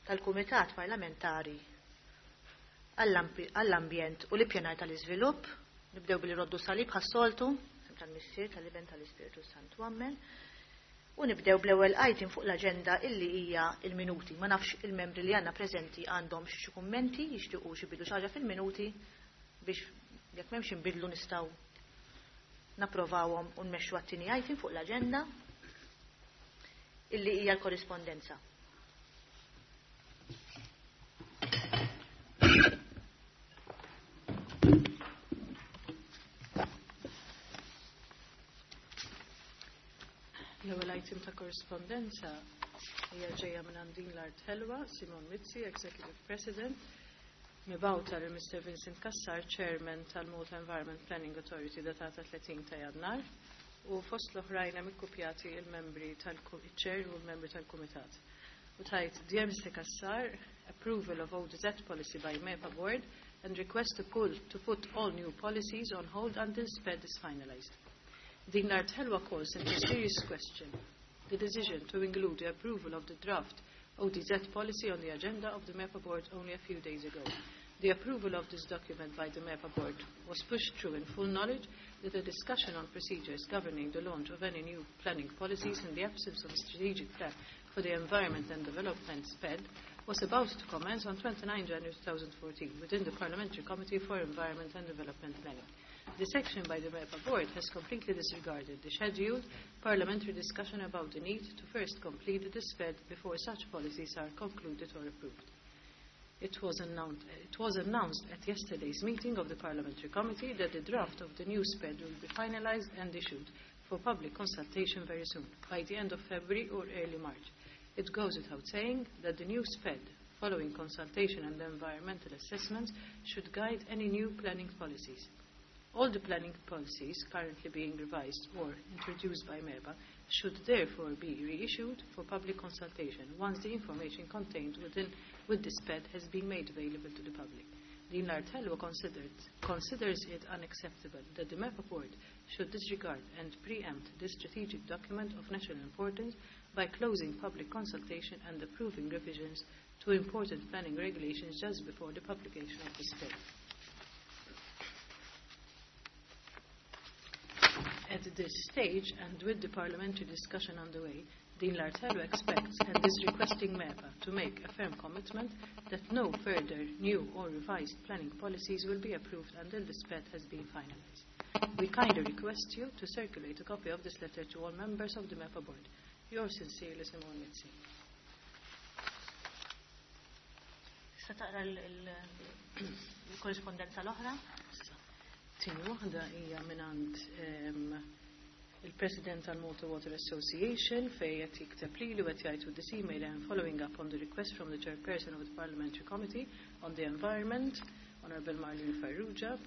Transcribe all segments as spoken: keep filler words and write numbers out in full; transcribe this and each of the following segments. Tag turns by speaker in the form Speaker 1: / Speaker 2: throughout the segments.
Speaker 1: tal-Kumitat Parlamentari għall-Ambjent u l-Ippjanar tal-Iżvilupp. Nibdew billi nroddu salib bħas-soltu, tal-Missier, tal-Iben, tal-Ispirtu Santu, Ammen. U nibdew bl-ewwel item fuq l-aġenda illi hija il-minuti. Ma nafx il-membri li għandna preżenti għandhom xi kummenti, jixtiequ xi jbidlu xi ħaġa fil-minuti biex jekk m'hemmx inbidlu nistgħu napprovawhom u nmexxu għat-tieni item fuq l-aġenda illi hija l-korrispondenza.
Speaker 2: L-ewwel item ta' korrispondenza hija ġejja minn Din l-Art Ħelwa, Simon Mizzi, Executive President, mibgħuta lil Mister Vincent Cassar, Chairman tal-Malta Environment Planning Authority, datata tletin ta' Jannar, u fost l-oħrajn hemm ikkupjati il-membri tal-Chair u l-membri tal-Kumitat. U tgħid, Dear Mister Cassar, approval of O D Z policy by MEPA Board and request to, pull, to put all new policies on hold until SPED is finalized. Din l-Art Ħelwa calls into serious question the decision to include the approval of the draft O D Z policy on the agenda of the MEPA Board only a few days ago. The approval of this document by the MEPA Board was pushed through in full knowledge that a discussion on procedures governing the launch of any new planning policies in the absence of a strategic plan for the environment and development, SPED, was about to commence on twenty-nine January twenty fourteen within the Parliamentary Committee for Environment and Development Planning. This action by the MEPA Board has completely disregarded the scheduled parliamentary discussion about the need to first complete the SPED before such policies are concluded or approved. It was, announced, it was announced at yesterday's meeting of the Parliamentary Committee that the draft of the new SPED will be finalized and issued for public consultation very soon, by the end of February or early March. It goes without saying that the new SPED, following consultation and environmental assessments, should guide any new planning policies. All the planning policies currently being revised or introduced by MEPA should therefore be reissued for public consultation once the information contained within with the SPED has been made available to the public. Din l-Art Ħelwa considered, considers it unacceptable that the MEPA Board should disregard and preempt this strategic document of national importance by closing public consultation and approving revisions to important planning regulations just before the publication of the SPED. At this stage, and with the parliamentary discussion underway, Din l-Art Ħelwa expects and is requesting MEPA to make a firm commitment that no further new or revised planning policies will be approved until the SPED has been finalized. We kindly request you to circulate a copy of this letter to all members of the MEPA Board. Yours sincerely, Simon Mizzi.
Speaker 1: Tista' taqra l-korrispondenza l-oħra?
Speaker 2: Tieni waħda hija mingħand il-President tal-Malta Water Association fejn qed jikteb lili u qed jgħid, with this email and following up on the request from the chairperson of the Parliamentary Committee on the Environment, Honorable Marlene Farrugia,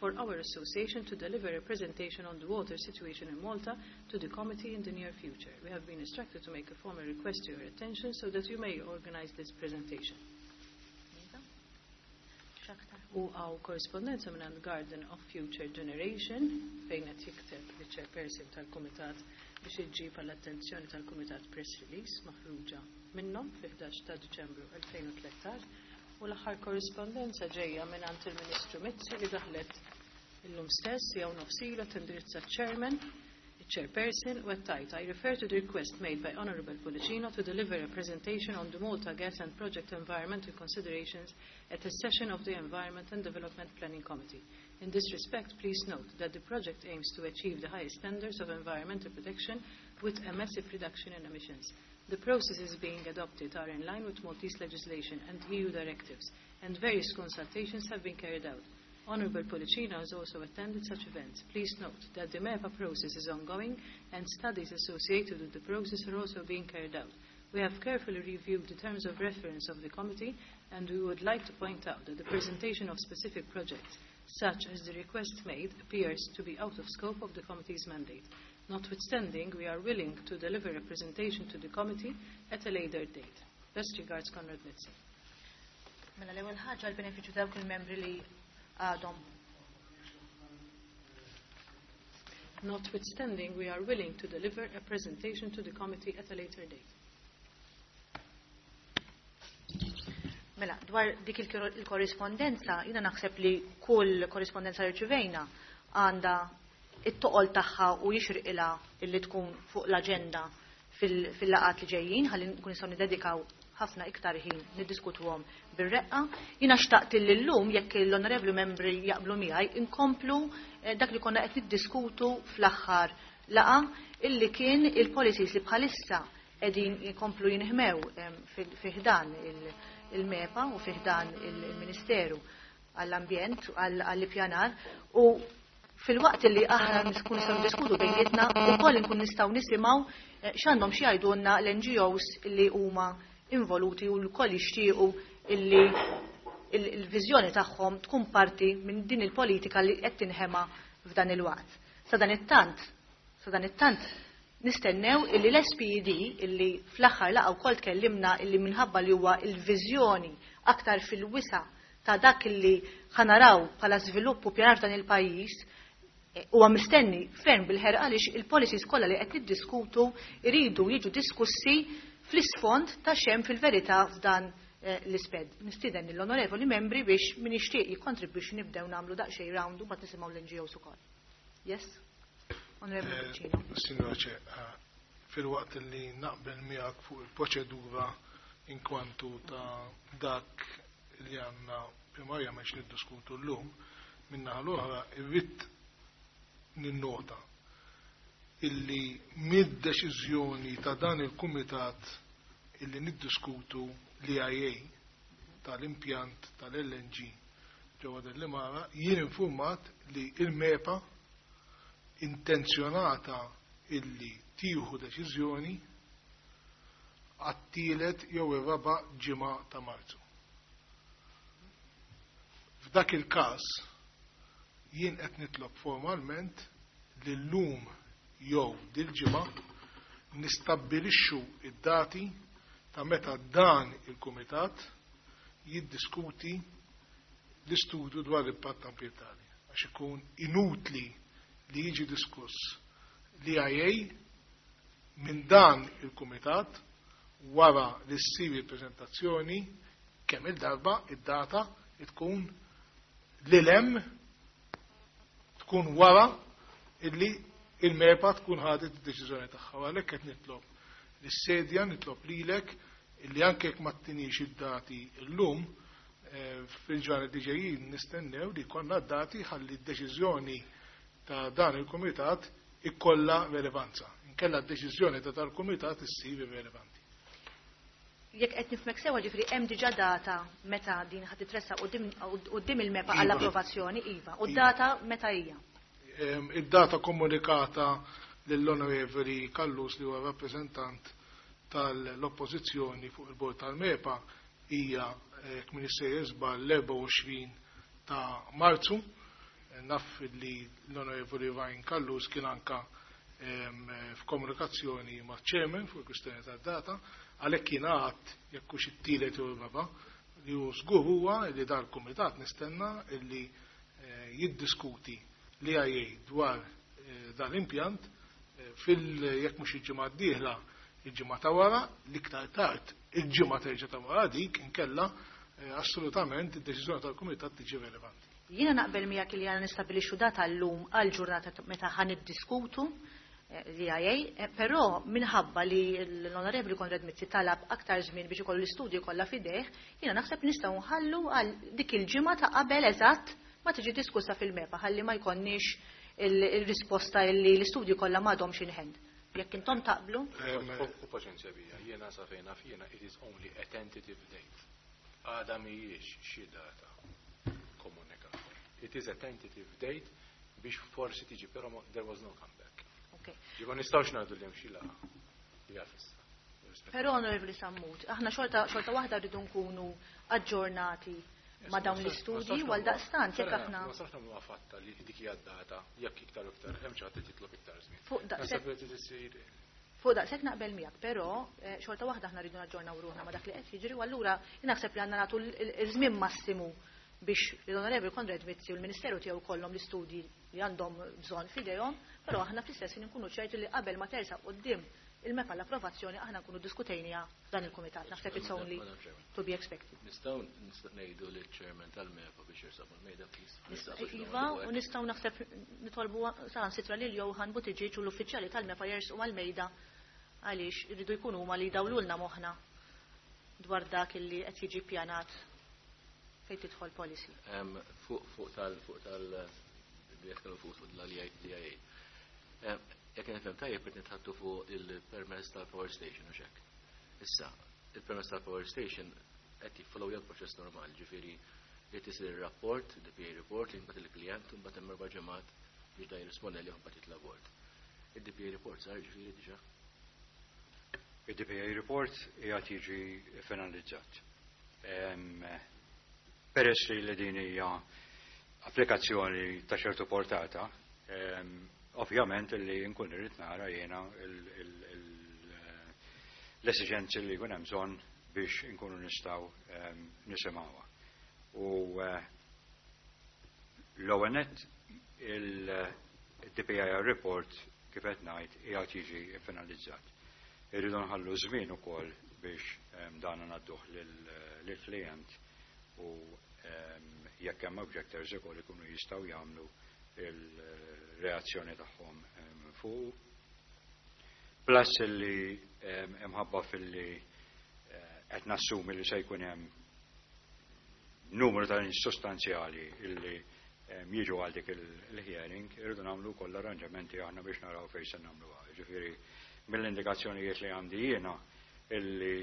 Speaker 2: for our association to deliver a presentation on the water situation in Malta to the committee in the near future. We have been instructed to make a formal request to your attention so that you may organize this presentation. U hawn korrispondenza minn Garden of Future Generation fejn qed jikteb il-chairperson tal-Kumitat biex iġġib għall-attenzjoni tal-Kumitat press release maħruġa minnhom fi ħdax ta' Diċembru elfejn u tlettax, u l-aħħar korrispondenza ġejja minn il-Ministru Mizzi li daħlet illum stess jew nofs ilu, tindirizza chairman, chairperson, u tgħid, I refer to the request made by Honorable Pullicino to deliver a presentation on the Malta Gas and Project environmental considerations at a session of the Environment and Development Planning Committee. In this respect, please note that the project aims to achieve the highest standards of environmental protection with a massive reduction in emissions. The processes being adopted are in line with Maltese legislation and E U directives, and various consultations have been carried out. Honorable Pullicino has also attended such events. Please note that the MEPA process is ongoing and studies associated with the process are also being carried out. We have carefully reviewed the terms of reference of the committee and we would like to point out that the presentation of specific projects, such as the request made, appears to be out of scope of the committee's mandate. Notwithstanding, we are willing to deliver a presentation to the committee at a later date. Best regards, Konrad Mizzi.
Speaker 1: Mela l-ewwel ħaġa l-benefiċċju dawk il-membri li għadhom
Speaker 2: Notwithstanding, we are willing to deliver a presentation to the committee at a later date.
Speaker 1: Mela, dwar dik il-korrispondenza, jiena naħseb li kull korrispondenza li rċivejna għandha it-toqol tagħha u jixriqilha illi tkun fuq l-aġenda fil-laqgħat li ġejjin, ħalli nkun nistgħu niddedikaw ħafna iktar ħin niddiskutuhom bir-reqqa. Jiena xtaqt li llum, jekk l-onorevoli membri jaqblu miegħi, inkomplu dak li konna qed niddiskutu fl-aħħar laqa, illi kien il-policies li bħalissa qegħdin jkomplu jinħmew fi ħdan il-MEPA u fi ħdan il-Ministeru għall-Ambjent, għall-Ippjanar, u fil-waqt li aħna nkun nistgħu niddiskutu bejnietna wkoll nkun nistgħu nisimgħu x'għandhom xi jgħidulna l-N G Os li huma involuti u lkoll jixtiequ illi il-viżjoni tagħhom tkun parti minn din il-politika li qed tinħema f'dan il-waqt. Sa dan it-tant, sa dan it-tant nistennew illi l-S P E D, illi fl-aħħar laqgħa wkoll tkellimna illi minħabba li huwa il-viżjoni aktar fil-wisa ta' dak illi ħa naraw bħala żvilupp u pjanar f'dan il-pajjiż, huwa mistenni ferm bil-ħerqa, għaliex il-policies kollha li qed niddiskutu iridu jiġu diskussi fl-isfond ta' x'hemm fil-verità f'dan l-isped. Nistieden l-onorevoli membri biex min jixtieq jikkontribwixxi, nibdew nagħmlu daqsxejn round u mbagħad nisimgħu l-N G Os ukoll. Yes? Onorevoli Pullicino.
Speaker 3: Signora Chair, filwaqt li naqbel miegħek fuq il-proċedura inkwantu ta' dak li għandna primarjament niddiskutu llum, min-naħa l-oħra irrid ninnota illi mid-deċiżjoni ta' dan il-kumitat illi niddiskutu l-E I A tal-impjant tal-L N G ġewwa Delimara, jien informat li il-MEPA intenzjonata illi tieħu deċiżjoni għat-tielet jew ir-raba' ġimgħa ta' Marzu. F'dak il-każ jien qed nitlob formalment li llum jew dil-ġimgħa nistabbilixxu id-dati ta' meta dan il-kumitat jiddiskuti l-istudju dwar l-impatt ambjentali. Għax ikun inutli li jiġi diskuss l-E I A minn dan il-kumitat wara li ssir il-prezentazzjoni, kemm il-darba id-data tkun lilem tkun wara illi il-MEPA tkun ħadet id-deċiżjoni tagħha. Għalhekk qed nitlob lis-sedja, nitlob lilek illi anke jekk ma ttinix id-dati llum, fil-ġranet li ġejjin nistennew li jkollna d-dati ħalli d-deċiżjoni ta' dan il-kumitat ikollha relevanza. Inkella d-deċiżjoni ta' dal-kumitat issir irrelevanti.
Speaker 1: Jekk qed nifhmek sewa, ġifieri hemm diġà data meta din ħad titressaq quddiem il-MEPA għall-approvazzjoni, iva. U d-data meta hija?
Speaker 3: Id-data komunikata lill-Onorevoli Callus, li huwa rappreżentant tal-oppożizzjoni fuq il-bord tal-MEPA, hija, jekk m'iniex żball, l-erbgħa u għoxrin ta' Marzu. Naf li l-Onorevoli Ryan Callus kien anka f'komunikazzjoni ma' chairman fuq il-kwistjoni tad-data, għalhekk kien għad jekk hux it-tielet jew ir-raba'. Li hu żgur huwa li dal-kumitat nistenna illi jiddiskuti l-E I A dwar dan l-impjant fil jekk mhux il-ġimgħa d-dieħla, il-ġimgħa ta' wara, l-iktar tard il-ġimgħa terġa' ta' wara dik, inkella assolutament id-deċiżjoni tal-kumitat tiġi irrelevanti.
Speaker 1: Jiena naqbel miegħek li għandna nistabbilixxu data llum għal ġurnata meta ħa niddiskutu l-E I A, però minħabba li l-Onorevoli Konrad Mizzi talab aktar żmien biex ikollu l-istudju kollha f'idejh, jiena naħseb nistgħu nħallu għal dik il-ġimgħa ta' qabel eżatt ma tiġi diskussa fil-MEPA, ħalli ma jkollniex il-risposta li l-istudju kollha m'għadhomx in hand. Jekk intom taqblu?
Speaker 4: U paċenzja bija, jiena sa fejn naf jiena, it is only a tentative date. Għada mhijiex xi data komunikata. It is a tentative date biex forsi tiġi, però there was no comeback.
Speaker 1: Okay.
Speaker 4: Ġiba nistgħux ngħidu li hemm xi laqgħa li hija fissa.
Speaker 1: Però, Onorevoli Sammut, aħna xorta xorta waħda rridu nkunu aġġornati ma' dawn l-istudji, għal daqstant jekk aħna
Speaker 4: Ma nistax nagħmlu fatta li dik hija data jekk iktar u iktar hemm xi ħadd jitlob iktar żmien.
Speaker 1: Fuq daqshekk
Speaker 4: Naħseb li tisir
Speaker 1: Fuq daqshekk naqbel miegħek, però xorta waħda aħna rridu naġġornaw ruħna ma' dak li qed jiġri, u allura naħseb li għandna nagħtu l-żmien massimu biex l-Onorevoli Konrad Mizzi u l-Ministeru tiegħu kollhom l-istudji li għandhom bżonn f'idejhom, però aħna fl-istess ħin nkunu ċerti li qabel ma tersaq quddiem il-MEPA l-approvazzjoni aħna nkunu diskutejniha f'dan il-kumitat. Naħseb it's only to be expected.
Speaker 4: Nistgħu ngħidu lill-chairman tal-MEPA biex jersaq mal-mejda, please.
Speaker 1: Iva, u nistgħu naħseb nitolbu saħansitra lil Johan Buttigieg u l-uffiċjali tal-MEPA jersqu mal-mejda għaliex irridu jkunu huma li jdawlulna moħħna dwar dak illi qed jiġi pjanat fejn tidħol policy.
Speaker 4: Fuq fuq tal fuq tal fuq l-I A. Jekk nifhem tajjeb, qed nitħaddtu fuq il-permess tal-power station u hekk. Issa, il-permess tal-power station qed jiffollow l-proċess normali, ġifieri li tisir il-rapport, D P A report, li mbagħad il-klient u mbagħad hemm erba' ġimgħat biex da jirrispondi li mbagħad jitla' bord. Il-D P A report sar ġifieri diġà?
Speaker 5: Il-D P A report qiegħed jiġi finalizzat. Peress li din hija applikazzjoni ta' ċertu portata, ovvjament li nkun irrid nara jiena l-esiġenzi li jkun hemm bżonn biex inkunu nistgħu nisimgħuha. U eh, l-ewwel nett il-D P I report, kif qed ngħid, qiegħed jiġi finalizzat. Irridu nħallu żmien ukoll biex dan ngħadduh lill-klient u jekk hemm objectors ukoll ikunu jistgħu jagħmlu il-reazzjoni tagħhom fuq. Plus li imħabba fil-li eh, qed nassumi li se jkun hemm numru ta' sostanzjali illi jiġu għal dik il-hearing, irridu nagħmlu koll arranġamenti aħna biex naraw fejn se nagħmluha. Ġifieri mill-indikazzjonijiet li għandi jiena illi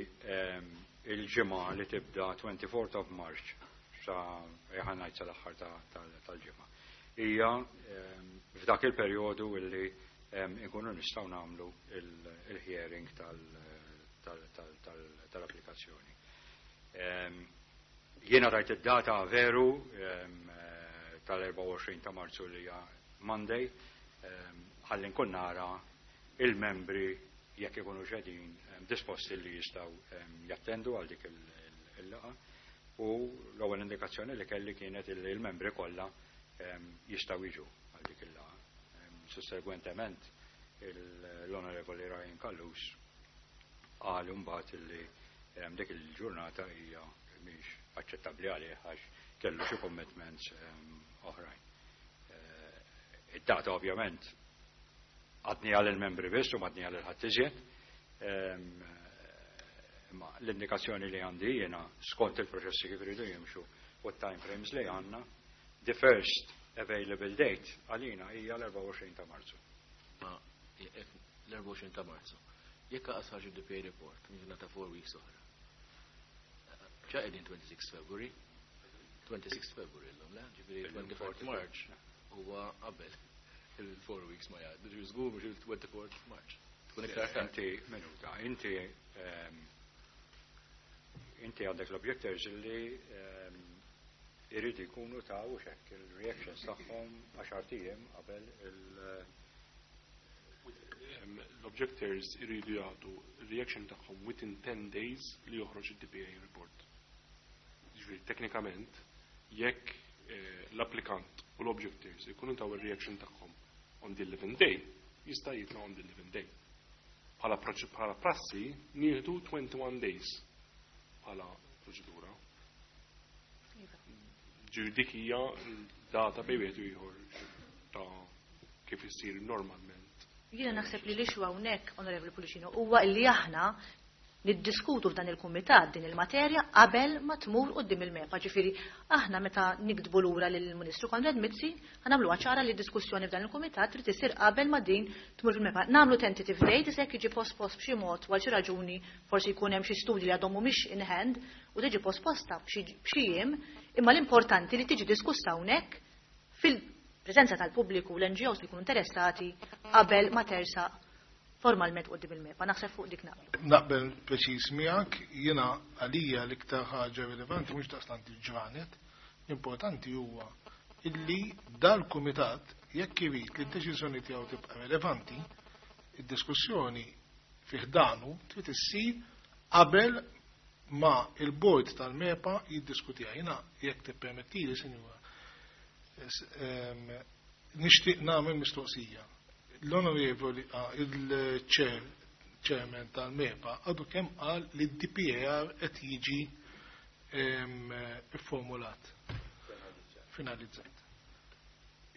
Speaker 5: il-ġimgħa li tibda twenty-fourth of March sa ħa ngħid sal-aħħar tal-ġimgħa. Hija f'dak il-perjodu illi nkunu nistgħu nagħmlu il-hearing tal-applikazzjoni. Jiena rajt id-data veru tal-erbgħa u għoxrin ta' Marzu li hija Monday, ħalli nkun nara il-membri jekk ikunu qegħdin disposti li jistgħu jattendu għal dik il-laqgħa, u l-ewwel indikazzjoni li kelli kienet li l-membri kollha jistgħu jiġu għal dik il-laqgħa. Sussegwentement l-Onorevoli Ryan Callus qal mbagħad illi dik il-ġurnata hija mhix aċċettabbli għalih għax kellu xi commitments oħrajn. Eh, id-data ovvjament għadni għal il-membri biss u m'għadni għal il-ħadd iżjed. Imma l-indikazzjoni li għandi jiena skont il-proċessi kif iridu jimxu u t-time frames li għandna, the first available date għalina hija l-erbgħa u għoxrin ta' Marzu.
Speaker 4: Ma l-erbgħa u għoxrin ta' Marzu. Jekk ħareġ il-D P A report, ta' four weeks oħra. Ġa qegħdin twenty-six February, twenty-six February l-lum, le? Ġifieri twenty-fourth March huwa qabel il-four weeks ma jgħaddu, ġifieri żgur mhux il-twenty-fourth March. Tkun iktar tard.
Speaker 5: Inti, minuta, inti ehm, inti għandek l-objectors li ehm, irridu jkunu ta' u xek il-reactions tagħhom għaxart ijiem qabel il-
Speaker 6: L-objectors iridu jagħtu reaction tagħhom within ten days li joħroġ id-D P A report. Ġifieri teknikament jekk eh, l-applikant u l-objectors ikunu taw il-reaction tagħhom on the eleventh day, jista' jitla' on the eleventh day. Bħala bħala prassi nieħdu twenty-one days bħala proċedura. Ġifieri dik hija data bejn wieħed u ieħor ta' kif issir normalment.
Speaker 1: Jiena naħseb li l-issue hawnhekk, Onorevoli Pullicino, huwa illi aħna niddiskutu f'dan il-kumitat din il-materja qabel ma tmur quddiem il-MEPA. Ġifieri aħna meta niktbu lura lill-Ministru Konrad Mizzi ħa nagħmluha ċara li diskussjoni f'dan il-kumitat trid isir qabel ma din tmur fil-MEPA. Nagħmlu tentative date, jekk jiġi pospost b'xi mod għal xi raġuni, forsi jkun hemm xi studji li għadhom mhumiex in hand u tiġi posposta b'xi jiem, imma l-importanti li tiġi diskussa hawnhekk fil-preżenza tal-pubbliku u l-N G Os li jkunu interessati qabel ma tersaq formalment quddiem il-MEPA. Naħseb fuq dik naqbel.
Speaker 3: Naqbel preċiż miegħek, jiena għalija l-iktar ħaġa rilevanti mhux daqstant il-ġranet, l-importanti huwa illi dal-kumitat jekk irid li d-deċiżjoni tiegħu tibqa' rilevanti, id-diskussjoni fih danu trid issir qabel ma il-board tal-MEPA jiddiskutiha. Jiena jekk tippermettili, sinjura, nixtieq nagħmel mistoqsija. L-onorevoli, ah, il-chair Chairman tal-MEPA għadu kemm qal li d-D P A R qed jiġi formulat. Finalizzat.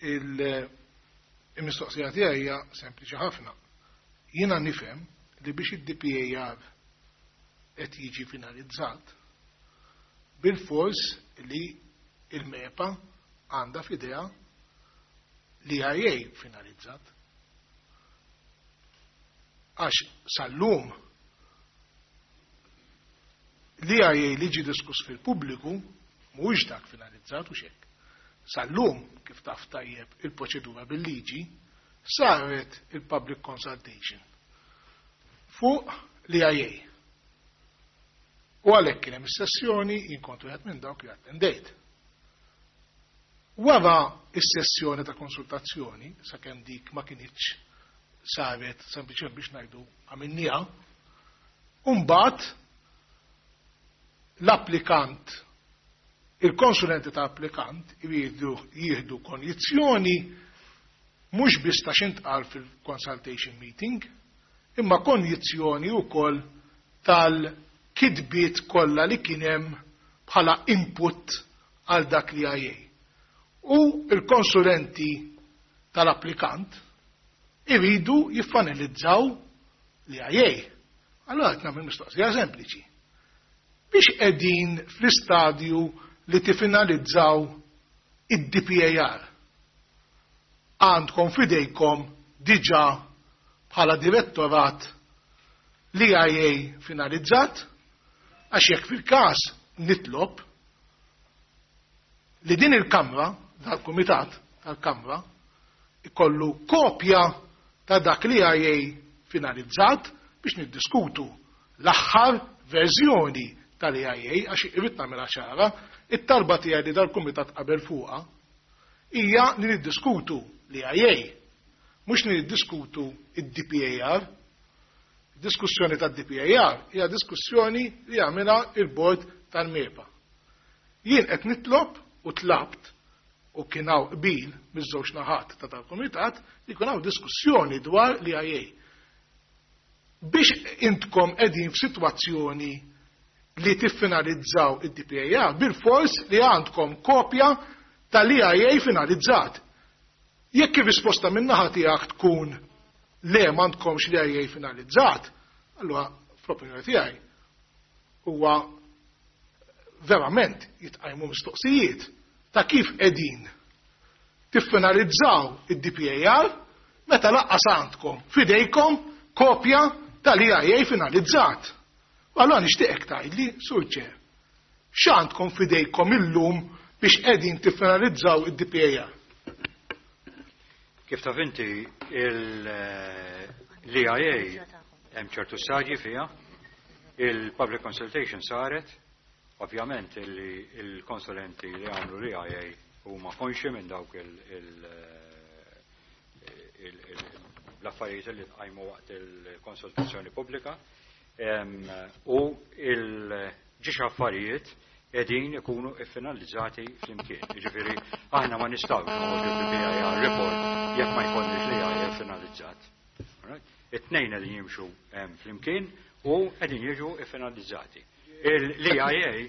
Speaker 3: Il-mistoqsija tiegħi hija sempliċi ħafna. Jiena nifhem li biex id-D P A R qed jiġi finalizzat, bil-fors li il-MEPA għandha f'idejha l-E I A finalizzat. Għax sal-lum l-E I A li ġi diskuss fil-pubbliku mhuwiex dak finalizzat u xek. Sal-lum, kif taf tajjeb il-proċedura bil-liġi, saret il-public consultation fuq l-E I A. U għalhekk kien hemm is-sessjoni, jien kont wieħed minn dawk li attendejt. Wara is-sessjoni ta' konsultazzjoni, sakemm dik ma kinitx saret sempliċement biex ngħidu għamilniha, mbagħad l-applikant, il-konsulenti ta' applikant jridu jieħdu konjizzjoni mhux biss ta' x'intqal fil-consultation meeting, imma konjizzjoni wkoll tal-kitbiet kollha li kien hemm bħala input għal dak l-E I A. U il-konsulenti tal-applikant iridu jiffinalizzaw l-E I A. Allora qed nagħmel mistoqsija sempliċi. Biex qegħdin fl-istadju li tifinalizzaw id-D P A R, għandkom fidejkom diġà bħala direttorat l-E I A finalizzat? Għax jekk fil-każ nitlob li din il-Kamra, dal-Kumitat tal-Kamra, ikollu kopja ta' dak l-E I A finalizzat biex niddiskutu l-aħħar verżjoni tal-E I A, għax irrid nagħmilha ċara, it-talba tiegħi li dal-Kumitat qabel fuqha hija li niddiskutu l-E I A, mhux li niddiskutu id-D P A R. Diskussjoni tad-D P A R hija diskussjoni li jagħmilha il-bord tal-MEPA. Jien qed nitlob u tlabt u kien hawn qbil miż-żewġ naħat ta' tal-kumitat li jkun hawn diskussjoni dwar l-E I A. Biex intkom qegħdin f'sitwazzjoni li tiffinalizzaw id-D P A R, bil-fors li għandkom kopja tal-E I A finalizzat. Jekk ir-risposta min-naħa tiegħek tkun le, m'għandkomx l-E I A finalizzat, allura fl-opinjoni tiegħi huwa verament jitqajmu mistoqsijiet ta' kif qegħdin tiffinalizzaw id-D P A R meta lanqas għandkom fidejkom kopja tal-E I A finalizzat. U allora nixtieqek tgħidli, Sur Chair, x'għandkom fidejkom illum biex qegħdin tiffinalizzaw id-D P A R?
Speaker 5: Kif taf inti, l-E I A hemm ċertu stadji fiha, il-public consultation saret, ovvjament li il-konsulenti li għamlu l-E I A huma konxi minn dawk il- il- il- il- l-affarijiet li tqajmu waqt il-konsultazzjoni pubblika em, u il-ġiex affarijiet qegħdin ikunu iffinalizzati flimkien. Jiġifieri aħna ma nistgħux noħorġu D P A R report jekk ma jkollniex l-E I A finalizzat. Alright? It-tnejn qegħdin jimxu em, flimkien u qegħdin jiġu iffinalizzati. L-E I A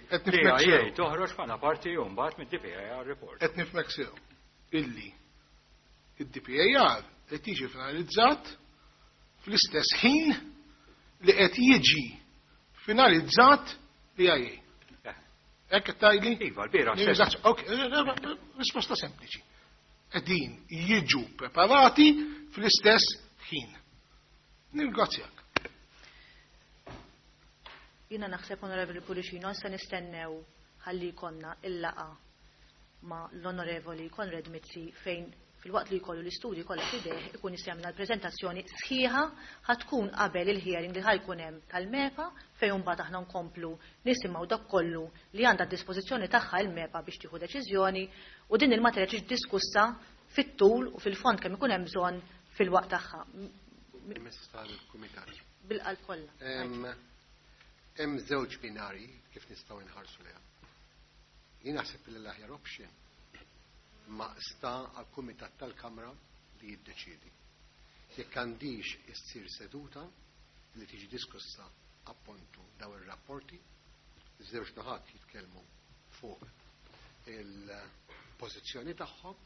Speaker 3: Qed nifhmek
Speaker 5: l-E I A
Speaker 3: sew.
Speaker 5: toħroġ bħala parti u mbagħad mid-D P A R report.
Speaker 3: Qed nifhmek sew illi id-D P A R qed jiġi finalizzat fl-istess ħin li qed jiġi finalizzat l-E I A.
Speaker 5: Eh.
Speaker 3: Hekk qed tgħidli?
Speaker 5: Iva, l-bieraħ stess.
Speaker 3: Ok, eh, risposta sempliċi. Qegħdin jiġu preparati fl-istess ħin. Nirringrazzjak.
Speaker 1: Jiena naħseb, Onorevoli Pullicino, se nistennew ħalli jkollna il-laqgħa ma' l-Onorevoli Konrad Mizzi, fejn filwaqt li jkollu l-istudji kollha f'idejh ikun jista' jagħmel l-preżentazzjoni sħiħa, ħa tkun qabel il-hearing li ħajkun hemm tal-MEPA, fejn mbagħad aħna nkomplu nisimgħu dak kollu li għandha d-dispożizzjoni tagħha il-MEPA biex tieħu deċiżjoni u din il-materja tiġi diskussa fit-tul u fil-fond kemm ikun hemm bżonn fil-waqt tagħha.
Speaker 7: Permess tal-Kumitat.
Speaker 1: Bil-qalb kollha.
Speaker 7: Hemm hemm żewġ binari kif nistgħu nħarsu lejha. Jien naħseb li l-aħjar option ma sta għal-Kumitat tal-Kamra li jiddeċiedi jekk għandix issir seduta li tiġi diskussa appuntu daw ir-rapporti, iż-żewġ naħat jitkellmu fuq il-pożizzjoni tagħhom,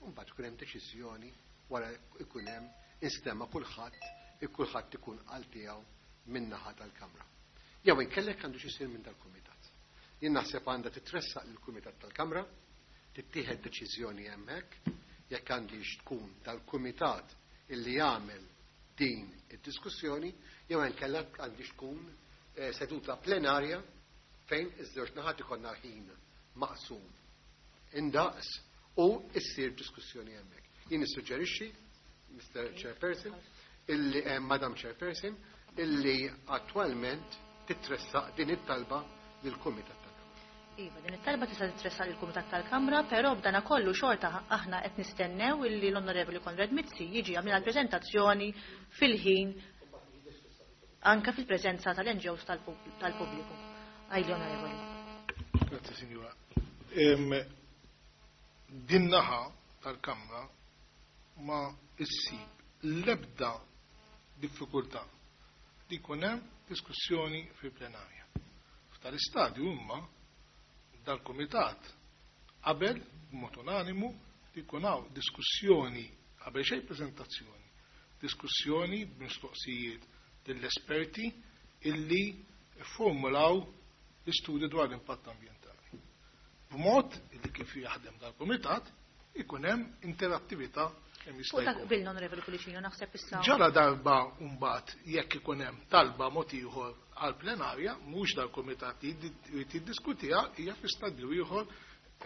Speaker 7: u mbagħad ikun hemm deċiżjoni wara ikun hemm instema' kulħadd, kulħadd ikun qal tiegħu min-naħa tal-Kamra. Jew inkellek għandu x'isir minn dal-kumitat. Jien naħseb għandha titressaq lill-Kumitat tal-Kamra, tittieħed deċiżjoni hemmhekk, jekk għandix tkun dal-kumitat illi jagħmel din id-diskussjoni, jew inkella għandix tkun eh, seduta plenarja fejn iż-żewġ naħat ikollna ħin maqsum indaqs u issir diskussjoni hemmhekk. Jien nissuġġerixxi, Mister Chairperson, illi eh, Madam Chairperson, illi attwalment titressaq din it-talba lill-Kumitat tal-Kamra.
Speaker 1: Iva, din it-talba tista' titressaq lill-Kumitat tal-Kamra, però b'dana kollu xorta aħna qed nistennew illi l-Onorevoli Konrad Mizzi jiġi jagħmilha l-preżentazzjoni fil-ħin anke fil-preżenza tal-N G Os tal-pubbliku. Għajli, Onorevoli.
Speaker 3: Grazie, Signora. Din naħa tal-Kamra ma issib l-ebda diffikultà li jkun hemm diskussjoni fil-plenarja. F'tal-istadju imma dal-Kumitat qabel b'mod unanimu li jkun hawn diskussjoni qabel xejn preżentazzjoni, diskussjoni b'mistoqsijiet lill-esperti illi formulaw l-istudju dwar l-impatt ambjentali. B'mod illi kif jaħdem dal-Kumitat ikun hemm interattività kemm jista'
Speaker 1: Fuq dak
Speaker 3: jkun.
Speaker 1: qbilna, Onorevoli Pullicino, naħseb issa.
Speaker 3: Ġara darba mbagħad jekk ikun hemm talba mod ieħor għal plenarja, mhux dal-kumitat jrid jiddiskutiha, hija fi stadju ieħor,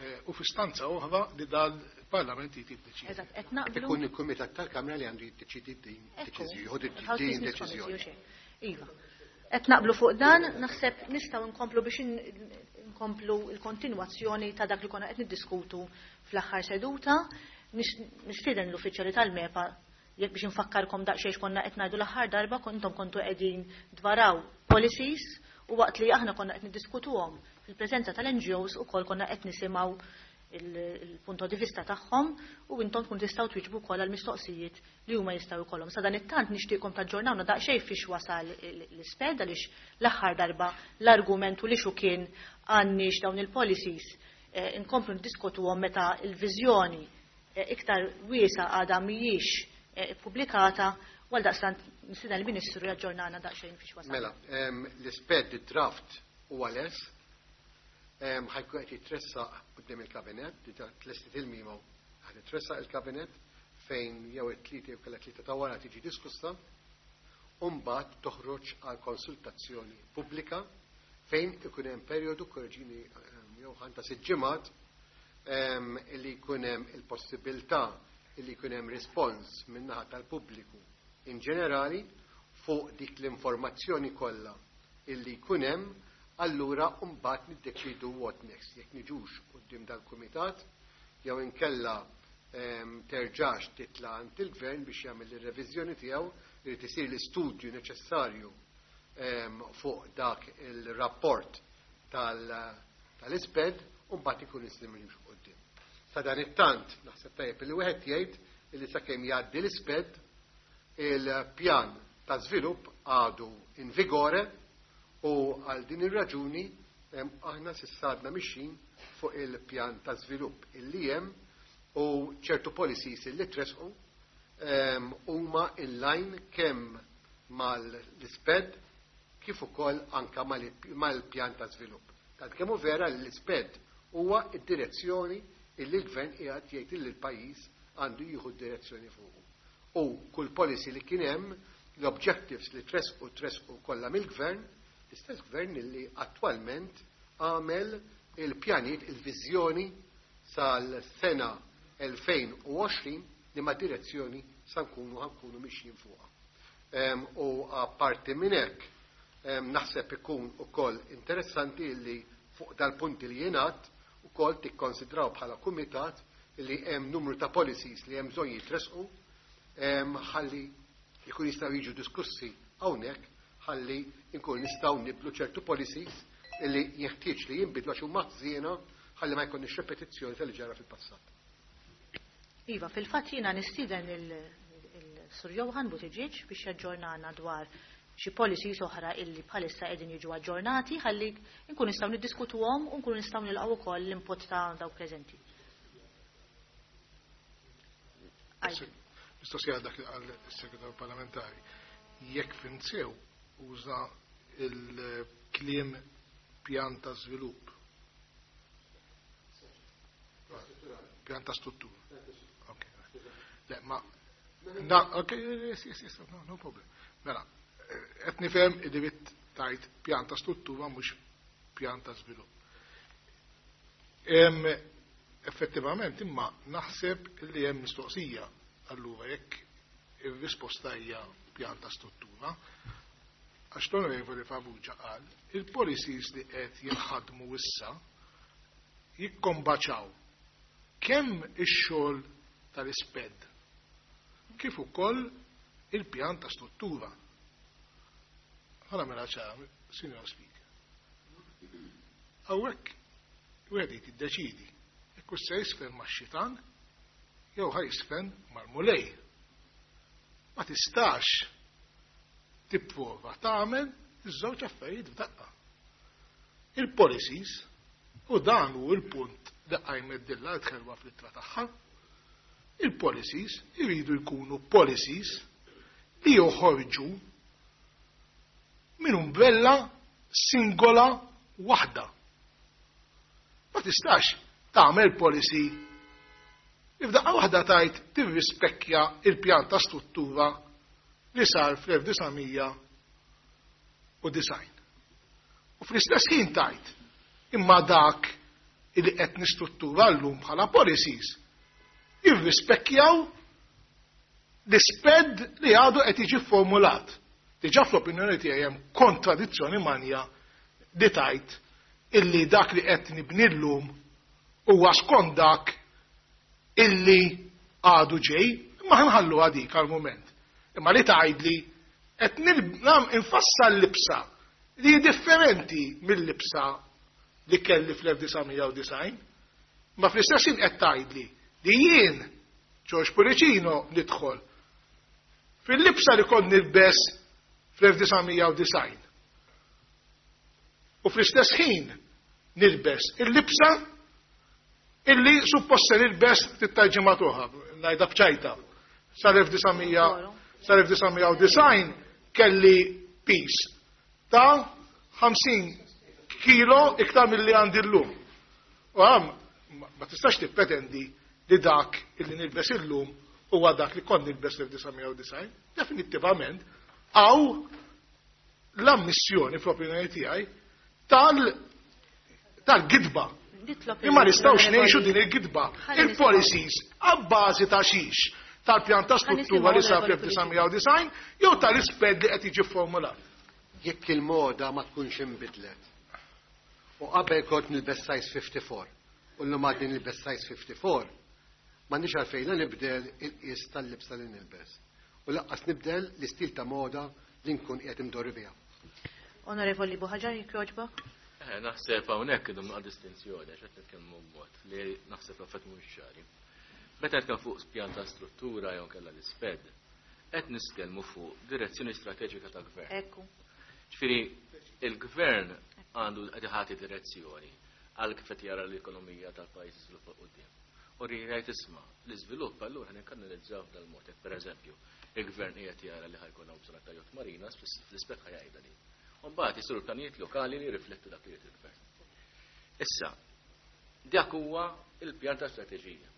Speaker 3: eh, u fi stanza oħra li dal-Parlament jrid jiddeċidi.
Speaker 1: Eżatt, qed naqblu.
Speaker 7: Ikun il-Kumitat tal-Kamra li għandu jiddeċidi din
Speaker 1: Ekku,
Speaker 7: deċiżjoni, jieħu din
Speaker 1: House Business
Speaker 7: deċiżjoni.
Speaker 1: Committee, u xejn. Iva. Qed naqblu fuq dan, naħseb nistgħu nkomplu biex in-, nkomplu l-kontinwazzjoni ta' dak li konna qed niddiskutu fl-aħħar seduta. Nis-, nistieden l-uffiċjali tal-MEPA jekk biex nfakkarkom daqsxejn x'konna qed ngħidu l-aħħar darba, kontom kontu qegħdin dvaraw policies u waqt li aħna konna qed niddiskutuhom fil-preżenza tal-N G Os ukoll konna qed nisimgħu il-, il-punto di vista tagħhom u intom tkun tistgħu twieġbu wkoll għall-mistoqsijiet li huma jistgħu jkollhom. Sa dan it-tant nixtieqkom taġġornawna daqsxejn fiex wasal il-, l-isped għaliex l-aħħar darba l-argumentu li xu kien għandniex dawn il-policies, eh, inkomplu niddiskutuhom meta l-viżjoni, eh, iktar wiesa għadha mhijiex, eh, ippubblikata, u għal daqstant nistenna l-Ministru jaġġornana daqsxejn fiex wasal.
Speaker 7: Mela, em, l-isped id-draft huwa les, em, ħajkun qed jitressaq quddiem il-Kabinett, diġà tlestit il-memo, ħad jitressaq il-Kabinett fejn jew it-tlieta jew kellha tlieta ta' wara tiġi diskussa, u mbagħad toħroġ għal konsultazzjoni pubblika fejn ikun hemm perjodu, korreġini, em, jew ħanta sitt ġimgħat, em, li jkun hemm il-possibilità li jkun hemm rispons min-naħa tal-pubbliku in ġenerali fuq dik l-informazzjoni kollha illi jkun hemm, allura mbagħad niddeċidu what next, jekk niġux quddiem dal-kumitat jew inkella, em, terġax titla' għand il-gvern biex jagħmel ir-reviżjoni tiegħu, irid isir l-istudju neċessarju, em, fuq dak il-rapport tal-, tal-isped u mbagħad ikun nistgħu nimxu quddiem. Sa dan it-tant naħseb tajjeb li wieħed jgħid illi sakemm jgħaddi l-isped il-pjan ta' żvilupp għadu in vigore u għal din ir-raġuni, em, aħna s'issa għadna mixin fuq il-pjan ta' żvilupp illi hemm u ċertu policies illi tresqu, em, huma in line kemm mal-isped kif ukoll anka mal-, mal-pjan ta' żvilupp. Tant kemm hu vera li l-isped huwa d-direzzjoni illi l-gvern qiegħed jgħid li l-pajjiż għandu jieħu d-direzzjoni fuqu. U kull policy li kien hemm, l-objectives li tresqu tresqu kollha mill-gvern, l-istess gvern illi attwalment għamel il-pjanijiet, il-viżjoni sal-sena elfejn u għoxrin li ma' direzzjoni sa nkunu ħankunu mixjin fuqha. Em, u apparti minn hekk, em, naħseb ikun ukoll interessanti li fuq dal-punti li jingħad ukoll tikkonsidraw bħala kumitat li hemm numru ta' policies li hemm bżonn jitresqu, em, ħalli jkun jistgħu jiġu diskussi hawnhekk, ħalli nkun nistgħu nibdlu ċertu policies li jeħtieġ li jinbidlu għax huma ħżiena ħalli ma jkunniex repetizzjoni tal-li ġara fil-passat.
Speaker 1: Iva, fil-fatt jiena nistieden il-Sur Johan Buttigieg biex jaġġornana dwar xi policies oħra illi bħalissa qegħdin jiġu aġġornati ħalli nkunu nistgħu niddiskutuhom u nkunu nistgħu nilqgħu ukoll l-input ta' dawk preżenti.
Speaker 3: Mistoqsija dak għal-segretarju parlamentari. Jekk fhimt sew uża il-kliem pjan ta' żvilupp. Pjan ta' struttura. Okay. Le, ma na, okay, yes, yes, yes, no, no problem. Mela, qed nifhem id-dritt tajt pjan ta' struttura mhux pjan ta' żvilupp. Effettivament imma naħseb li hemm mistoqsija allura jekk ir-risposta hija pjan ta' struttura, għax l-Onorevoli Farrugia qal il-policies li qed jinħadmu issa jikkombaċaw kemm ix-xogħol tal-isped kif ukoll il-pjan ta' struttura. Ħa mela ċara, Signor Speaker. Hawnhekk wieħed jiddeċidi jekk hux se jisfen max-xitan jew ħa jisfen mal-mulej. Ma tistax tipprova tagħmel iż-żewġ affarijiet f'daqqa. Il-policies, u dan hu l-punt li qajmet din l-art ħelwa fl-ittra tagħha, il-policies iridu jkunu policies li joħorġu minn umbrella singola waħda. Ma tistax tagħmel policy f'daqqa waħda tajt tirrispekkja il-pjan ta' struttura li sar fl-elf disa' mija u disgħin. U fl-istess ħin tajt imma dak li qed nistruttura llum bħala policies jirrispekkjaw l-isped li għadu qed jiġi formulat. Diġà fl-opinjoni tiegħi hemm kontradizzjoni manja li tajt illi dak li qed nibni llum huwa skont dak illi għadu ġej, imma ħanħallu għadik għal-moment. Imma li tgħidli qed nil-, infassal libsa li hi differenti mill-libsa li kelli fl-elf disa' mija u disgħin, ma fl-istess ħin qed tgħidli li jien George Pullicino nidħol fil-libsa li kont nilbes fl-elf disa' mija u disgħin. U fl-istess ħin nilbes il-libsa illi suppost se nilbes tit-tarġima oħra, ngħidha b'ċajta. Sal-elf disa' mija, sal-elf disa' mija u disgħin kelli pis ta' ħamsin kilo iktar milli għandi llum. U għam, ma tistax tippretendi li dak illi nilbes illum huwa dak li kont nilbes l-elf disa' mija u disgħin. Definittivament, għaw l-ammissjoni fl-opinjoni tiegħi tal-, tal-gidba.
Speaker 1: Nitlob
Speaker 3: Imma nistgħux
Speaker 1: il-Onorevoli
Speaker 3: ngħixu din il-gidba.
Speaker 1: Ħalli
Speaker 3: Il-policies għabbażi ta' xiex tal-pjan ta'
Speaker 1: Ħalli
Speaker 3: struttura li
Speaker 1: nisimgħu
Speaker 3: sar
Speaker 1: l-Onorevoli
Speaker 3: fl-elf disa' mija u disgħin jew tal-isped li qed jiġi formulat.
Speaker 7: Jekk il-moda ma tkunx inbidlet. U qabel kont nilbes size fifty-four u llum għadni nilbes size fifty-four, m'għandix għalfejn la nibdel il-qies tal-libsa li nilbes. U laqqas nibdel l-istil ta' moda li nkun qiegħed imdorri biha.
Speaker 1: Onorevoli Buhaġar, jekk jogħġbok?
Speaker 8: Eh, naħseb hawnhekk idhom naqra distinzjoni għax qed nitkellmu b'mod li naħseb l-affett mhux ċari. Meta nitkellmu fuq pjan ta' struttura jew kellha l-isped, qed nitkellmu fuq direzzjoni strateġika ta' gvern.
Speaker 1: Ekku.
Speaker 8: Ġifieri il-gvern għandu qed iħati direzzjoni għal kif qed jara l-ekonomija tal-pajjiż iżviluppa quddiem. U jgħid isma' l-iżvilupp allura nikkanalizzaw f'dal-mod. Jekk pereżempju il-gvern qiegħed jara li ħajkun hawn bżonn ta' yacht marinas, fl-ispett ħajgħidha din. U mbagħad isiru pjanijiet lokali li jirriflettu dak li jrid il-gvern. Issa, dak huwa il-pjan ta' strateġija.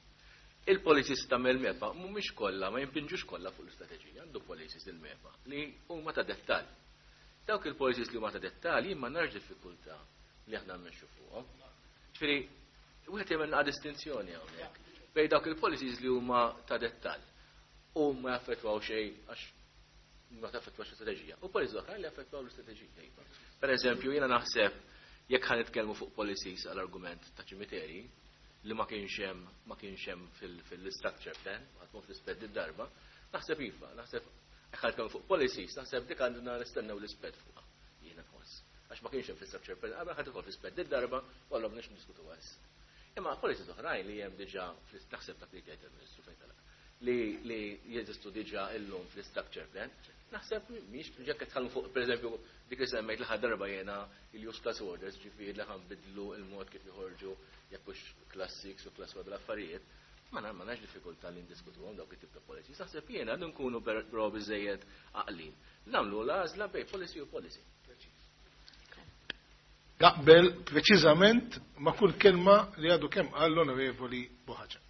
Speaker 8: Il-policies ta' mill-MEPA mhumiex kollha, ma jimpinġux kollha fuq l-istrateġija, għandu policies il-MEPA li huma ta' dettall. Dawk il-policies li huma ta' dettall jien ma narax diffikultà li aħna mmexxu fuqhom. Ġifieri, wieħed jagħmel naqra distinzjoni hawnhekk bejn dawk il-policies li huma ta' dettall u ma jaffettwaw xejn għax ma taffettwax l-istrateġija. U policies oħra li jaffettwaw l-istrateġija. Iva. Per eżempju, jiena naħseb jekk ħa nitkellmu fuq policies għall-argument ta' ċimiteri li ma kienx hemm, ma kienx hemm fil-, fil-structure plan, ħadd fl-isped id-darba, naħseb iva, naħseb jekk ħa nitkellmu fuq policies, naħseb dik għandna nistennew l-isped fuqha. Jiena nħoss. Għax ma kienx hemm fil-structure plan, qabel ħadd ukoll fl-isped id-darba, u allura m'għandniex niddiskutu issa. Imma policies oħrajn li hemm diġà fl-, naħseb dak li jgħid il-Ministru fejn telaq, li, li jeżistu diġà illum fl-structure plan, Naħseb mhix jekk tħallmu fuq pereżempju dik li semmejt l-aħħar darba jiena il-use class orders, ġifieri li ħanbidlu il-mod kif joħorġu jekk hux class six u class one l-affarijiet, ma ma nax diffikultà li ndiskutuhom dawk it-tip ta' policies. Naħseb jiena għandu nkunu però biżejjed għaqlin. Nagħmlu l-għażla bejn policy u policy.
Speaker 3: Naqbel preċiżament ma' kull kelma li għadu kemm qal l-Onorevoli Buhaġar.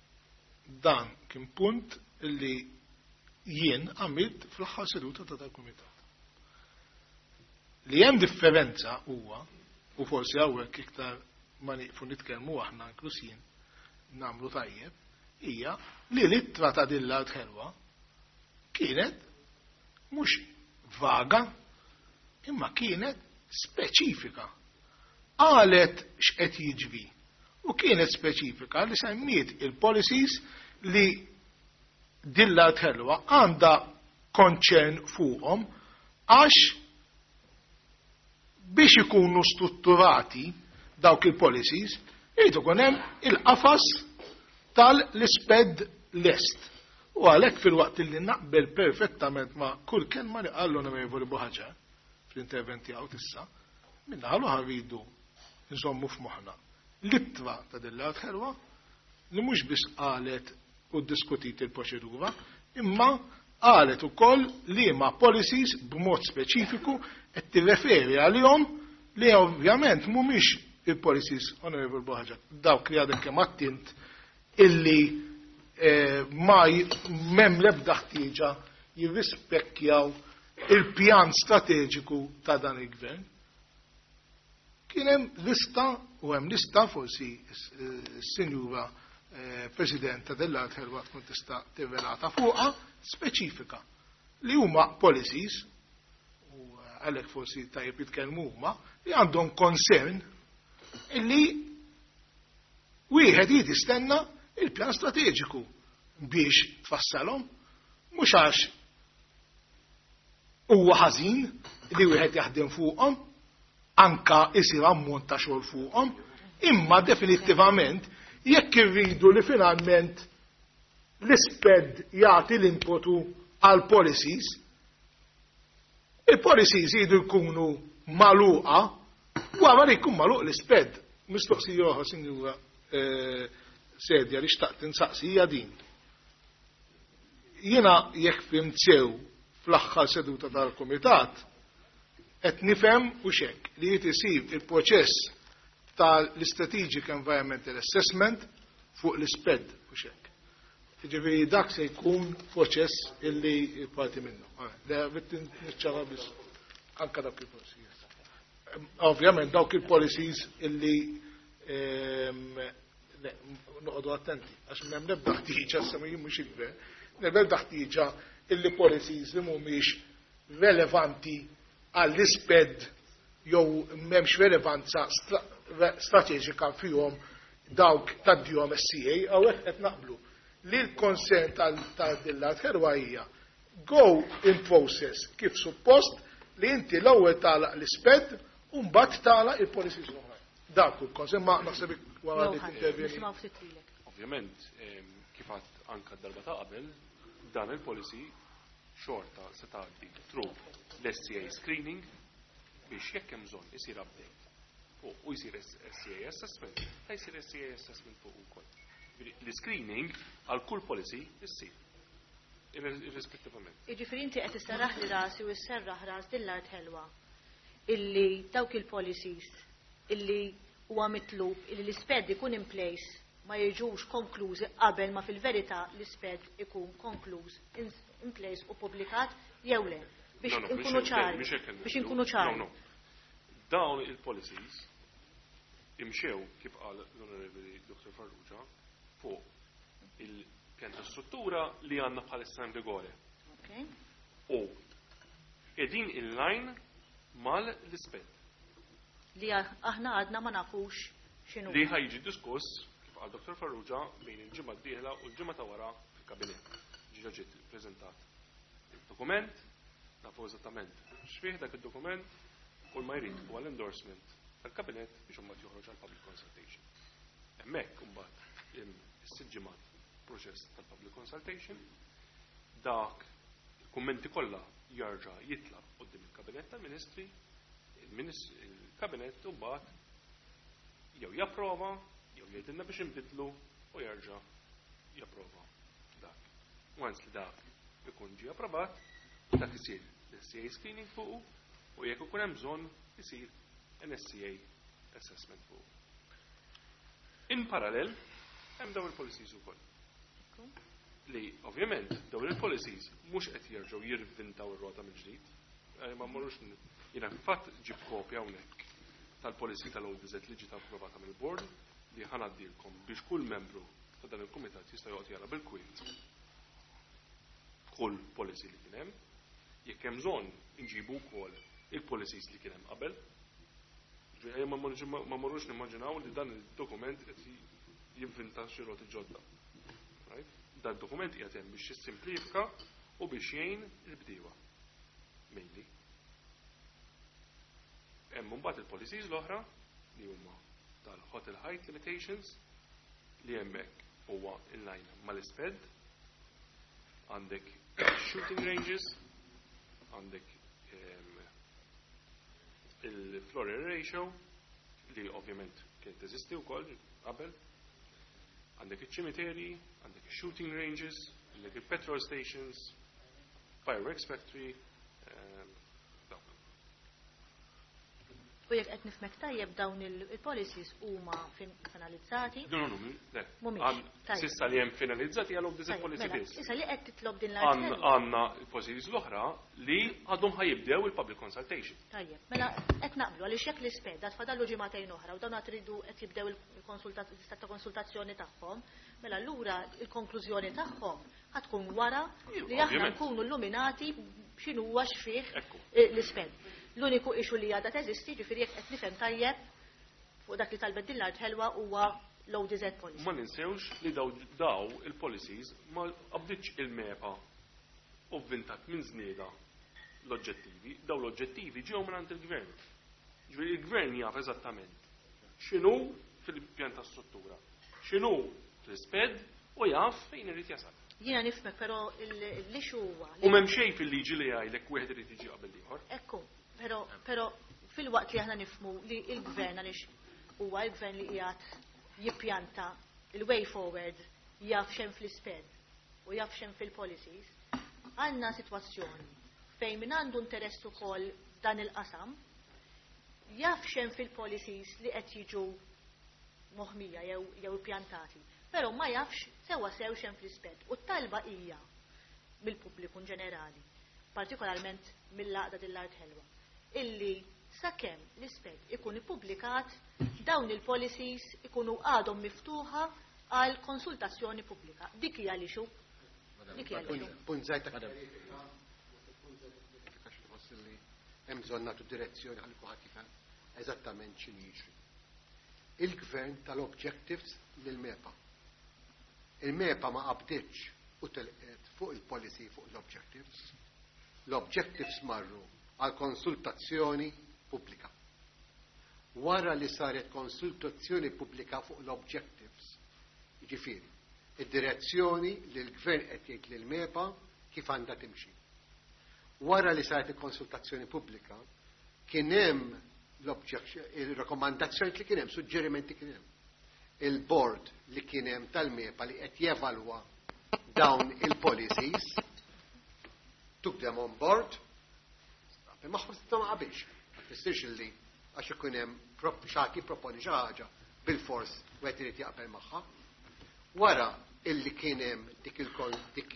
Speaker 3: Dan kien punt li jien għamilt fl-aħħar seduta ta' dal-kumitat. Li hemm differenza huwa, u forsi hawnhekk iktar ma nieqfu nitkellmu aħna inkluż jien nagħmlu tajjeb, hija li l-ittra ta' din l-Art Ħelwa kienet mhux vaga, imma kienet speċifika. Qalet x'qed jiġri u kienet speċifika li semmiet il-policies li din l-Art Ħelwa għandha concern fuqhom għax biex ikunu strutturati dawk il-policies irid ikun hemm il-qafas tal-SPED lest. U għalhekk fil-waqt li naqbel perfettament ma' kull kelma li qal l-Onorevoli Buhaġar fl-intervent tiegħu tissa, minna ħalu rridu nżommu f'moħħna l-ittra ta' din l-Art Ħelwa li mhux biss qalet u diskutit il-proċedura, imma qalet ukoll li ma policies b'mod speċifiku qed tirreferi għalihom li ovvjament mhumiex il-policies, Onorevoli Buhaġar, dawk li għadek kemm attint illi eh, ma m'hemm l-ebda ħtieġa jirrispekkjaw il-pjan strateġiku ta' dan il-gvern. Kien hemm lista u hemm lista forsi s-sinjura eh, President ta' dell-Art Ħelwa tkun tista' tirrelata fuqha speċifika li huma policies u għalhekk forsi tajjeb jitkellmu huma li għandhom concern illi wieħed jrid jistenna il-pjan strateġiku biex tfassalhom, mhux għax huwa ħażin li wieħed jaħdem fuqhom, anka isir ammont ta' xogħol fuqhom, imma definittivament jekk irridu li finalment l-SPED jagħti l-inputu għal policies, il-policies jridu jkunu magħluqa wara li jkun magħluq l-SPED. Mistoqsija oħra, Sinjura eh, Sedja, li xtaqt insaqsi hija din. Jiena jekk fhimt sew fl-aħħar seduta tal-Kumitat, qed nifhem u xek li jrid isir il-proċess tal-Strategic Environmental Assessment fuq l-SPED u xek. Ġifieri dak se jkun proċess illi parti minnu. Le, niċċara biss anka dawk il-policies. Ovvjament dawk il-policies illi ehm, noqogħdu attenti għax m'hemm l-ebda ħtieġa sa mhux il-gvern, l-ebda ħtieġa illi policies li mhumiex relevanti għall-SPED jew m'hemmx relevanza strateġika fihom dawk tad-D O M S C A, hawnhekk qed naqblu li l-concern tal-dil-Art Ħelwa hija go in process kif suppost li inti l-ewwel tagħlaq l-SPED u mbagħad tagħlaq il-policies l-oħrajn. Dak il-concern ma naħseb wara li tintervjeni.
Speaker 6: Ovvjament, kif għedt anka darba ta' qabel, dan il-policy xorta se tgħaddi through l-S C A screening biex jekk hemm bżonn isir update fuq u jsir S C A assessment, ta' jsir S C A assessment fuq ukoll. L-screening għal kull policy issir. Irrispettivament.
Speaker 1: Jiġifieri inti qed isserraħ li rasi u sserraħ ras dil-Art Ħelwa illi dawk il-policies illi huwa mitlub illi l-SPED ikun in place ma jiġux konklużi qabel ma fil-verità l-SPED ikun konkluż in place u publikat jew le. Biex inkunu ċari. Biex inkunu ċari.
Speaker 6: Dawn il-policies imxew kif qal l-Onorevoli Doctor Farrugia fuq il-pjan ta' struttura li għandna bħalissa in vigore. U qegħdin in line mal-SPED.
Speaker 1: Li aħna għadna ma nafux x'inhu.
Speaker 6: Li ħa jiġi diskuss kif qal Doctor Farrugia bejn il-ġimgħa d-dieħla u l-ġimgħa ta' wara fil-kabinett. Ġiġa ġiet preżentat il-dokument, nafu eżattament x'fih dak id-dokument, kull ma jrid huwa l-endorsement tal-kabinett biex imbagħad joħroġ għal public consultation. Hemmhekk imbagħad is-sitt ġimgħat proċess tal-public consultation, dak Kummenti kollha jarġa' jitla' quddiem il-Kabinett tal-Ministri, il-Kabinett imbagħad jew japprova, jew jgħidilna biex inbidlu u jerġa' japprova dak. Once li dak ikun ġie approvat, dak isir l-S C A screening fuqu u jekk ikun hemm bżonn isir an S C A assessment fuqu. In parallel, hemm dawn il-policies ukoll. Li ovvjament dawn il-policies mhux qed jerġgħu jirvintaw ir-rota mill-ġdid. Eh, ma mmorrux, jiena fatt ġib kopja hawnhekk tal-policy tal-O D Z li ġiet approvata mill-board li ħa ngħaddilkom biex kull membru ta' dan il-kumitat jista' joqgħod jara bil-kwiet kull policy li kien hemm. Jekk hemm bżonn inġibu wkoll il-policies li kien hemm qabel. Ġifieri ma mmorrux nimmaġinaw li dan il-dokument qed jivvinta xi roti ġodda. Right? Dan dokument qiegħed hemm biex jissimplifika u biex jgħin il-bdiewa. Mainly. Hemm mbagħad il-policies l-oħra li huma tal-hotel height limitations li hemmhekk huwa in line mal-ISPED, għandek shooting ranges, għandek il-floor area ratio li ovvjament kien teżisti wkoll qabel, għandek iċ-ċimiteri, għandek shooting ranges, għandek il-petrol stations, fireworks factory, dawk.
Speaker 1: U jekk qed nifhmek tajjeb, dawn il-policies huma finalizzati?
Speaker 6: No, no, no, le.
Speaker 1: Mhumiex. Tajjeb.
Speaker 6: S'issa li hemm finalizzati għal O D Z
Speaker 1: Tajjeb,
Speaker 6: policy
Speaker 1: mela,
Speaker 6: biss.
Speaker 1: Issa li qed titlob din l-art
Speaker 6: Għandna il-policies l-oħra li għadhom ħa jibdew il-public consultation.
Speaker 1: Tajjeb, mela qed naqblu, għaliex jekk l-ISPED għad fadallu ġimagħtejn oħra u dawn għad tridu qed jibdew il-istat ta' konsultazzjoni tagħhom, mela allura il-konklużjoni tagħhom ħa tkun wara li aħna
Speaker 6: Ovvjament.
Speaker 1: nkunu illuminati x'inhu huwa x'fih
Speaker 6: Ekku.
Speaker 1: l-ISPED. L-uniku issue li għadha teżisti, ġifieri jekk qed nifhem tajjeb fuq dak li talbet din l-art ħelwa, huwa l-O D Z policy.
Speaker 6: Ma ninsewx li daw, daw il-policies ma qabditx il-MEPA u vvintat minn żnieda l-oġġettivi, daw l-oġġettivi ġew minn il-gvern. Ġifieri il-gvern jaf eżattament x'inhu fil-pjan ta' struttura, x'inhu fl-ISPED u jaf fejn irid jasal.
Speaker 1: Jiena nifhmek, però l-issue huwa
Speaker 6: U m'hemm xejn fil-liġi li jgħidlek wieħed irid jiġi qabel ieħor.
Speaker 1: Ekku, però, però fil-waqt li aħna nifhmu li il-gvern, għaliex huwa il-gvern li qiegħed jippjanta il-way forward, jaf x'hemm fl-ISPED u jaf x'hemm fil-policies, għandna sitwazzjoni fejn min għandu interess ukoll dan il-qasam jaf x'hemm fil-policies li qed jiġu moħmija jew jew pjantati, però ma jafx sewa sew x'hemm fl-ISPED. U t-talba hija mill-pubbliku in ġenerali, partikolarment mill-għaqda din l-art ħelwa, illi sakemm l-ISPED ikun ippubblikat, dawn il-policies ikunu għadhom miftuħa għal konsultazzjoni pubblika. Dik hija l-issue. Dik hija l-issue.
Speaker 7: Punt żgħir ta' kjarifika, tħoss li hemm bżonn nagħtu direzzjoni ħalli kulħadd jifhem eżattament x'inhu jiġri. Il-gvern tal-objectives lil-MEPA. Il-MEPA ma qabditx u telqet fuq il-policy fuq l-objectives. L-objectives marru għal konsultazzjoni pubblika. Wara li saret konsultazzjoni pubblika fuq l-objectives, jiġifieri, id-direzzjoni li l-gvern qed jgħid lil MEPA kif għandha timxi. Wara li saret il-konsultazzjoni pubblika, kien hemm il-rakkomandazzjoni li kien hemm, suġġerimenti kien hemm. Il-board li kien hemm tal-MEPA li qed jevalwa dawn il-policies took them on board, magħhom ma qabilx. Ma tfissirx li għax ikun hemm xi ħadd jipproponi xi ħaġa bil-fors wieħed irid jaqbel magħha. Wara illi kien hemm dik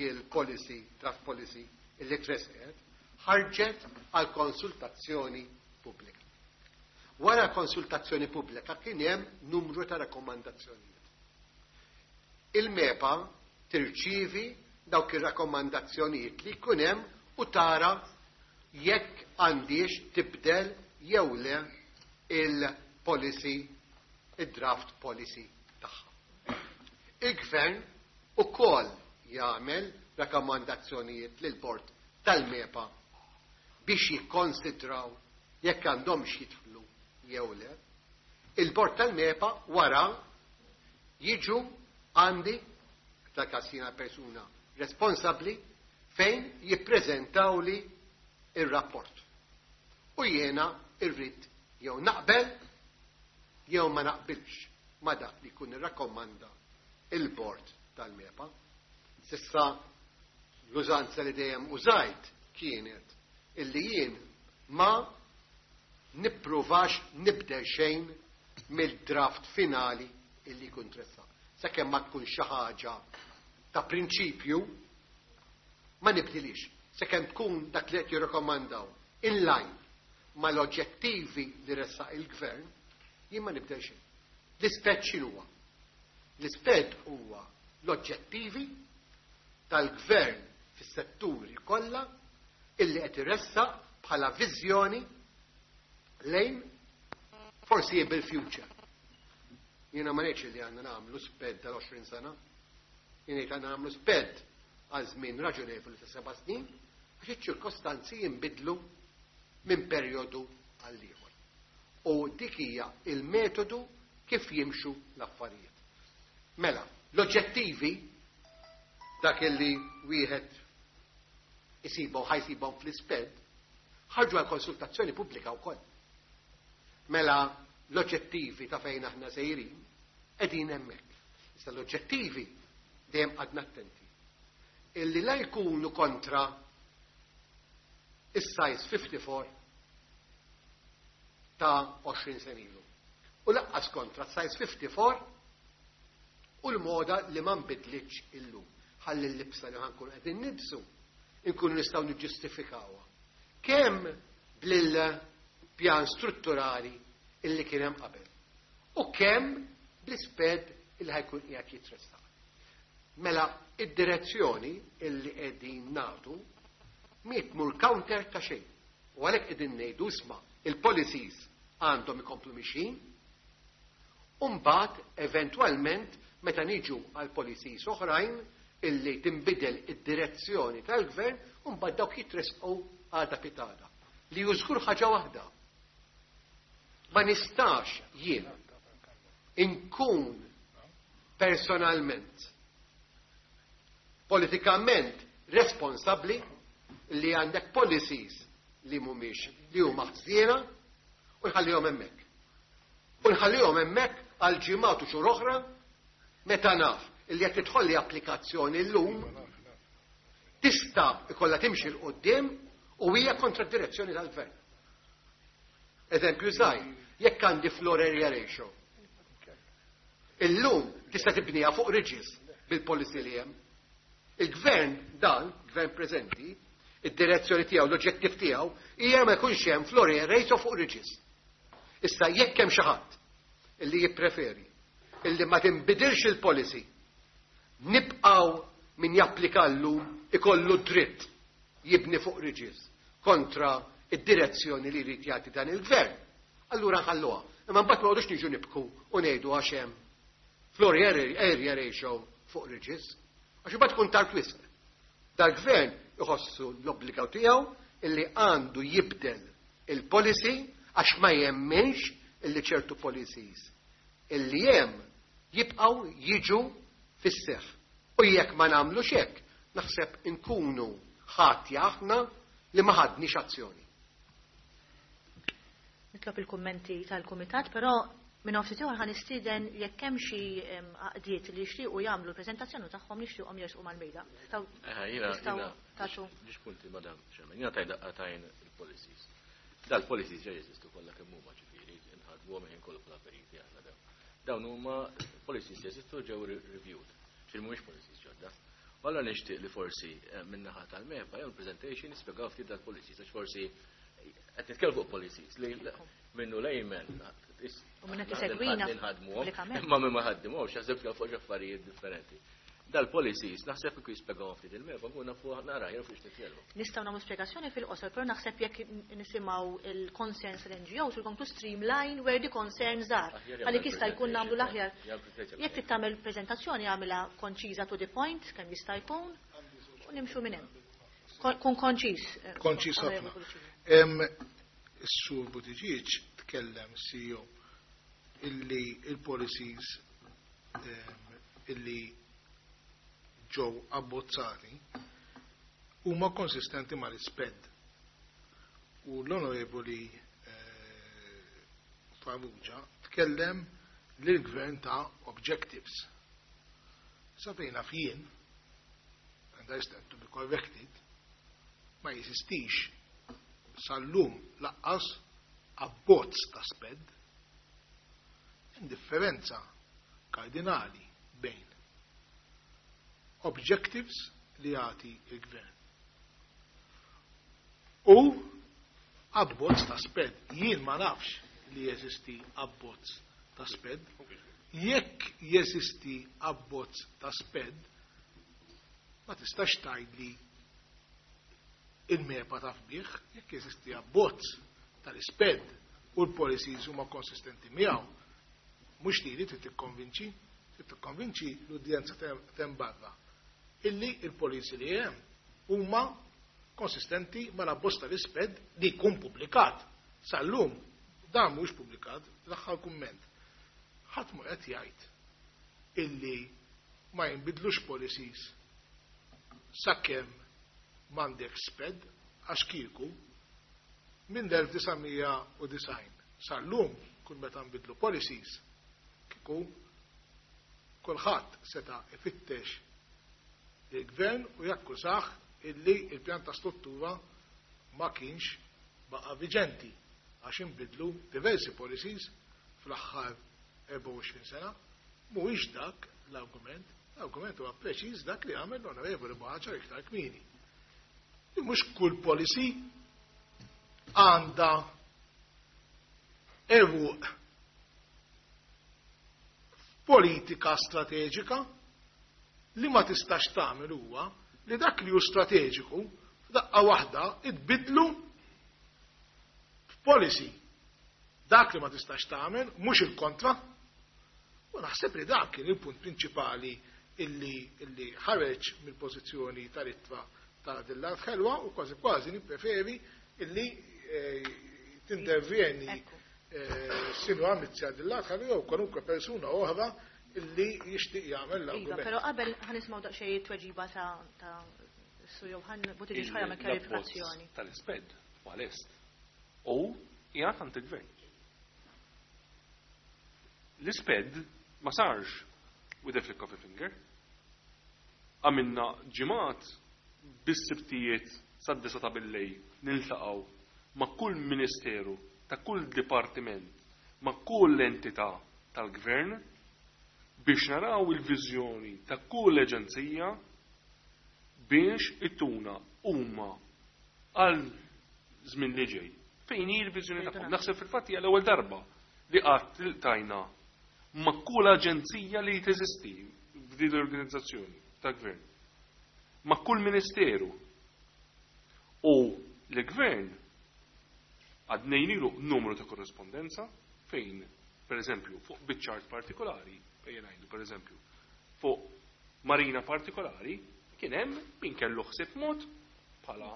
Speaker 7: il-policy, draft policy illi tresqet, ħarġet għal konsultazzjoni pubblika. Wara konsultazzjoni pubblika kien hemm numru ta' rakkomandazzjonijiet. Il-MEPA tirċivi dawk ir-rakkomandazzjonijiet li jkun hemm u tara jekk għandix tibdel jew le il-policy, il-draft policy tagħha. Il-gvern ukoll jagħmel rakkomandazzjonijiet lil bord tal-MEPA biex jikkonsidraw jekk għandhomx jidħlu jew le. Il-bord tal-MEPA wara jiġu għandi ta' kassina persuna responsabli fejn jippreżentawli ir-rapport. U jiena irrid jew naqbel jew ma naqbilx ma dak li jkun irrakkomanda il-bord tal-MEPA. S'issa l-użanza li dejjem użajt kienet illi jien ma nippruvax nibdel xejn mill-draft finali illi jkun tressaq. Sakemm ma tkun xi ħaġa ta' prinċipju ma nibdilix. Sakemm tkun dak li qed jirrakkomandaw in line mal-oġġettivi li ressaq il-gvern, jien ma nibdel xejn. L-SPED x'inhuwa? L-SPED huwa l-oġġettivi tal-gvern fis-setturi kollha illi qed iressaq bħala viżjoni lejn foreseeable future. Jiena ma ngħidx li għandna nagħmlu SPED tal-għoxrin sena. Jien ngħid għandna nagħmlu SPED għal żmien raġonevoli ta' seba' snin għax iċ-ċirkostanzi jinbidlu minn perjodu għal ieħor. U dik hija il-metodu kif jimxu l-affarijiet. Mela, l-oġġettivi dak illi wieħed isibhom ħa jsibhom fl-SPED ħarġu għal konsultazzjoni pubblika wkoll. Mela l-oġġettivi ta' fejn aħna sejrin qegħdin hemmhekk. Issa l-oġġettivi dejjem għadna attenti. Illi la jkunu kontra is-size fifty-four ta' għoxrin sena ilu. U lanqas kontra size fifty-four u l-moda li ma nbidlitx illum. Ħalli l-libsa li ħa nkun qegħdin nilbsu inkunu nistgħu niġġustifikawha. Kemm bil-pjan strutturali illi kien hemm qabel u kemm bl-SPED illi ħa jkun qiegħed jitressaq. Mela id-direzzjoni illi qegħdin nagħtu mi tmur counter ta' xejn. U għalhekk qegħdin ngħidu isma' il-policies għandhom ikomplu mixin, u mbagħad eventwalment meta niġu għal policies oħrajn illi tinbidel id-direzzjoni tal-gvern, u mbagħad dawk jitresqu għada pitgħada. Li żgur ħaġa waħda. Ma nistax jien inkun personalment politikament responsabbli li għandek policies li mhumiex li huma ħżiena u nħallihom hemmhekk. U nħallihom hemmhekk għal ġimgħat u xhur oħra meta naf illi qed tidħolli applikazzjoni llum tista' ikollha timxi 'l quddiem u hija kontra d-direzzjoni tal-gvern. Eżempju żgħir, jekk għandi floor area ratio. Illum tista' tibniha fuq ridges bil-policy li hemm. Il-gvern dan, gvern preżenti, id-direzzjoni tiegħu, l-oġġettiv tiegħu hija ma jkunx hemm floor area ratio fuq ridges. Issa jekk hemm xi ħadd illi jippreferi illi ma tinbidilx il-policy, nibqgħu min japplika llum ikollu dritt jibni fuq ridges kontra id-direzzjoni li jrid jagħti dan il-gvern. Allura nħalluha. Imma mbagħad ma noqogħdux niġu nibku u ngħidu għax hemm floor area ratio fuq ridges. Għax imbagħad tkun tard wisq. Dal-gvern iħossu l-obbligaw tiegħu illi għandu jibdel il-policy għax ma jemminx illi ċertu policies illi hemm jibqgħu jiġu fis-seħħ. U jekk ma nagħmlux hekk, naħseb inkunu ħatja aħna li ma ħadniex azzjoni.
Speaker 1: Nitlob il-kummenti tal-kumitat, però minn ftit ieħor ħa nistieden jekk hemm xi għaqdiet li jixtiequ jagħmlu l-preżentazzjoni tagħhom nixtieqhom jersqu mal-mejda.
Speaker 8: Nistgħu tagħtu. Ġiex punti, madam Chairman, jiena taj daqqatajn il-policies. Dal-policies ġa jeżistu kollha kemm huma, ġifieri nħadmuhom ħin kollu bħala periti aħna dawn. Dawn huma policies jeżistu, ġew reviewed. Ġifieri mhumiex policies ġodda. U allura nixtieq li forsi min-naħa tal-MEPA jew presentation nispjegaw ftit dal-policies, għax forsi qed nitkellmu fuq policies li minnu layman
Speaker 1: U minn qed isegwina
Speaker 8: nħadmuhom, imma minn ma ħaddimhomx jaħseb fuq affarijiet differenti. Dal-policies naħseb kieku jispjegaw ftit il-MEPA nkun nafu nara jew fiex nitkellmu.
Speaker 1: Nistgħu nagħmlu spjegazzjoni fil-qosor, però naħseb jekk nisimgħu il-concerns tal-N G Os, we're going to streamline where the concerns are. Għalik jista' jkun nagħmlu l-aħjar. Jekk trid tagħmel preżentazzjoni, għamilha konċiża, to the point kemm jista' jkun, u nimxu minn hemm. Kun konċiż.
Speaker 3: Konċiż ħafna. Is-Sur Buttigieg tkellem, C E O, illi il-policies illi ġew abbozzati huma konsistenti mal-SPED. U l-Onorevoli eh, Farrugia tkellem lill-gvern ta' objectives. Sa fejn naf jien, and I stand to be corrected, ma jeżistix sal-lum lanqas abbozz ta' SPED. Hemm differenza kardinali bejn objectives li jagħti il-gvern u abbozz ta' SPED. Jien ma nafx li jeżisti abbozz ta' SPED. Jekk jeżisti abbozz ta' SPED, ma tistax tgħidli il-MEPA taf bih, jekk jeżisti abbozz tal-SPED u l-policies huma konsistenti miegħu, mhux li trid tikkonvinċi, trid tikkonvinċi l-udjenza t'hemm barra illi il-policy li hemm huma konsistenti mal-abbozz tal-SPED li jkun pubblikat. Sal-lum dan mhux pubblikat. L-aħħar kumment. Ħadd mu qed jgħid illi ma jinbidlux policies sakemm m'għandek SPED, għax kieku minn elf disa' mija u disgħin sal-lum kull meta nbidlu policies kieku kulħadd seta' ifittex il-gvern u jakkużah illi il-pjan ta' struttura ma kienx baqa' viġenti għax inbidlu diversi policies fl-aħħar erbgħa u għoxrin sena. Mhuwiex dak l-argument, l-argument huwa preċiż dak li għamel l-Onorevoli Buhagiar iktar kmieni. Li mhux kull policy għandha għeruq politika strateġika. Li ma tistax tagħmel huwa li dak li hu strateġiku f'daqqa waħda tbiddlu f'policy. Dak li ma tistax tagħmel, mhux il-kontra. U naħseb li dak kien il-punt prinċipali illi, illi ħareġ mill-pożizzjoni tal-ittra ta' Din l-Art Ħelwa u kważi kważi nippreferi illi eh, tintervjeni eh, Sinjura Mizzi Din l-Art Ħelwa jew kwalunkwe persuna oħra illi jixtieq jagħmel
Speaker 1: Iva,
Speaker 3: l-argument.
Speaker 1: Però qabel ħa nisimgħu daqsxejn tweġiba ta' ta' Sur Johan Buttigieg ħa jagħmel kjarifikazzjoni.
Speaker 6: Tal-SPED u għal-est. U jgħat għand il-gvern. L-SPED ma sarx with a flick of a finger. Għamilna ġimgħat bis-sibtijiet sad-disgħa ta' billejl niltaqgħu ma' kull ministeru, ta' kull dipartiment, ma' kull entità tal-gvern biex naraw il-viżjoni ta' kull aġenzija biex ittuna huma għal żmien li ġej. Fejn hi l-viżjoni tagħhom? Naħseb fil-fatt hija l-ewwel darba li qatt iltqajna ma' kull aġenzija li teżisti f'din l-organizzazzjoni ta' gvern. Ma' kull ministeru. U l-gvern għaddejnielu numru ta' korrespondenza fejn, per eżempju, fuq biċċa art partikolari, fejn ngħidu, per eżempju, fuq marina partikolari, kien hemm min kellu ħsieb mod bħala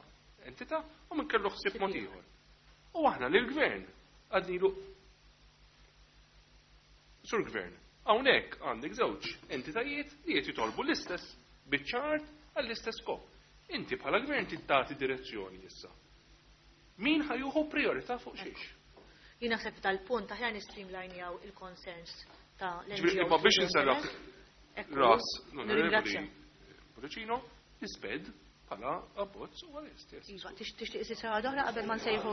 Speaker 6: entità u min kellu ħsieb mod ieħor. U aħna lill-gvern għednielu, "Sur Gvern, hawnhekk għandek żewġ entitajiet li qed jitolbu l-istess biċċa art għall-istess skop. Inti bħala gvern tagħti direzzjoni issa. Min ħa jieħu priorità fuq xiex?"
Speaker 1: Jien naħseb dal-punt aħjar nistreamlinejaw il-concerns ta'
Speaker 6: Ġifieri,
Speaker 1: l-N G Os.
Speaker 6: Imma biex inserraħ
Speaker 1: Ekku,
Speaker 6: ras l-Onorevoli
Speaker 1: nirringrazzja.
Speaker 6: Pullicino, l-SPED bħala abbozz u għal-est. Yes.
Speaker 1: Iva, tix- tixtieq isir sara oħra qabel ma nsejħu.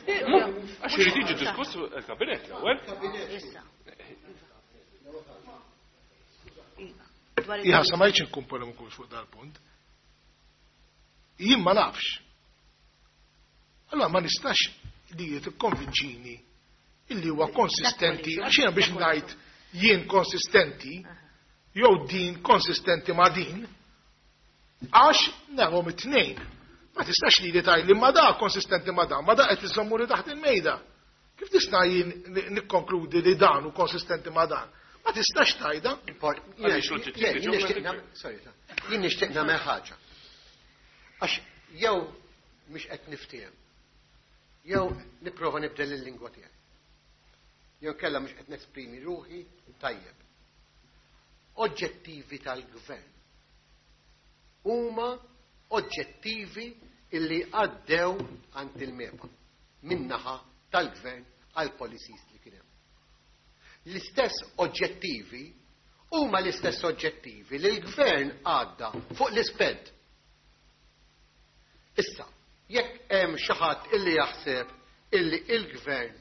Speaker 6: Għax irid jiġi diskuss il-kabinet l-ewwel.
Speaker 1: Issa. Iva. Dwar il-
Speaker 3: Iħa, sa ma jċin nkun polemiku fuq dal-punt. Jien ma nafx. Allora ma nistax li tikkonvinċini illi huwa konsistenti, għax jiena biex ngħid jien konsistenti, jew din konsistenti ma' din, għax narahom it-tnejn. Ma tistax li li tgħid li ma da konsistenti ma da, ma da qed iżommu li taħt il-mejda. Kif tista' jien nikkonkludi li dan hu konsistenti ma dan? Ma tistax tgħidha.
Speaker 6: Għaliex l-oġġettivi
Speaker 7: Jien
Speaker 6: ġew
Speaker 7: nixtieq
Speaker 6: mill-gvern.
Speaker 7: nagħmel- sorry, jien nixtieq nagħmel ħaġa. Għax jew mhux qed niftiehem. Jew nipprova nibdel il-lingwa tiegħi. Jew kella mhux qed nesprimi ruħi tajjeb. Oġġettivi tal-gvern huma oġġettivi illi għaddew għand il-MEPA min-naħa tal-gvern għal policies li kien hemm. L-istess oġġettivi huma l-istess oġġettivi li l-gvern għadda fuq l-ISPED. Issa, jekk hemm xi ħadd illi jaħseb illi il-gvern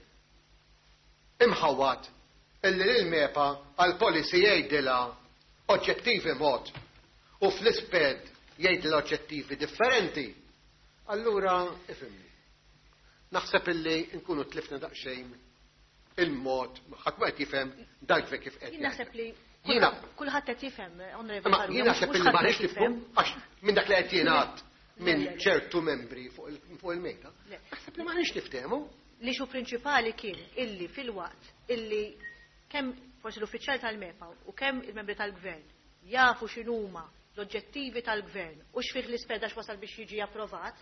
Speaker 7: imħawat illi l-MEPA għal policy jgħidilha oġġettivi mod u fl-ISPED jgħidilha oġġettivi differenti, allura ifhimni. Naħseb illi nkunu tlifna daqsxejn il-mod, ħadd ma qed jifhem dak kif qed.
Speaker 1: Jien naħseb li
Speaker 7: Jiena
Speaker 1: kulħadd qed jifhem, Onorevoli
Speaker 7: Ma
Speaker 1: Farrugia,
Speaker 7: jien naħseb
Speaker 1: mhux
Speaker 7: illi ma
Speaker 1: ħadd
Speaker 7: rridx
Speaker 1: qed
Speaker 7: nifhmu
Speaker 1: jifhem.
Speaker 7: għax minn dak li qed jingħad minn
Speaker 1: Le, le, le.
Speaker 7: ċertu membri fuq il- fuq il-mejda.
Speaker 1: Le.
Speaker 7: Naħseb li ma rridx niftehmu.
Speaker 1: L-issue prinċipali kien illi fil-waqt illi kemm forsi l-uffiċjali tal-MEPA u kemm il-membri tal-gvern jafu x'inhuma l-oġġettivi tal-gvern u x'fih l-ISPED x'wasal biex jiġi approvat,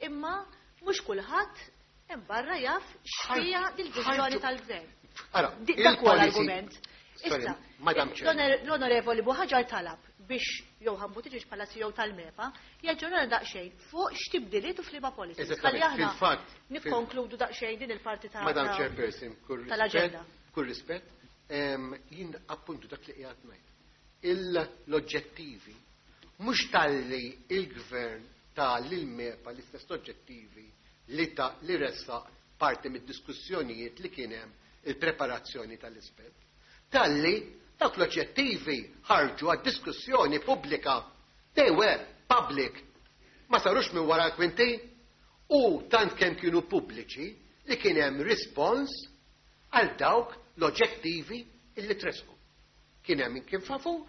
Speaker 1: imma mhux kulħadd hemm barra jaf x'fiha dil-viżjoni
Speaker 7: ħarġu-
Speaker 1: tal-gvern.
Speaker 7: Ara,
Speaker 1: Di- Dak huwa
Speaker 7: il-policy-
Speaker 1: l-argument.
Speaker 7: Sorry,
Speaker 1: Issa,
Speaker 7: Madam Chair.
Speaker 1: l-onor- l-onorevoli Buhaġar talab biex Johann Buttigieg bħala C E O tal-MEPA jaġġornana daqsxejn fuq x'tibdiliet u f'liema policies.
Speaker 7: Eżattament,
Speaker 1: Ħalli aħna
Speaker 7: fil-fatt, fil-
Speaker 1: nikkonkludu daqsxejn din il-parti ta'
Speaker 7: Madam
Speaker 1: ta'
Speaker 7: Chairperson, kull
Speaker 1: tal-aġenda.
Speaker 7: rispett, kull rispett, em, jien appuntu dak li qiegħed ngħid. Il- L-oġġettivi mhux talli il-gvern ta lil-MEPA l-istess oġġettivi li ta' li ressa parti mid-diskussjonijiet li kien hemm il-preparazzjoni tal-ISPED. Talli dawk l-oġġettivi ħarġu għad-diskussjoni pubblika. They were public. Ma sarux minn wara l-kwinti u tant kemm kienu pubbliċi li kien hemm rispons għal dawk l-oġġettivi illi tresqu. Kien hemm min kien favur,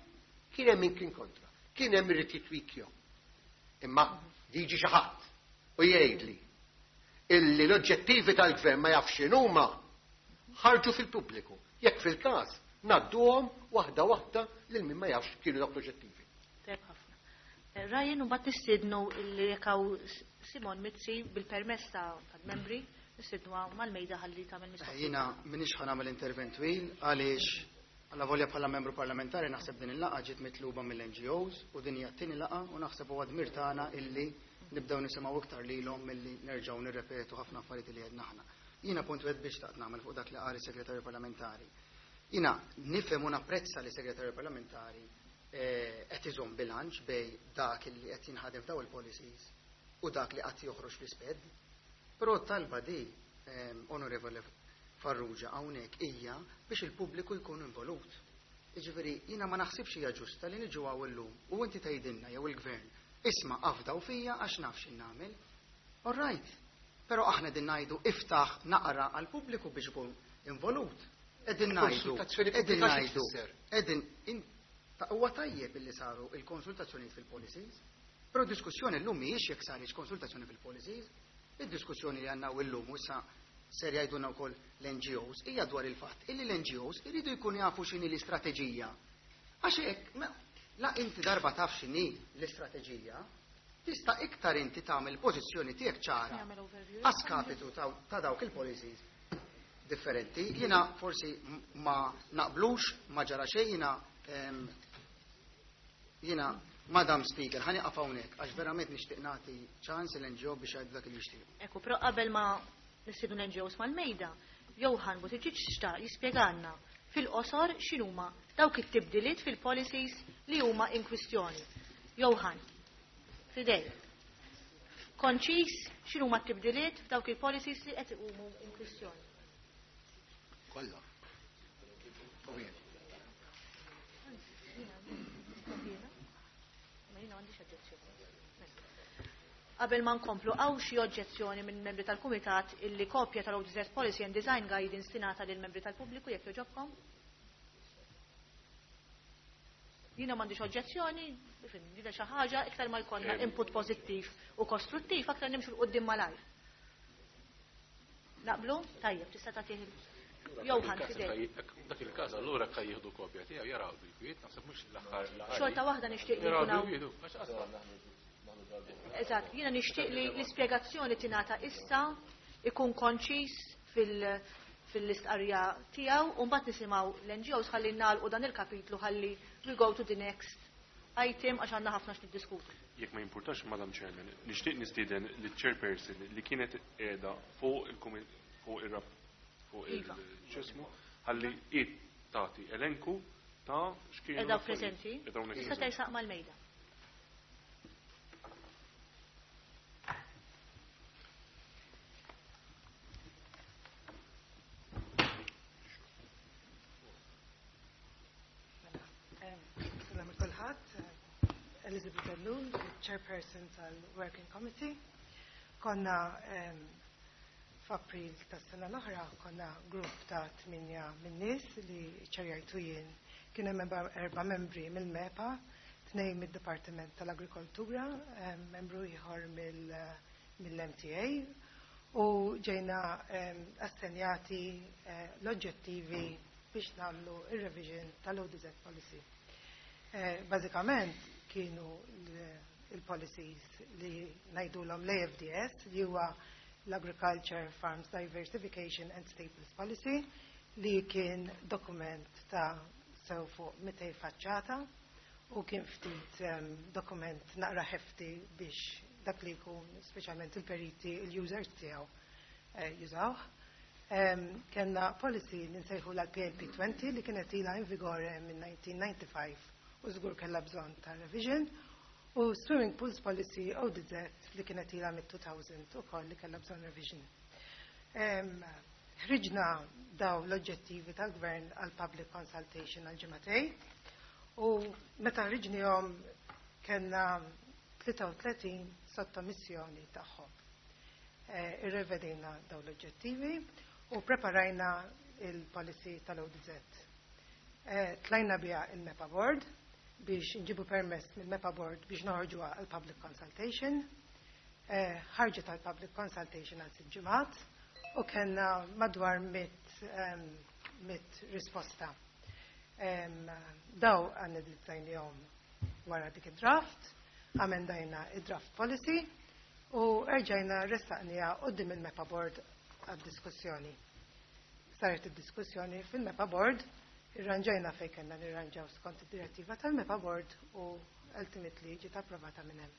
Speaker 7: kien hemm min kien kontra, kien hemm irid jitwikjhom. Imma jiġi xi ħadd u jgħidli illi l-oġġettivi tal-gvern ma jafx x'inhuma, ħarġu fil-pubbliku. Jekk fil-każ ngħadduhom waħda waħda lil min ma jafx kienu dawk l-oġġettivi.
Speaker 1: Tajjeb ħafna. Eh, Ryan, u mbagħad nistiednu illi jekk hawn Simon Mizzi bil-permess ta' tal-membri, nistiednu mal-mejda ħalli tagħmel mistoqsija.
Speaker 9: Jiena m'iniex ħa nagħmel intervent twil għaliex alla volja bħala membru parlamentari naħseb din il-laqgħa ġiet mitluba mill-N G Os u din hija t-tieni laqgħa u naħseb huwa dmir tagħna illi nibdew nisimgħu iktar lilhom milli nerġgħu nirrepetu ħafna affarijiet li għedna aħna. Jiena punt wieħed biex xtaqt nagħmel fuq dak li qal is-segretarju parlamentari. Jiena nifhem u napprezza li segretarju parlamentari eh, qed iżomm bilanċ bejn dak li qed jinħadem f'daw il-policies u dak li qatt joħroġ fl-ISPED. Però talba di, ehm, Onorevole Farrugia, hawnhekk hija biex il-pubbliku jkun involut. Jiġifieri jiena ma naħsibx hija ġusta li niġu hawn illum u inti tgħidilna jew il-gvern, "Isma', afdaw fija għax naf x'in nagħmel." All right. Però aħna din ngħidu iftaħ naqra għall-pubbliku biex ikun involut. Qegħdin ngħidu,
Speaker 7: Konsultazzjoni
Speaker 9: qegħdin
Speaker 7: pubblika xi
Speaker 9: ngħidu,
Speaker 7: tfisser?
Speaker 9: qegħdin in- ta' huwa tajjeb illi saru il-konsultazzjonijiet fil-policies, però diskussjoni llum mhijiex jekk saritx konsultazzjoni fil-policies, id-diskussjoni li għandna illum u issa ser jgħidulna wkoll l-N G Os hija dwar il-fatt illi l-N G Os iridu jkunu jafu x'inhi l-istrateġija. Għax hekk, ma- la inti darba taf x'inhi l-istrateġija, tista' iktar inti tagħmel pożizzjoni tiegħek ċara
Speaker 1: Nagħmel overview.
Speaker 9: a skapitu ta' ta' dawk il-policies differenti. Jiena forsi m- ma naqblux, ma ġara xejn, jiena em, jiena Madam Speaker, ħa nieqaf hawnhekk għax verament nixtieq nagħti ċans l-N G O biex jgħidu dak li jixtiequ.
Speaker 1: Ekku, però qabel ma nistiednu l-N G Os mal-mejda, Johann Buttigieg xtaq jispjegalna fil-qosor x'inhuma dawk it-tibdiliet fil-policies li huma in kwistjoni. Johann, fidej. Konċis x'inhuma t-tibdiliet f'dawk il-policies li qed iqumu in kwistjoni.
Speaker 7: Kollha. Ovvijament.
Speaker 1: Ma jiena m'għandix oġġezzjoni. Qabel ma nkomplu, hawn xi oġġezzjoni minn membri tal-Kumitat illi kopja tal-O G Z Policy and Design Guidance tingħata lil membri tal-pubbliku, jekk jogħġobkom? Jiena m'għandix oġġezzjoni, ifhem, dina xi ħaġa iktar ma jkollna input pożittiv u kostruttiv, aktar nimxu 'l quddiem malajr. Naqblu? Tajjeb, tista' tagħtih Johann fidej.
Speaker 4: Dak il-każ allura ka jieħdu kopja tiegħu jaraw bil-kwiet, naħseb mhux l-aħħar.
Speaker 1: Xorta waħda nixtieq li
Speaker 4: Jaraw
Speaker 1: jkun hawn
Speaker 4: bil-kwiet, għax qasma.
Speaker 1: Eżatt, jiena nixtieq li l-ispjegazzjoni tingħata issa, ikun konċis fil- fil-istqarrija tiegħu u mbagħad nisimgħu l-N G Os ħalli nagħlqu dan il-kapitlu, ħalli we go to the next item għax għandna ħafna x'niddiskutu.
Speaker 6: Jekk ma jimpurtax, Madam Chairman, nixtieq nistieden liċ-chairperson li kienet qiegħda fuq il fuq ir-rap fuq il-ċismu ħalli id tagħti elenku ta' x'kienu.
Speaker 1: Qiegħda preżenti. Tista' tersaq mal-mejda.
Speaker 10: Elizabeth Ellul, Chairperson tal-Working Committee. Konna um, f'April tas-sena l-oħra konna grupp ta' tminja min-nies li ċerjajtu jien. Kien hemm erba' membri mill-MEPA, tnejn mid-Dipartiment tal-Agrikoltura, um, membru ieħor mill-M T A, u ġejna um, assenjati uh, l-oġġettivi biex nagħmlu ir-revision tal-O D Z policy. Eh, bażikament kienu il-policies li ngħidulhom l-A F D S, li huwa l-Agriculture, Farms Diversification and Staples Policy, li kien dokument ta' sew fuq mitej faċċata u kien ftit um, dokument naqra ħefti biex dak li jkun speċjalment il-periti, il-users tiegħu eh, jużawh. Um, kenna policy li nsejħu l-P L P twenty li kienet ilha in vigore minn nineteen ninety-five u żgur kellha bżonn ta' revision, u swimming pools policy O D Z li kienet ilha mit-two thousand ukoll li kellha bżonn revision. Ħriġna daw l-oġġettivi tal-gvern għal public consultation għal ġimgħatej, u meta ħriġnihom kellna tlieta u tletin sottomissjoni tagħhom. Irrevedejna daw l-oġġettivi u preparajna il-policy tal-O D Z. Tlajna biha il-MEPA Board biex nġibu permess mill-MEPA Board biex noħorġuha għal public consultation. Ħarġet għal public consultation għal sitt ġimgħat u kellna madwar mit, mit risposta. Daw analizzajnihom wara dik id-draft, amendajna id-draft policy u erġajna ressaqniha quddiem il-MEPA Board għad-diskussjoni. Saret id-diskussjoni fil-MEPA Board, irranġajna fejn kellna nirranġaw skont id-direttiva tal-MEPA Board u ultimately ġiet approvata minn hemm.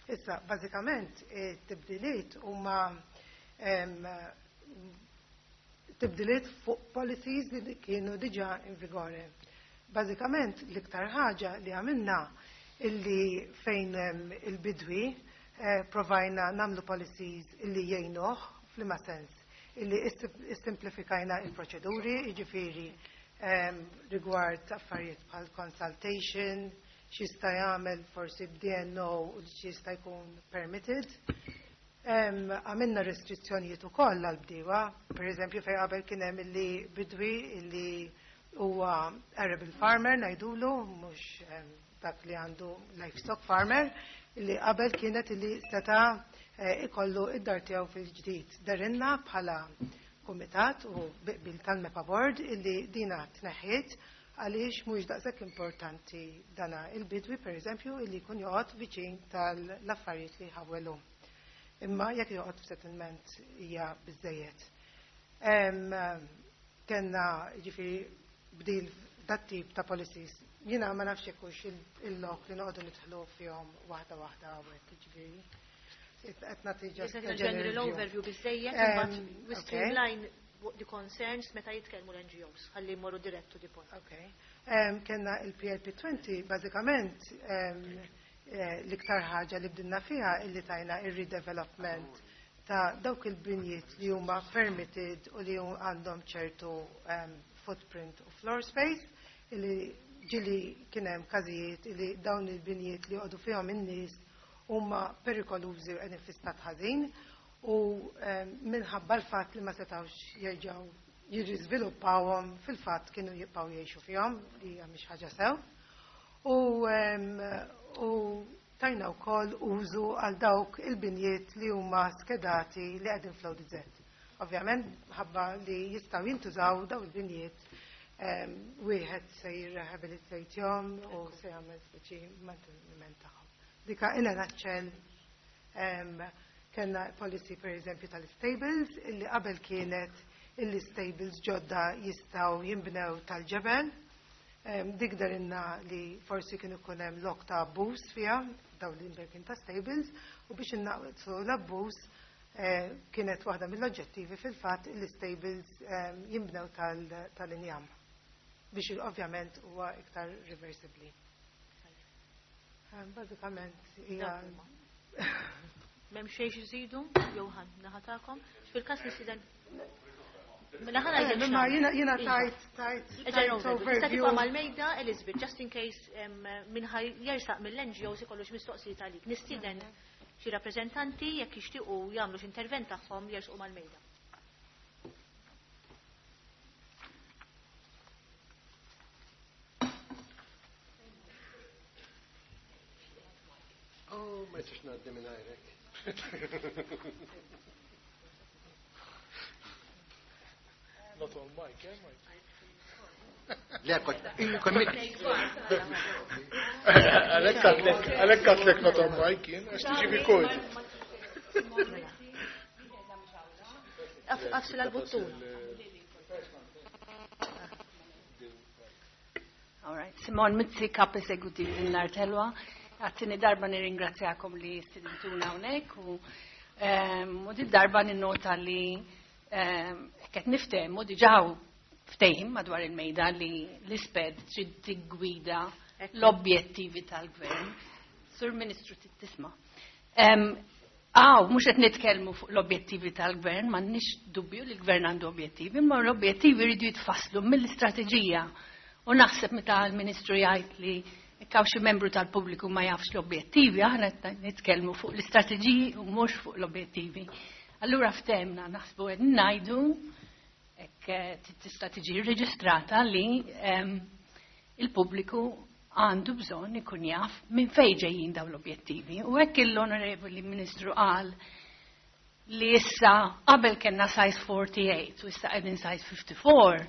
Speaker 10: Issa, bażikament, it-tibdiliet huma tibdiliet fuq policies li kienu diġà in vigore. Bażikament, l-iktar ħaġa li għamilna illi fejn il-bidwi provajna namlu policies illi jgħinuh f'liema sens, illi issimplifikajna il-proċeduri, jiġifieri rigward affarijiet bħal consultation, x'jista' jagħmel forsi b'D N O u x'jista' jkun permitted. Għamilna restrizzjonijiet ukoll għall-bdiewa, pereżempju fejn qabel kien hemm illi bidwi illi huwa arable farmer ngħidulu, mhux dak li għandu livestock farmer, illi qabel kienet illi seta' ikollu id-dar tiegħu fil-ġdid. Darinna bħala kumitat u bil tal-MEPA Board illi dina tneħħiet għaliex mhux daqshekk importanti dana il-bidwi pereżempju illi jkun joqgħod viċin tal-affarijiet li ħawelu. Imma jekk joqgħod f'settlement hija biżejjed. Kenna jiġifieri bdil dat tip ta' policies. Jiena ma nafx jekk hux il-lok li noqogħdu nidħlu fihom waħda waħda hawnhekk jiġifieri. Qed nagħti just a
Speaker 1: general overview biżejjed, imbagħad we streamline the concerns meta jitkellmu l-N G Os, ħalli jmorru dirett to the point.
Speaker 10: Okay. Kenna il-P L P twenty bażikament l-iktar ħaġa li bdilna fiha illi tajna ir-redevelopment ta' dawk il-binjiet li huma permitted u li għandhom ċertu footprint u floor space, illi ġili kien hemm każijiet illi dawn il-binjiet li joqogħdu fihom in-nies huma perikolużi u qegħdin fi stat ħażin u minħabba l-fatt li ma setgħux jerġgħu jirriżviluppawhom fil-fatt kienu jibqgħu jgħixu fihom li hija mhix ħaġa sew. U, u tajna wkoll użu għal dawk il-binjiet li huma skedati li qegħdin fl-O D Z. Ovvjament ħabba li jistgħu jintużaw daw il-binjiet wieħed se jirrehabilitatjhom u se jagħmel speċi manteniment tagħhom. Dika in a nutshell, kellna policy per eżempju tal-stables illi qabel kienet illi stables ġodda jistgħu jinbnew tal-ġebel. Dik darinna li forsi kien ikun hemm lok ta' abbuż fiha dawn l-imberkin ta' stables u biex innaqsu l-abbuż kienet waħda mill-oġġettivi fil-fatt li stables jinbnew tal-injam biex ovvjament huwa iktar reversibbli. Bażikament hija
Speaker 1: M'hemm xejn iżidu, Johan, naħatakom. Fil-każ nistieden Mela ħa ngħidlek
Speaker 10: Imma jiena jiena tajt tajt tajt
Speaker 1: Tista' tibqa' mal-mejda, Elizabeth, just in case min ħa jersaq mill-N G Os ikollu xi mistoqsijiet għalik. Nistieden xi rappreżentanti jekk jixtiequ jagħmlu xi intervent tagħhom jersqu mal-mejda.
Speaker 7: Oh, ma jistax ngħaddi minn għajrek.
Speaker 3: Not on mic, eh, Mike?
Speaker 7: Le, kont, kommit.
Speaker 3: Għalhekk għedtlek, għalhekk għedtlek not on mic, jien, għax tiġi recorded.
Speaker 1: Agħfsil għall-buttun.
Speaker 11: All right. Simon Mizzi, Kap Eżekutiv Din l-Art Ħelwa. Għat-tieni darba nirringrazzjakom li stidintuna hawnhekk u ehm, u di darba ninnota li ehm, qed niftehmu diġà ftehim madwar il-mejda li l-ISPED trid tiggwida l-objettivi tal-gvern. Sur Ministru, tisma'. Għaw, mhux qed nitkellmu fuq l-objettivi tal-gvern, m'għandniex dubju li l-gvern għandu objettivi, imma l-objettivi jridu jitfasslu mill-istrateġija. U naħseb meta l-Ministru jgħid li hawn xi membru tal-pubbliku ma jafx l-objettivi, aħna qed nitkellmu fuq l-istrateġiji u mhux fuq l-objettivi. Allura ftehmna naħsbu qed ngħidu hekk tista' tiġi rreġistrata li il-pubbliku għandu bżonn ikun jaf minn fejn ġejjin dawn l-objettivi. U hekk l-Onorevoli Ministru qal li issa qabel kellna size forty-eight u issa qegħdin size fifty-four,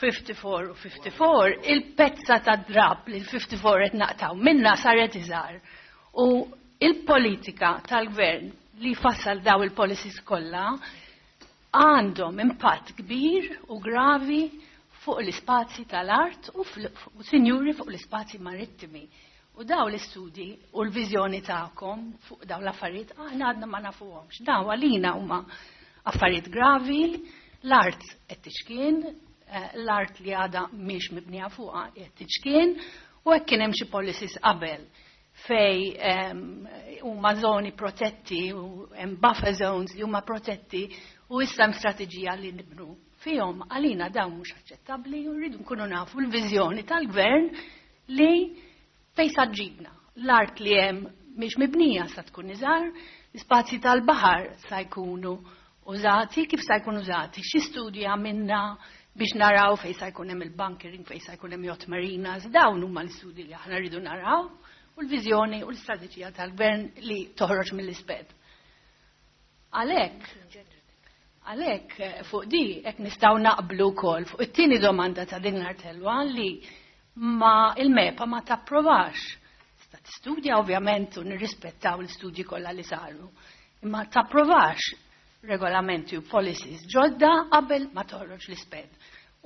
Speaker 11: fifty-four u fifty-four, il-pezza ta' drab li l-fifty-four qed naqtaw minna saret iżgħar. U il-politika tal-gvern li fassal daw il-policies kollha għandhom impatt kbir u gravi fuq l-ispazji tal-art u, u sinjuri fuq l-ispazji marittimi. U daw l-istudji u l-viżjoni tagħkom fuq daw l-affarijiet aħna għadna ma nafuhomx. Daw għalina huma affarijiet gravi, l-art qed tiċkien, l-art li għadha mhix mibnija fuqha qed tiċkien, u hekk kien hemm xi policies qabel fej huma żoni protetti u hemm buffer zones li huma protetti u issa hemm strateġija li nibnu fihom, għalina dawn mhux aċċettabbli u rridu nkunu nafu l-viżjoni tal-gvern li fej sa ġibna. L-art li hemm mhix mibnija sa tkun iżgħar, l-ispazji tal-baħar sa jkunu użati, kif sa jkunu użati, xi studji għamilna biex naraw fej sa jkun hemm il-bunkering, fej sa jkun hemm yacht marinas, dawn huma l-istudji li aħna rridu naraw u l-viżjoni u l-istrateġija tal-gvern li toħroġ mill-ISPED. Għalhekk, għalhekk fuq di hekk nistgħu naqblu wkoll fuq it-tieni domanda ta' Din l-Art Ħelwa li ma il-MEPA ma tapprovax. Sta tistudja ovvjament u nirrispettaw l-istudji kollha li saru, imma tapprovax regolamenti u policies ġodda qabel ma toħroġ l-ISPED.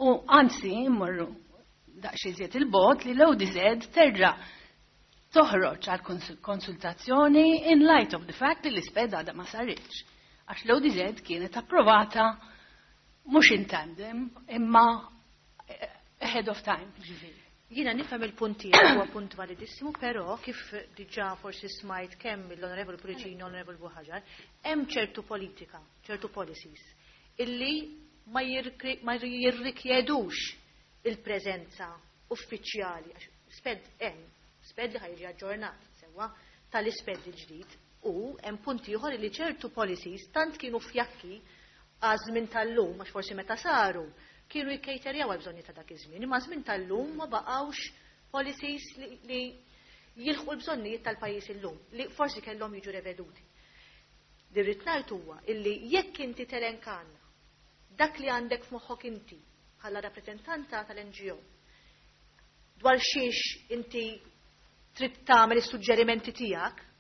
Speaker 11: U anzi, mmorru daqsxejn iżjed il-bogħod li l-O D Z terġa' toħroġ għal konsultazzjoni in light of the fact li l-ISPED għadha ma saritx. Għax l-O D Z kienet approvata mhux in tandem imma ahead of time. Ġifieri.
Speaker 1: Jiena nifhem il-punt tiegħek, huwa punt validissimu, però kif diġà forsi smajt kemm l-Onorevoli Pullicino u l-Onorevoli Buhagiar, hemm ċertu politika, ċertu policies illi ma jirrikjedux il-preżenza uffiċjali, għax SPED hemm, SPED li ħa jiġi aġġornat sewwa tal-ISPED il-ġdid u hemm punti ieħor li ċertu policies tant kienu fjakki għaż-żmien tal-lum, għax forsi meta saru kienu jikkejterjaw għal bżonni ta' dak iż-żmien, imma żmien tal-lum ma baqgħux policies li, li jilħqu l-bżonnijiet tal-pajjiż illum, li forsi kellhom jiġu reveduti. Li rrid ngħid huwa illi jekk inti telenkanna dak li għandek f'moħħok inti bħala rappreżentanta tal-N G O dwar xiex inti trid tagħmel is-suġġerimenti tiegħek,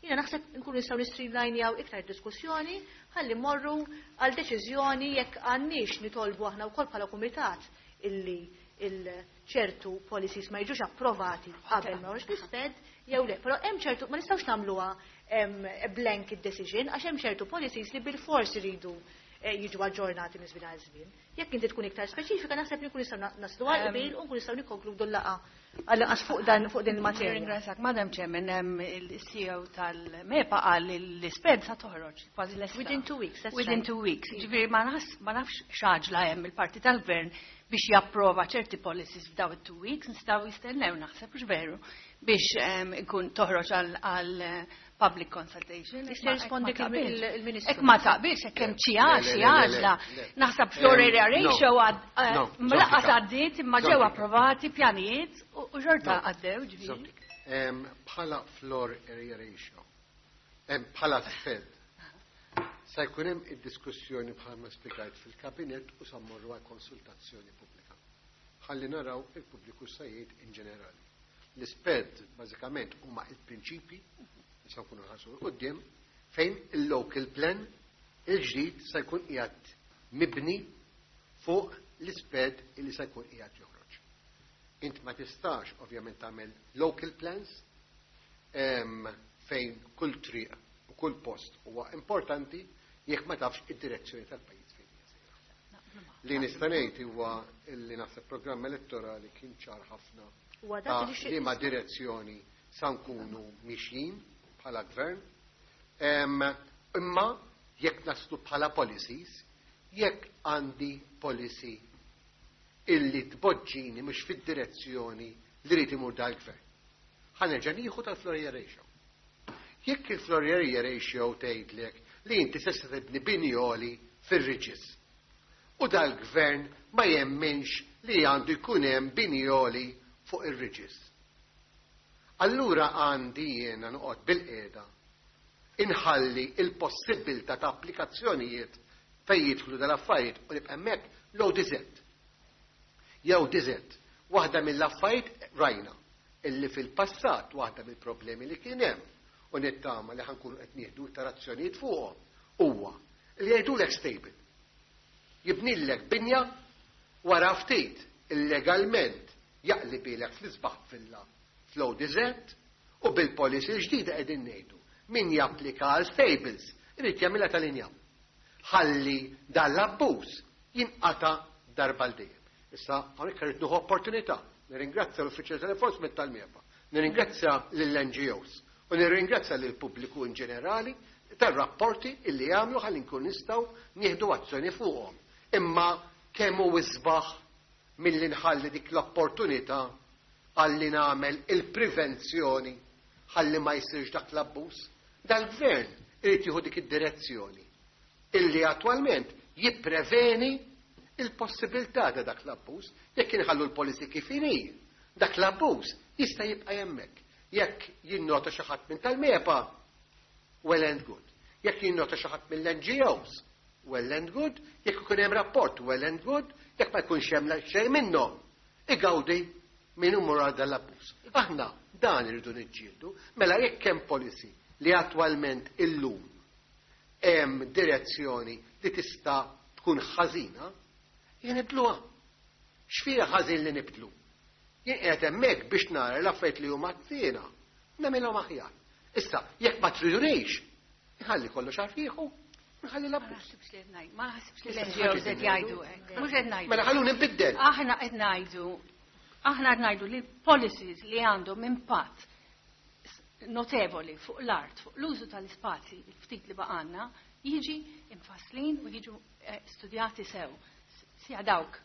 Speaker 1: jiena naħseb nkunu nistgħu nistreamlinejaw iktar diskussjoni ħalli mmorru għal deċiżjoni jekk għandniex nitolbu aħna wkoll bħala kumitat illi ċertu policies ma jiġux approvati qabel ma joħroġ l-SPED jew le. Però hemm ċertu, ma nistgħux nagħmluha blanket decision, għax hemm ċertu policies li bil-fors iridu eh, jiġu aġġornati minn żmien għal żmien. Jekk inti tkun iktar speċifika, naħseb li nkun nistgħu naslu għal qbil u nkun nistgħu nikkonkludu l-laqgħa għal fuq dan fuq din il-materja.
Speaker 11: Ringrazzjak, Madam Chairman, il-C E O tal-MEPA qal li l-SPED sa toħroġ kważi lesta.
Speaker 1: Within two weeks, that's
Speaker 11: Within
Speaker 1: right.
Speaker 11: two weeks. Ġifieri ma nafx x'għaġla hemm il-parti tal-gvern biex japprova ċerti policies f'daw it-two weeks, nistgħu jistennew, naħseb, mhux veru, biex ikun toħroġ għal public consultation.
Speaker 1: Jista' jirrispondi il-Ministru.
Speaker 11: Jekk ma taqbilx, hekk hemm xi xi għaġla. Naħseb floor area ratio lanqas għaddiet, imma ġew approvati pjanijiet u xorta għaddew, ġifieri.
Speaker 7: Bħala floor area ratio, bħala SPED, sa jkun hemm id-diskussjoni bħalma spjegajt fil-kabinet u sa mmorru għal konsultazzjoni pubblika. Ħalli naraw il-pubbliku sa jgħid in ġenerali. L-SPED bażikament huma il-prinċipi li sa nkunu ħarsu quddiem fejn il-local plan il-ġdid sa jkun qiegħed mibni fuq l-SPED illi sa jkun qiegħed joħroġ. Int ma tistax ovvjament tagħmel local plans fejn kull triq u kull post huwa importanti jekk ma tafx id-direzzjoni tal-pajjiż fejn hija sejra. Li nista' ngħid huwa li naħseb programm elettorali kien ċar ħafna ta' liema direzzjoni sa nkunu mixjin bħala gvern. Imma jekk naslu bħala policies, jekk għandi policy illi tpoġġini mhux fid-direzzjoni li rrid imur dal-gvern, ħa nerġa' nieħu tal-floor area ratio. Jekk il-floor area ratio tgħidlek li inti se tibni bini għoli fir-ridges, u dal-gvern ma jemminx li għandu jkun hemm bini għoli fuq ir-ridges, allura għandi jiena noqgħod bil-qiegħda inħalli il-possibilità ta' applikazzjonijiet fejn jidħlu dal-affarijiet u nibqa' hemmhekk l-O D Z. Jew D Z. Waħda mill-affarijiet rajna illi fil-passat waħda mill-problemi li kien hemm u nittama li ħa nkunu qed nieħdu iktar azzjonijiet fuqhom huwa li jgħidulek stable. Jibnillek binja, wara ftit illegalment jaqlibilek fl-isbaħ villa fl-O D Z, u bil-policy ġdida qegħdin ngħidu min japplika għal stables irid jagħmilha tal-injam. Ħalli dan l-abbuż jinqata darba l dejjem. Issa hawnhekk irid nieħu opportunità. Nirringrazzja l-Uffiċjal tal-Enforcement tal-MEPA, nirringrazzja lill-N G Os u nirringrazzja lill-pubbliku in ġenerali tar-rapporti illi jagħmlu ħalli nkun nistgħu nieħdu azzjoni fuqhom. Imma kemm hu isbaħ milli nħalli dik l-opportunità għalli nagħmel il-prevenzjoni ħalli ma jsirx dak l-abbuż. Dal-gvern irid jieħu dik id-direzzjoni illi attwalment jippreveni il-possibilità ta' dak l-abbuż. Jekk inħallu l-policy kif inhi, dak l-abbuż jista' jibqa' hemmhekk. Jekk jinnota xi ħadd minn tal-MEPA, well and good. Jekk jinnota xi ħadd mill-N G Os, well and good. Jekk ikun hemm rapport, well and good. Jekk ma jkunx hemm xejn minnhom, igawdi min imur għal dal-abbuż. Aħna dan irridu niġġieldu, mela jekk hemm policy li attwalment illum hemm direzzjoni li tista' tkun ħażina, jien nibdluha. X'fiha ħażin li nibdlu? Jien qiegħed hemmhekk biex nara l-affarijiet li huma ħżiena, nagħmilhom aħjar. Issa, jekk ma tridunix, nħalli kollox għarfieħu, nħalli
Speaker 11: Ma
Speaker 7: l-abbuż.
Speaker 11: naħsibx li qed ngħid, ma naħsibx li l-N G Os qed jgħidu hekk. Mhux qed ngħidu.
Speaker 7: Mela ħalluni nbiddel.
Speaker 11: Aħna qed ngħidu aħna qed ngħidu li policies li għandhom impatt notevoli fuq l-art, fuq l-użu tal-ispazji, il-ftit li baqgħalna, jiġi imfasslin u jiġu eh, studjati sew. Sija dawk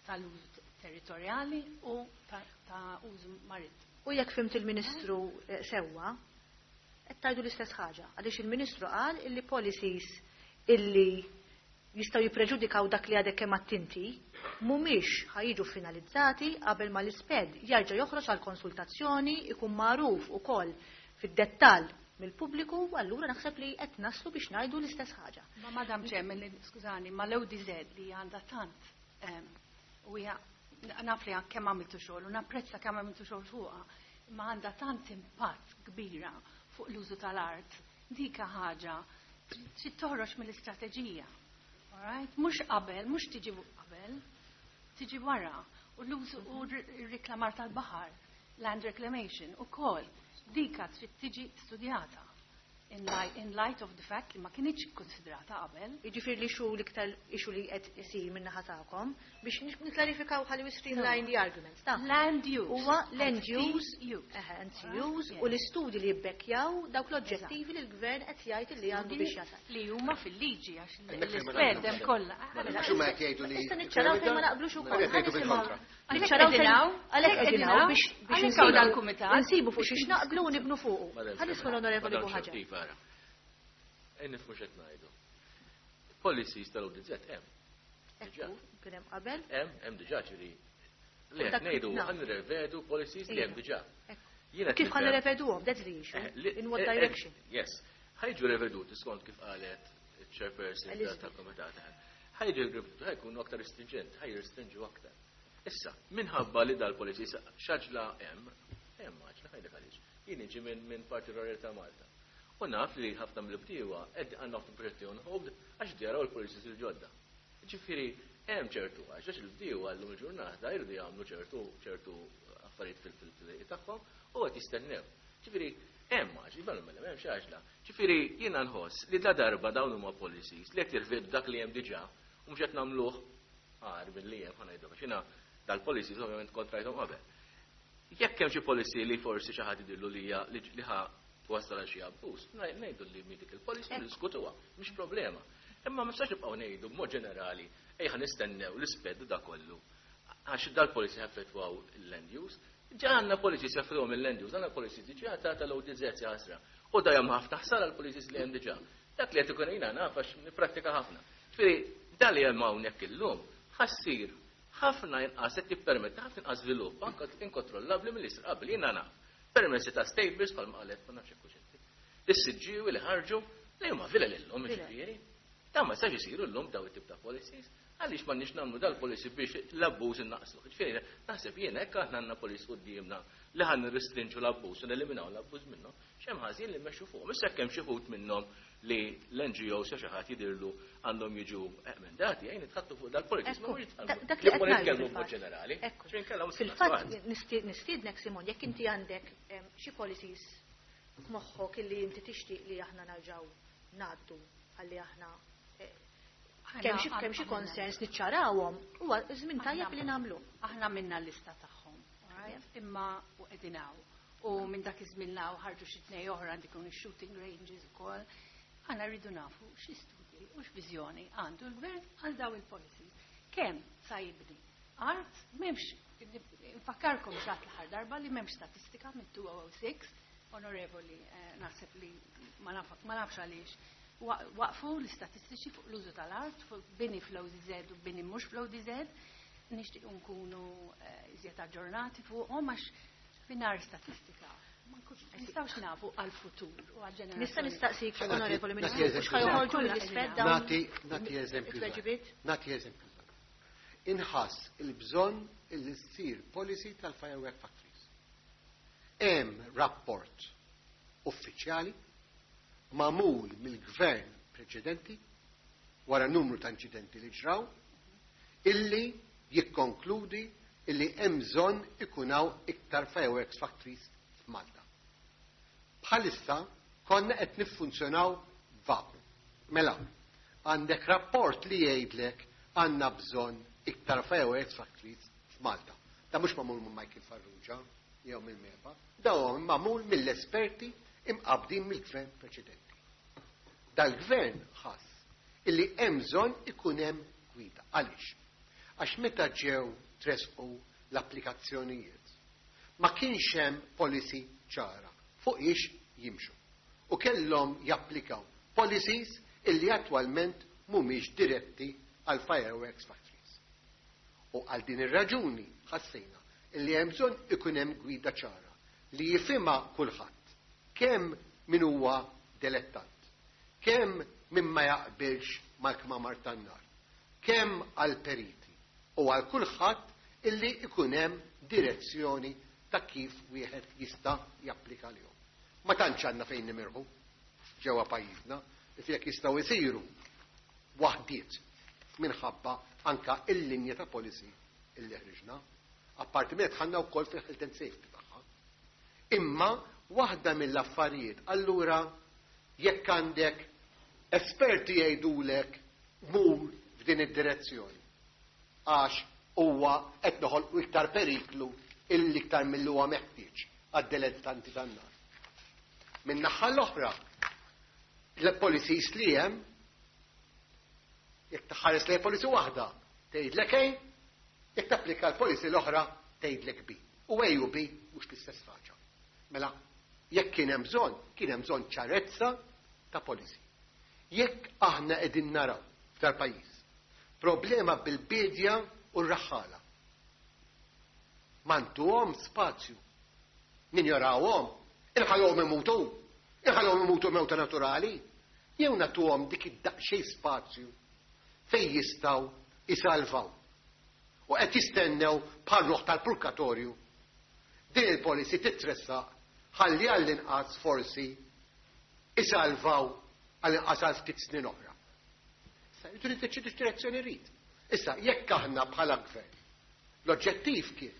Speaker 11: tal-użu territorjali u ta', ta użu marittimu.
Speaker 1: U jekk fhimt il-Ministru eh, sewwa, qed tgħidu l-istess ħaġa. Għaliex il-Ministru qal illi policies illi jistgħu jippreġudikaw dak li għadek kemm attinti mhumiex ħa jiġu finalizzati qabel ma l-SPED jerġa' joħroġ għal konsultazzjoni, ikun magħruf ukoll fid-dettall mill-pubbliku, allura naħseb li qed naslu biex ngħidu l-istess ħaġa.
Speaker 11: Ma Madam Chairman, li- skużani, ma l-O D Z li għandha tant em, u hija naf li kemm għamiltu xogħol u napprezza kemm għamiltu xogħol fuqha, imma għandha tant impatt kbira fuq l-użu tal-art. Dika ħaġa trid toħroġ mill-istrateġija. Alright? Mhux qabel, mhux tiġi qabel, tiġi wara. U l-użu u r-riklamar tal-baħar, land reclamation, u kol, dika trid tiġi studjata in light, in light of the fact li ma kinitx konsidrata qabel.
Speaker 1: Jiġifieri li xu l-iktar issue li qed isir min-naħa tagħkom biex niklarifikaw ħalli we streamline the arguments. Ta'
Speaker 11: Land use.
Speaker 1: Huwa land use,
Speaker 11: use.
Speaker 1: eħe, and use u l-istudji li jibbekkjaw dawk l-oġġettivi li l-gvern qed jgħid li għandu biex jasal.
Speaker 11: Li huma fil-liġi għax
Speaker 7: Hemmhekk fejn ma
Speaker 11: l-isped
Speaker 7: naqblux.
Speaker 11: hemm kollha.
Speaker 7: Mhux huma qed jgħidu li
Speaker 1: Issa niċċaraw fejn ma naqblux ukoll.
Speaker 7: Qed jgħidu bil-kontra.
Speaker 1: Niċċaraw fejn għalhekk qegħdin hawn biex biex
Speaker 11: Għalhekk
Speaker 1: insibu
Speaker 11: hawn dal-kumitat.
Speaker 1: Insibu fuq xiex naqblu u nibnu fuqu.
Speaker 8: Madam
Speaker 1: Ħa nisma' l-Onorevoli
Speaker 8: Madam
Speaker 1: Buhaġar.
Speaker 8: Chair, Iva, ara. E nifhmu x'qed ngħidu. Policies tal-O D Z hemm. Diġà.
Speaker 1: Ekku, kien hemm qabel.
Speaker 8: Hemm, hemm diġà ġifieri. Li
Speaker 1: U
Speaker 8: qed
Speaker 1: dak
Speaker 8: ngħidu
Speaker 1: na.
Speaker 8: ħa nirrevedu policies li hemm
Speaker 1: Iva.
Speaker 8: diġà.
Speaker 1: Ekku.
Speaker 8: Jiena qed
Speaker 1: Kif ħa
Speaker 8: nifhem-
Speaker 1: nirreveduhom? That's the issue.
Speaker 8: Eh, li-
Speaker 1: In what
Speaker 8: eh, eh,
Speaker 1: direction?
Speaker 8: Yes. Ħa jiġu reveduti skont kif qalet il-chairperson
Speaker 1: Elizabeth.
Speaker 8: tal-komitat. Ħa jiġu reveduti, ħa jkunu aktar stringent, ħa jirrestrinġu aktar. Issa, minħabba li dal-policies xaġla hemm, hemm għaġla ħajdek għaliex. Jien niġi minn minn Parti Rurali ta' Malta. U naf li ħafna mill-bdiewa qed għandna ħafna proġetti on hold għax jaraw il-policies il-ġodda. Ġifieri hemm ċertu għax għax il-bdiewa llum il-ġurnata jridu jagħmlu ċertu ċertu affarijiet fil-fil tagħhom u qed jistennew. Ġifieri hemm għax, iva mela m'hemmx għaġla. Ġifieri jiena nħoss li la darba dawn huma policies li qed jirvedu dak li hemm diġà u mhux qed nagħmluh għar milli hemm, ħa ngħidu, għax jiena dal-policies ovvjament kontrajthom qabel. Jekk hemm xi policy li forsi xi ħadd idillu li hija li li ħa twassal għal xi abbuż, ngħidu li mi dik il-policy niskutuha, mhix problema. Imma ma nistax nibqgħu ngħidu b'mod ġenerali ejja nistennew l-isped da kollu. Għax dal-policy jaffettwaw il-land use. Ġa għandna policies jaffettwaw il-land use, għandna policies diġà ta' tal-O D Z ħasra. U da hemm ħafna ħsara l-policies li hemm diġà. Dak li qed ikun jiena naf għax nipprattika ħafna. Ġifieri dan li hemm hawnhekk illum ħa ssir ħafna inqas, qed jippermetti ħafna inqas żvilupp anke inkontrollabbli mill isir qabel. Jiena naf. Permessi ta' stables bħalma qalet, ma nafx hekk inti. Is-Siġġiewi li ħarġu li huma villa lillum ġifieri. Dan ma jistax isiru llum daw it-tip ta' policies. Għaliex m'għandniex nagħmlu dal-policy biex l-abbuż innaqsu? Ġifieri naħseb jien hekk aħna għandna policy quddiemna li ħa nirrestrinġu l-abbuż u neliminaw l-abbuż minnhom. X'hemm ħażin li mmexxu fuqhom? Issa hemm xi wħud minnhom li l-N G Os xi ħadd jidirlu għandhom jiġu emendati, jgħin nitħattu fuq dal-policies, ma mhux
Speaker 1: Dak dak li qed ngħidu
Speaker 8: nitkellmu b'mod
Speaker 1: fil-fatt.
Speaker 8: ġenerali.
Speaker 1: Ekku.
Speaker 8: Ġifieri nkella mhux
Speaker 1: Fil-fatt
Speaker 8: naslu.
Speaker 1: nisti- nistiednek Simon, jekk inti għandek em, xi policies f'moħħok illi inti tixtieq li aħna narġaw ngħaddu ħalli aħna eh, kemm xi kemm xi konsens niċċarawhom, huwa żmien tajjeb li nagħmlu.
Speaker 11: Aħna minna l-lista tagħhom, alright? Imma u qegħdin hawn. U minn dak iż-żmien law ħarġu xi tnej oħra għandi ikun shooting ranges ukoll. Aħna rridu nafu xi studji u x'viżjoni għandu l-gvern għal daw il-policies. Kemm sa jibni art, m'hemmx, nfakkarkom xat l-aħħar darba li m'hemmx statistika minn elfejn u sitta, onorevoli, eh, naħseb li ma naf- ma nafx għaliex wa- waqfu l-istatistiċi fuq l-użu tal-art, fuq bini fl-O D Z u bini mhux fl-O D Z, nixtieq nkunu eh, iżjed aġġornati fuqhom għax mingħajr statistika ma nkunx nistgħux nafu għal-futur u għal-ġenerazzjoni.
Speaker 1: Nista' nistaqsik,
Speaker 7: Nagħti-
Speaker 1: onorevoli
Speaker 7: nagħti
Speaker 1: Ministru,
Speaker 7: eżempju
Speaker 1: mhux ħa joħorġu
Speaker 11: żgħir.
Speaker 1: mill-isped dawn
Speaker 7: Nagħti nagħti eżempju żgħir.
Speaker 1: it-tweġibiet?
Speaker 7: Nagħti eżempju żgħir. Inħass il-bżonn illi ssir policy tal-firework factories. Hemm rapport uffiċjali magħmul mill-gvern preċedenti wara numru ta' inċidenti li ġraw illi jikkonkludi illi hemm bżonn ikun hawn iktar fireworks factories f'Malta. Bħalissa konna qed niffunzjonaw vakum. Mela, għandek rapport li jgħidlek għandna bżonn iktar fireworks factories f'Malta. Da mhux magħmul minn Michael Farrugia jew mill-MEPA, da huwa magħmul mill-esperti imqabdin mill-gvern preċedenti. Dal-gvern ħass illi hemm bżonn ikun hemm gwida. Għaliex? Għax meta ġew tresqu l-applikazzjonijiet, ma kienx hemm policy ċara fuq ix jimxu. U kellhom japplikaw policies illi attwalment mhumiex diretti għal fireworks factories. U għal din ir-raġuni ħassejna illi hemm bżonn ikun hemm gwida ċara li jifhimha kulħadd, kemm min huwa dilettant, kemm min ma jaqbilx mal-kmamar tan-nar, kemm għal periti u għal kulħadd illi ikun hemm direzzjoni ta' kif wieħed jista' japplika lihom. Ma tantx għandna fejn nimirħu ġewwa pajjiżna li jekk jistgħu jsiru waħdiet minħabba anka il-linja ta' policy illi ħriġna. Apparti minn dħalna wkoll fil-health and safety tagħha. Imma waħda mill-affarijiet, allura jekk għandek esperti jgħidulek mur f'din id-direzzjoni. Għax huwa qed noħolqu iktar periklu illi iktar milli huwa meħtieġ għad-dilettanti tan-nar. Min-naħa l-oħra, l-policies li hemm, jekk taħares lejn policy waħda, tgħidlek A, jekk tapplika l-policy l-oħra tgħidlek B. U A u B mhux l-istess ħaġa. Mela, jekk kien hemm bżonn, kien hemm bżonn ċarezza ta' policy. Jekk aħna qegħdin naraw f'dal-pajjiż problema bil-bidja u r-raħħala. Ma ntuhom spazju. Ninjorawhom, inħallhom imutu, inħallhom imutu mewta naturali, jew nagħtuhom dik id-daqsxejn spazju fejn jistgħu isalvaw. U qed jistennew bħal ruħ tal-purgatorju. Din il-policy titressaq ħalli għall-inqas forsi isalvaw għall-inqas għal ftit snin oħra. Issa, jridu niddeċidu x'direzzjoni rrid. Issa, jekk aħna bħala gvern, l-oġġettiv kien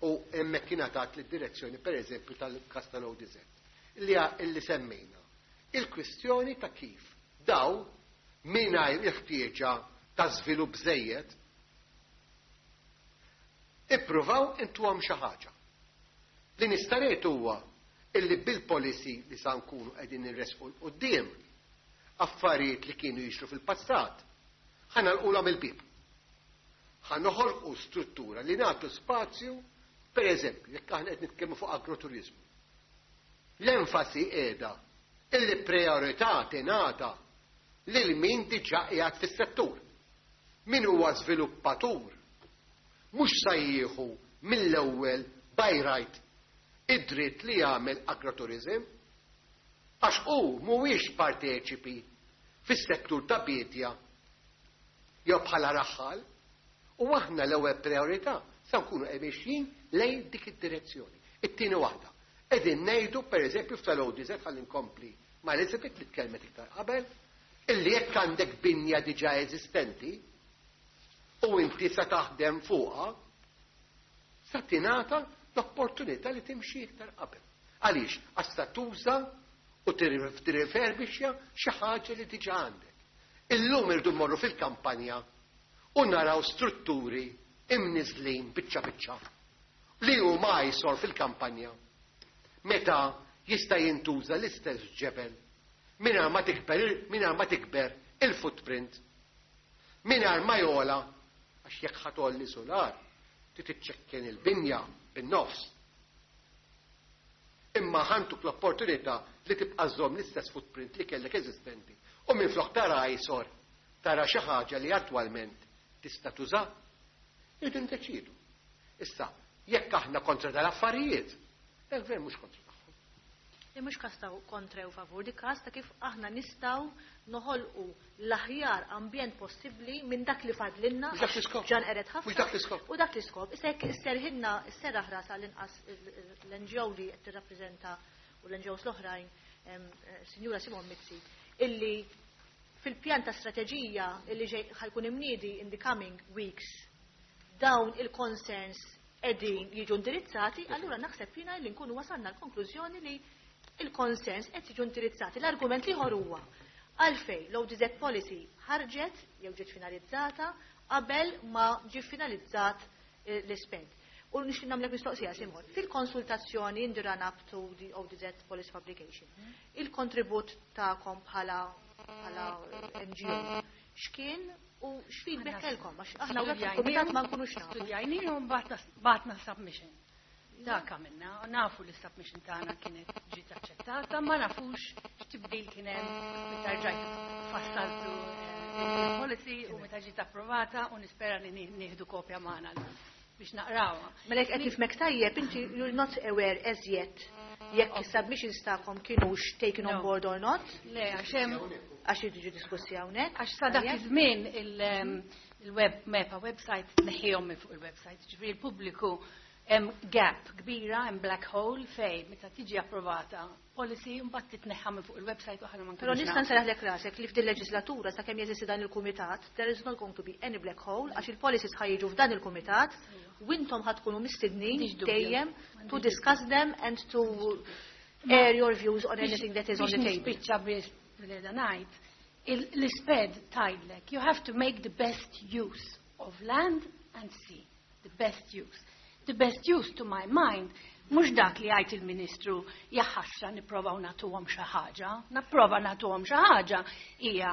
Speaker 7: u hemmhekk kien għatat lid-direzzjoni pereżempju tal-każ tal-O D Z li illi semmejna. Il-kwistjoni ta' kif daw mingħajr il-ħtieġa ta' żvilupp żejjed ippruvaw intuhom xi ħaġa. Li nista' ngħid huwa illi bil-policy li sa nkunu qegħdin nirresqu 'l quddiem affarijiet li kienu jiġru fil-passat, ħa nagħlqulhom il-bib. Ħa noħolqu struttura li nagħtu spazju, per eżempju, jekk aħna qed nitkellmu fuq agroturizmu. L-enfasi qiegħda illi priorità tingħata lil min diġà qiegħed fis-settur. Min huwa żviluppatur mhux sa jieħu mill-ewwel by right id-dritt li jagħmel agroturizm għax hu mhuwiex parteċipi fis-settur ta' bidja jew bħala raħħal, u aħna l-ewwel priorità sa nkunu mexjin lejn dik id-direzzjoni. It-tieni waħda. Qegħdin ngħidu, pereżempju, f'tal-O D Z, ħalli nkompli ma' Elizabeth li tkellmet iktar qabel, illi jekk għandek binja diġà eżistenti u inti sa taħdem fuqha, sa tingħata l-opportunità li timxi iktar qabel. Għaliex? Għax sa tuża u tirreferbixja xi ħaġa li diġà għandek. Illum irdu mmorru fil-kampanja u naraw strutturi imniżlin biċċa biċċa li huma jsor fil-kampanja. Meta jista' jintuża l-istess ġebel mingħajr ma tikber mingħajr ma tikber il-footprint, mingħajr ma jogħla, għax jekk ħa tgħolli solar trid iċċekken il-binja bin-nofs. Imma ħa ntuk l-opportunità li tibqa' żomm l-istess footprint li kellek eżistenti u minflok tara jsor tara xi ħaġa li attwalment tista' tuża. Irridu ndeċidu. Issa, jekk aħna kontra dal-affarijiet, il-gvern mhux kontra tagħhom.
Speaker 1: Li mhux każ ta' kontra u favur, di każ ta' kif aħna nistgħu noħolqu l-aħjar ambjent possibbli minn dak li fadlilna.
Speaker 7: Mhux dak l-iskop.
Speaker 1: Ġan qered ħafna.
Speaker 7: Mhux dak l-iskop.
Speaker 1: U dak l-iskop. Issa jekk isserħilna, isserraħ ras għall-inqas l-N G O li qed tirrappreżenta u l-N G Os l-oħrajn, em, eh, Sinjura Simon Mizzi, illi fil-pjan ta' strateġija illi ġej ħa jkun imniedi in the coming weeks dawn il-concerns qegħdin jiġu indirizzati, allura naħseb jiena li nkunu wasalna l-konklużjoni li il-concerns qed jiġu indirizzati. L-argument l-ieħor huwa għalfej l-O D Z policy ħarġet jew ġiet finalizzata qabel ma ġi finalizzat eh, l-ispend. U nixtieq nagħmlek mistoqsija, Simon. Fil-konsultazzjoni in the run up to the O D Z policy publication, il-kontribut tagħkom bħala bħala N G O x'kien u x'feedback kellkom? Għax aħna hawnhekk fil-kumitat ma nkunux nafu.
Speaker 11: Studjajnihom, bgħatna submission. Dak għamilna, nafu li submission tagħna kienet ġiet aċċettata, ma nafux x'tibdil kien hemm meta rġajt fassaltu eh, il-policy u meta ġiet approvata, u nispera li nieħdu kopja magħna biex naqrawha.
Speaker 1: Mela jekk qed nifhmek tajjeb, inti you're not aware as yet jekk is-submissions tagħkom kienux taken on
Speaker 11: No.
Speaker 1: board or not,
Speaker 11: Le, għax hemm
Speaker 1: għax jiġu diskussi hawnhekk.
Speaker 11: Għax sa dak
Speaker 1: Tajjeb?
Speaker 11: iż-żmien il- il-web MEPA website tneħħihom minn fuq il-website, ġifieri il-pubbliku Hemm gap kbira, hemm black hole fej meta tiġi approvata policy mbagħad titneħħa minn fuq il-website u aħna ma
Speaker 1: Però
Speaker 11: nkunux
Speaker 1: nista'
Speaker 11: nafu.
Speaker 1: nserraħlek rasek li f'din leġislatura sakemm jeżisti dan il-kumitat, there is not going to be any black hole għax il-policies ħa jiġu f'dan il-kumitat u intom ħa tkunu mistednin
Speaker 11: M'għandix dubju.
Speaker 1: dejjem to discuss them and to air your views on anything that is on the
Speaker 11: Biex
Speaker 1: table.
Speaker 11: nispiċċa biex bil ngħid, il- l-ISPED tgħidlek, you have to make the best use of land and sea. The best use. The best use to my mind, mhux dak li jgħid il-Ministru jaħasra nipprovaw nagħtuhom xi ħaġa, napprova nagħtuhom xi ħaġa hija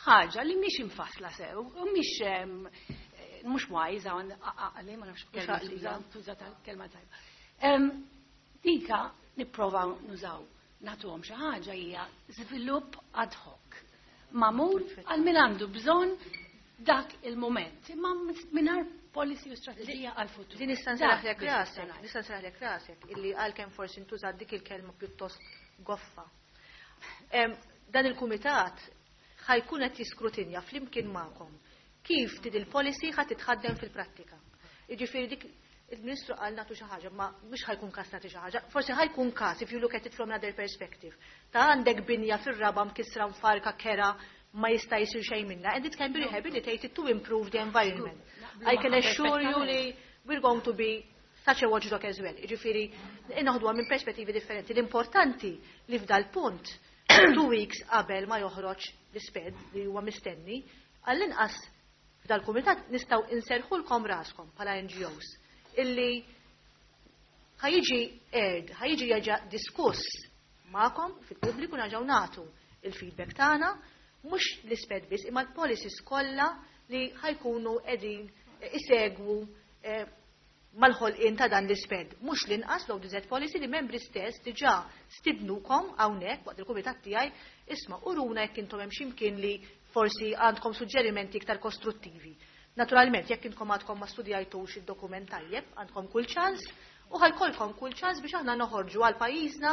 Speaker 11: ħaġa li mhix infassla sew, u mhix em, eh, mhux wise hawn għaqli ma nafx
Speaker 1: Mhux
Speaker 11: kelma
Speaker 1: għaqlija.
Speaker 11: tuża tuża tal-kelma tajba. Em, Dika nipprovaw nużaw nagħtuhom xi ħaġa hija żvilupp ad hoc. Magħmul għal min għandu bżonn dak il-moment, imma mingħajr policy u strategija għal-futur.
Speaker 1: Li nista'
Speaker 11: Dak
Speaker 1: nserraħlek
Speaker 11: biss
Speaker 1: rasek,
Speaker 11: ngħid.
Speaker 1: nista' nserraħlek rasek illi għalkemm forsi ntużat dik il-kelma pjuttost goffa. Em, Dan il-kumitat ħa jkun qed jiskrutinja flimkien magħkom kif din il-policy ħa titħaddem fil-prattika. Jiġifieri dik il-Ministru qal nagħtu xi ħaġa, ma mhux ħa jkun każ nagħti xi ħaġa, forsi ħa jkun każ if you look at it from another perspective. Ta' għandek binja fir-raba mkissra mfarka kera ma jista' jsir xejn minna and it can be rehabilitated to improve the environment. I can assure you li we're going to be such a watchdog as well. Jiġifieri noħduha minn perspettivi differenti. L-importanti li f'dal punt two weeks qabel ma joħroġ l-ISPED li huwa mistenni, għall-inqas f'dal-kumitat nistgħu inserħulkom raskom bħala N G Os illi ħa jiġi aired, ħa jiġi jerġa' diskuss magħkom fil-pubbliku nerġgħu nagħtu il-feedback tagħna, mhux l-ISPED biss, imma l-policies kollha li ħa jkunu qegħdin isegwu eh, mal-ħolqien ta' dan l-ISPED. Mhux l-inqas l-O D Z policy li membri stess diġà stidnukom hawnhekk waqt il-kumitat tiegħi isma' uruna jekk intom hemm x'imkien li forsi għandkom suġġerimenti iktar kostruttivi. Naturalment, jekk intkom għadkom ma studjajtux id-dokument tajjeb, għandkom kull ċans u ħa jkollkom kull ċans biex aħna noħorġu għal pajjiżna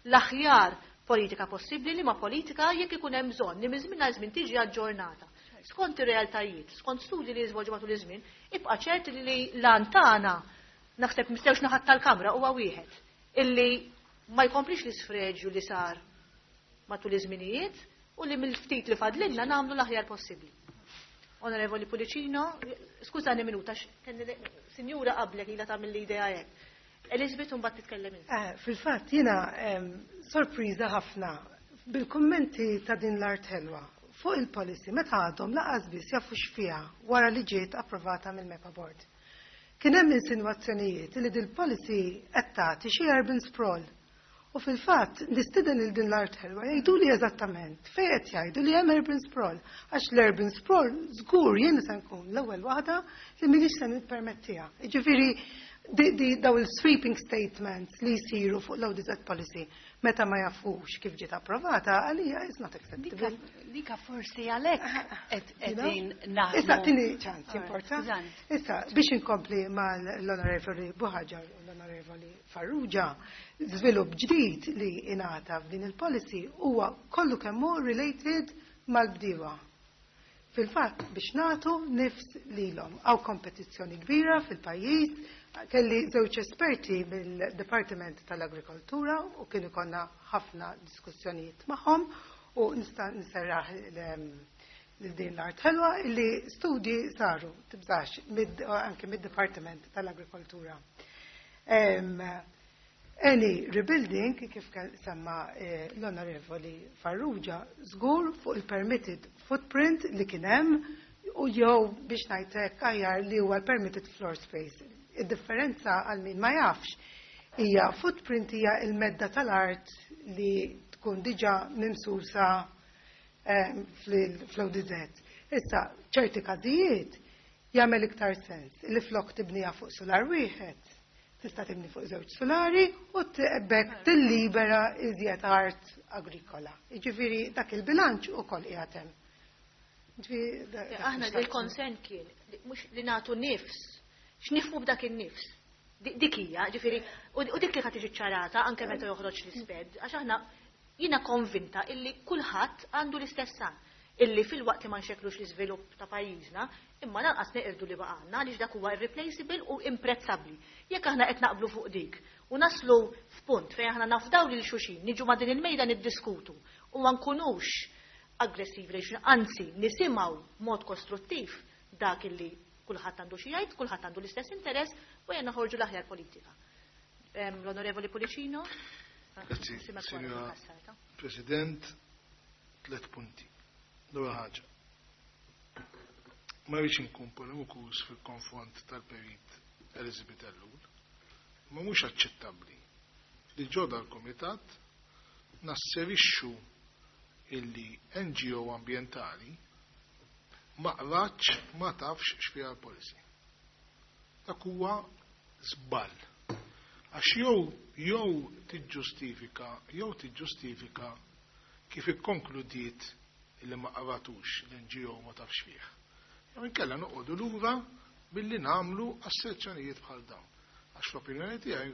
Speaker 1: l-aħjar politika possibbli li ma politika jekk ikun hemm bżonn li minn żmien għal żmien tiġi aġġornata. Skont ir-realtajiet, skont studji li jiżvolġu matul iż-żmien, ibqa' ċert li l-għan tagħna naħseb mistewx naħat tal-kamra huwa wieħed illi ma jkomplix l-isfreġju li sar matul iż-żminijiet u li mill-ftit li fadlilna nagħmlu l-aħjar possibbli. Onorevoli Pullicino, skużani minuta, sinjura qablek ilha tagħmel l-idea hekk. Elizabeth, mbagħad titkellem inti.
Speaker 10: Eh, Fil-fatt jiena em, sorpriża ħafna bil-kummenti ta' din l-art ħelwa fuq il-policy meta għadhom lanqas biss jafu x'fiha wara li ġiet approvata mill-MEPA Board. Kien hemm insinwazzjonijiet li dil policy qed tagħti xi urban sprawl. U fil-fatt nistieden lil din l-art ħelwa jgħidu li eżattament fejn qed jgħidu li hemm urban sprawl, għax l-urban sprawl żgur jien se nkun l-ewwel waħda li m'iniex se nippermettiha. Jiġifieri di, di daw il-sweeping statements li jsiru fuq l-O D Z policy meta ma jafux kif ġiet approvata, għalija is not acceptable.
Speaker 11: Dika, dika forsi għalhekk qed
Speaker 10: You know?
Speaker 11: qegħdin naħdmu.
Speaker 10: Issa, tini ċans,
Speaker 11: Alright,
Speaker 10: importa.
Speaker 11: skużani.
Speaker 10: Issa, biex inkompli mal-Onorevoli Buhaġar u l-Onorevoli Farrugia, żvilupp ġdid li ingħata f'din il-policy huwa kollu kemm hu related mal-bdiewa. Fil-fatt, biex nagħtu nifs lilhom. Hawn kompetizzjoni kbira fil-pajjiż, kelli żewġ esperti mill-Departiment tal-Agrikoltura u kienu konna ħafna diskussjonijiet magħhom u nista' nserraħ lil din l-art ħelwa illi studji saru, tibżax, mid, anke mid-Departiment tal-Agrikoltura. Em, Any rebuilding, kif semma eh, l-Onorevoli Farrugia, żgur fuq il-permitted footprint li kien hemm u jew biex ngħidlek aħjar li huwa l-permitted floor space. Id-differenza għal min ma jafx hija footprint hija il-medda tal-art li tkun diġà mimsusa eh, fl-O D Z. Issa, ċerti każijiet jagħmel iktar sens li flok tibniha fuq solar wieħed tista' tibni fuq żewġ solari u b'hekk tillibera iżjed art agrikola. Jiġifieri dak il-bilanċ ukoll qiegħed hemm.
Speaker 1: Aħna il-concern kien mhux li nagħtu nifs, x'nifhmu b'dak in-nifs. Dik hija, ġifieri, u dik li ħa tiġi ċarata anke meta joħroġ l-ISPED, għax aħna jiena konvinta illi kulħadd għandu l-istess san. Illi filwaqt li ma nxekklux l-iżvilupp ta' pajjiżna, imma lanqas neqirdu li baqgħalna, għaliex dak huwa irreplaceable u imprezzabbli. Jekk aħna qed naqblu fuq dik u naslu f'punt fejn aħna nafdaw lil xulxin, niġu ma' din il-mejda niddiskutu u ma nkunux aggressivi lejn xulxin, anzi nisimgħu mod kostruttiv dak illi kulħadd għandu xi jgħid, kulħadd għandu l-istess interess u ejja noħorġu l-aħjar politika. L-Onorevoli Pullicino?
Speaker 3: Grazzi, Signora President, tliet punti. L-ewwel ħaġa. Ma rridx inkun polemikus fil-konfront tal-Perit Elizabeth Ellul, ma mhux aċċettabbli li ġo dal-Kumitat nasserixxu illi N G O ambientali ma qratx, ma tafx x'fiha l-policy. Dak huwa żball. Għax jew jew tiġġustifika jew tiġġustifika kif ikkonkludiet illi ma qratux l-N G O, ma tafx fih. Jew inkella noqogħdu lura billi nagħmlu asserzjonijiet bħal dawn. Għax l-opinjoni tiegħi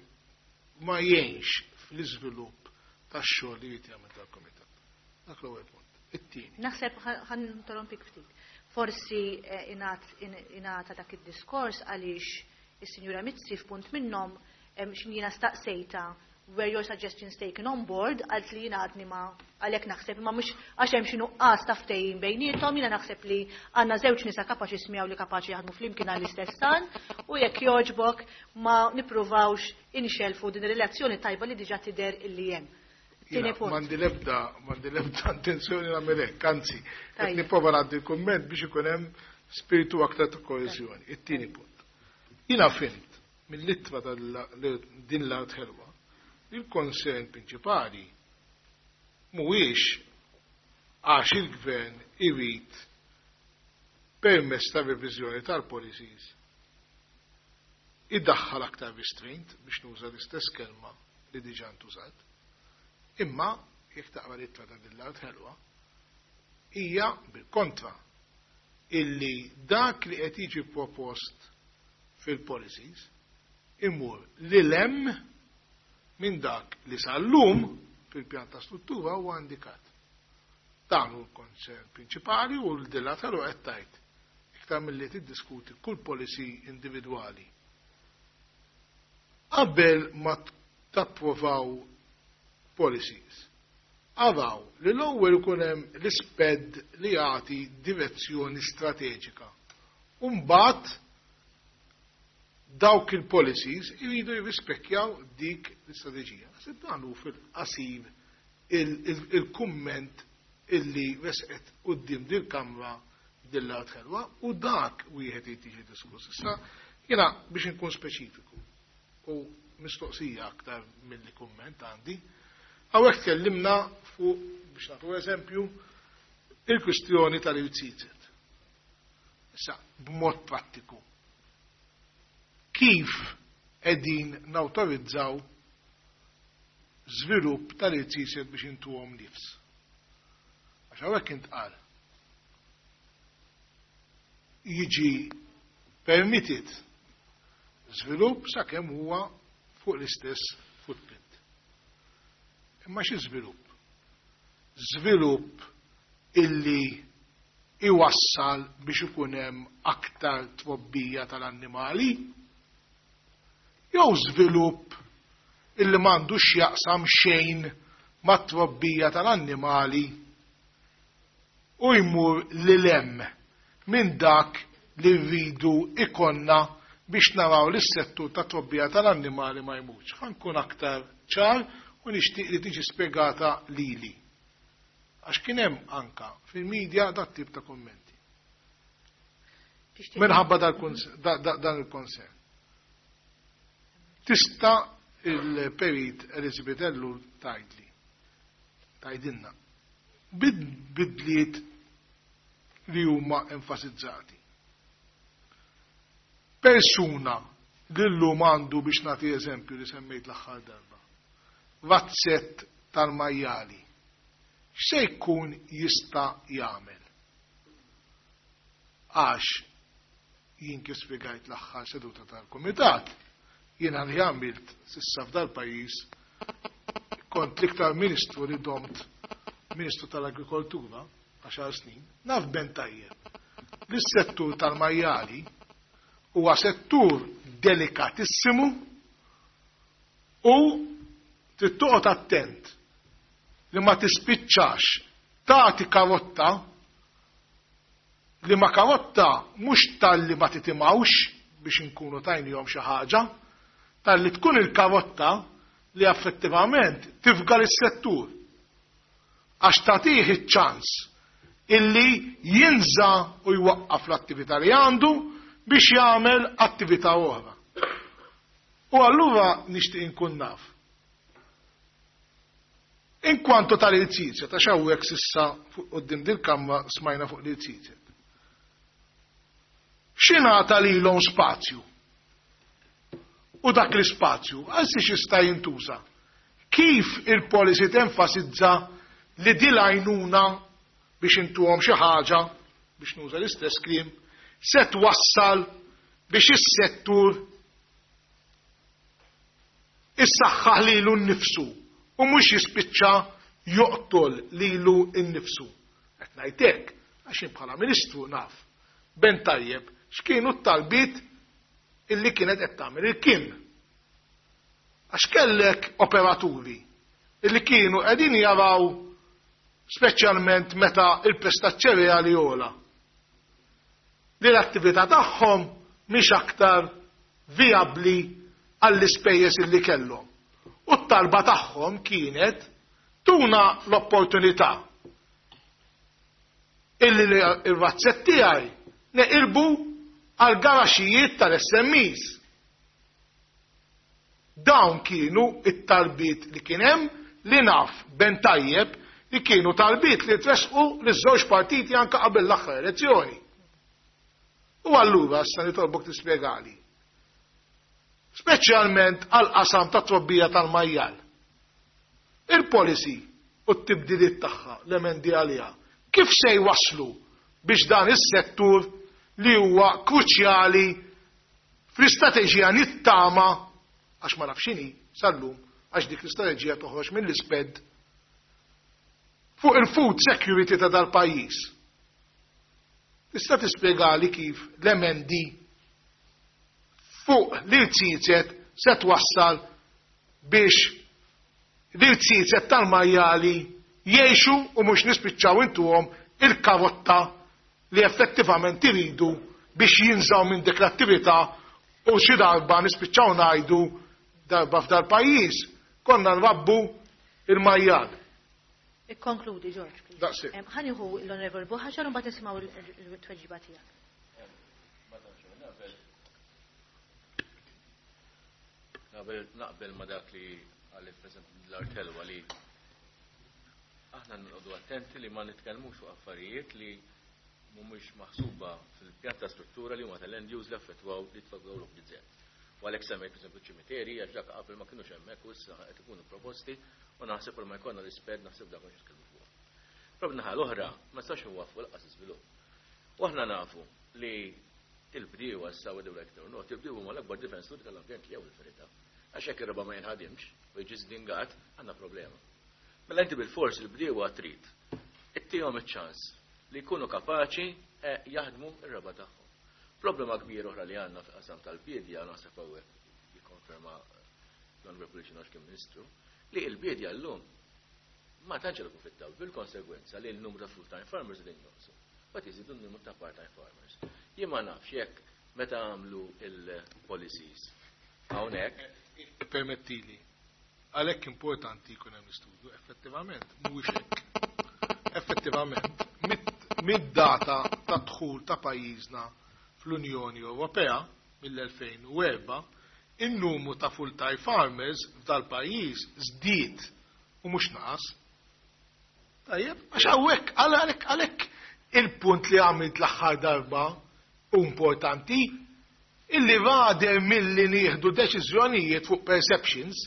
Speaker 3: ma jgħinx fl-iżvilupp tax-xogħol li jrid jagħmel tal-kumitat. Dak l-ewwel punt. It-tieni.
Speaker 1: Naħseb ħa ninterrompik ftit. Forsi eh, ingħata dak id-diskors għaliex is-Sinjura Mizzi f'punt minnhom x'ħin jiena staqsejta "Were your suggestions taken on board?" Għalt li jiena għadni ma, għalhekk naħseb ma mhux għax hemm xi nuqqas ta' ftehim bejniethom. Jiena naħseb li għandna żewġ nisa kapaċi smjaw li kapaċi jaħdmu flimkien għall-istess għan u jekk jogħġbok ma nippruvawx inxelfu din ir-relazzjoni tajba li diġà tidher illi hemm. Tieni punt.
Speaker 3: M'għandi lebda, m'għandi lebda intenzjoni nagħmel hekk, anzi, qed nipprova ngħaddi kumment biex ikun hemm spiritu aktar ta' koeżjoni. It-tieni punt. Jiena fhimt mill-ittra din l-art ħelwa il-concern prinċipali mhuwiex għax il-gvern irid permess ta' reviżjoni tal-policies iddaħħal aktar restraint, biex nuża l-istess kelma li diġà ntużat, imma jekk taqra l-ittra ta' din l-art ħelwa hija bil-kontra, illi dak li qed jiġi propost fil-policies imur lil hemm minn dak li sal-lum fil-pjan ta' struttura huwa indikat. Dan hu l-concern prinċipali u l-dilataru qed tgħid iktar milli tiddiskuti kull policy individwali. Qabel ma tapprovaw policies, araw li l-ewwel ikun hemm l-SPED li jagħti direzzjoni strateġika. U mbagħad dawk il-policies iridu jirrispekkjaw dik l-istrateġija. Naħseb dan hu fil-qasir il-kumment illi resqet quddiem dil-Kamra din l-art ħelwa u dak wieħed irid jiġi diskuss. Issa jiena biex inkun speċifiku u mistoqsija aktar milli kumment għandi, hawnhekk tkellimna fuq, biex nagħtu eżempju, il-kwistjoni tal-irziezet. Issa, b'mod prattiku, kif qegħdin nawtorizzaw żvilupp tal-irziezet biex intuhom nifs? Għax hawnhekk intqal jiġi permitted żvilupp sakemm huwa fuq l-istess footprint. Imma xi żvilupp? Żvilupp illi iwassal biex ikun hemm aktar trobbija tal-annimali? Jew żvilupp illi m'għandux jaqsam xejn mat-trobbija tal-annimali u jmur lil hemm minn dak li rridu ikollna biex naraw li s-settur ta' trobbija tal-annimali ma jmutx? Ħa nkun aktar ċar u nixtieq li tiġi spiegata lili. Għax kien hemm anka fil-medja dat tip ta' kommenti. Minħabba dan il-concern. Tista' il-Perit Elizabeth Ellul tgħidli, tgħidilna, bidliet li huma enfasizzati? Persuna li llum għandu, biex nagħti eżempju li semmejt l-aħħar darba, razzett tal-majjali, x'se jkun jista' jagħmel? Għax jien kif spjegajt l-aħħar seduta tal-kumitat, jiena li għamilt s'issa f'dal-pajjiż kont l-iktar ministru li domt ministru tal-agrikoltura, għax għaxar snin, naf ben tajjeb li s-settur tal-majjali huwa settur delikatissimu u trid toqgħod attent li ma tispiċċax tagħti karotta li ma karotta mhux talli ma titimgħux biex inkunu tajnihom xi ħaġa, talli tkun il-karotta li effettivament tifga lis-settur. Għax tagħtih iċ-ċans illi jinża u jwaqqaf l-attività li għandu biex jagħmel attività oħra. U allura nixtieq inkun naf. Inkwantu tal-irziezet, għax hawnhekk s'issa fuq quddiem dil-kamra smajna fuq l-irziezet. X'ingħata lilhom spazju? U dak l-ispazju għal xiex jista' jintuża? Kif il-policy tenfasizza li din l-għajnuna biex intuhom xi ħaġa, biex nuża l-istess kliem, se twassal biex is-settur issaħħaħ lilu nnifsu u mhux jispiċċa joqtol lilu nnifsu. Qed ngħid hekk għax jien bħala Ministru naf ben tajjeb x'kienu t-talbiet illi kienet qed tagħmel il-Kim. Għax kellek operaturi illi kienu qegħdin jaraw speċjalment meta il-prezz taċ-ċereali ogħla. Li l-attività tagħhom mhix aktar vijabbli għall-ispejjeż illi kellhom. U t-talba tagħhom kienet tuna l-opportunità illi il-razzett tiegħi neqilbu għal garaxijiet tal-S M Es. Dawn kienu it-talbiet li kien hemm li naf ben tajjeb li kienu talbiet li tresqu liż-żewġ partiti anke qabel l-aħħar elezzjoni. U allura issa nitolbok tispjegali. Speċjalment għal qasam ta' trobbija tal-majjal. Il-policy u t-tibdiliet tagħha, l-emendi għaliha, kif se jwasslu biex dan is-settur li huwa kruċjali fl-istrateġija nittama, għax ma nafx x'inhi sal-lum, għax dik l-istrateġija toħroġ mill-isped fuq il-food security ta' dal-pajjiż. Tista' tispjegali kif l-emendi fuq l-irziezet se twassal biex l-irziezet tal-majjali jgħixu u mhux nispiċċaw intuhom il-karotta li effettivament iridu biex jinżaw minn dik l-attività u xi darba nispiċċaw ngħidu darba f'dal pajjiż konna nrabbu il-majjal.
Speaker 1: Ikkonkludi, George, please.
Speaker 3: Daqshekk.
Speaker 1: Em, ħa nieħu l-Onorevoli Buhaġar u mbagħad nisimgħu il-tweġiba tiegħek.
Speaker 8: Naqbel, naqbel ma dak li għalli President l-Artelwa li aħna nqogħdu attenti li ma nitkellmux fuq affarijiet li mhumiex maħsuba fil-pjan ta' struttura li huma tal-end use li affettwaw li tfaggaw l-O P Z. U għalhekk semmejt pereżempju ċimiteri għax dak qabel ma kinux hemmhekk u issa qed ikunu proposti u naħseb ma jkollna l-isped naħseb dak mhux nitkellmu fuq. Però b'naħa l-oħra ma nistax nwaffqu l-qas iżvilupp. U aħna nafu li il-bdiewa issa whether like it or not, il-bdiewa huma l-akbar difensuri tal-ambjent li hawn il-verità. Għax jekk ir-raba' ma jinħadimx u jiġi żdingat, għandna problema. Mela inti bil-fors il-bdiewa trid ittihom iċ-ċans li jkunu kapaċi, eh, jaħdmu r-raba' tagħhom. Problema kbira oħra li għandna fil-qasam tal-bidja, naħseb hawnhekk jikkonferma l-Onorevoli Pullicino għax kien Ministru, li l-bidja llum ma tantx qed fit-taw bil-konsegwenza li l-numru ta' full-time farmers qegħdin jonqsu. Mbagħad iżidu n-numru ta' part-time farmers. Jien ma nafx jekk meta għamlu il-policies hawnhekk.
Speaker 3: Permettili, għalhekk importanti jkun hemm l-istudju, effettivament mhuwiex hekk. Effettivament, mid-, mid-data ta' dħul ta' pajjiżna fl-Unjoni Ewropea mill-elfejn u erba', in-numru ta' full-time farmers f'dal-pajjiż żdied u mhux naqas. Tajjeb, għax hawnhekk, għalhekk, għalhekk il-punt li għamilt l-aħħar darba u importanti, illi rader milli nieħdu deċiżjonijiet fuq perceptions,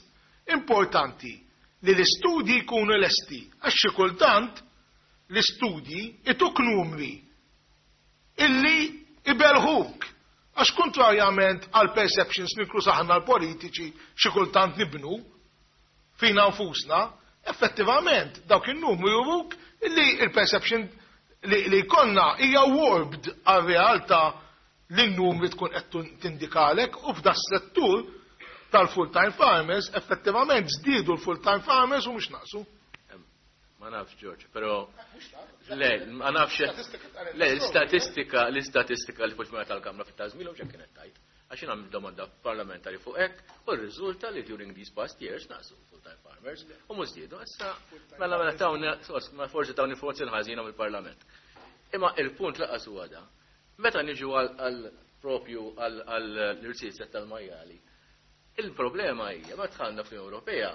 Speaker 3: importanti li l-istudji jkunu lesti, għax xi kultant l-istudji ituk numri illi ibelħuk. Għax kontrarjament għal perceptions nikru saħna l-politiċi xi kultant nibnu fina nfusna, effettivament dawk in-numri juruk illi il-perception li, li jkollna hija warped għar-realtà li n-numri tkun qed tindikalek u f'da settur tal-full-time farmers effettivament żdiedu l-full-time farmers u mhux naqsu.
Speaker 8: Ma nafx, George, però le, ma nafx. Le, l-istatistika, l-istatistika li fuq tal-Kamra fit-tażmilu x'hekk kienet tajt. Għax jien għamilt domanda parlamentari fuq hekk u rriżulta li during these past years naqsu full-time farmers u mhux żdiedu. Issa mela mela tawni ma forsi tawni informazzjoni ħażina mill-Parlament. Imma il-punt laqas huwa da. Meta niġu għal propju għall-irziezet tal-majjali, il-problema hija ma dħalna fl-Ewropea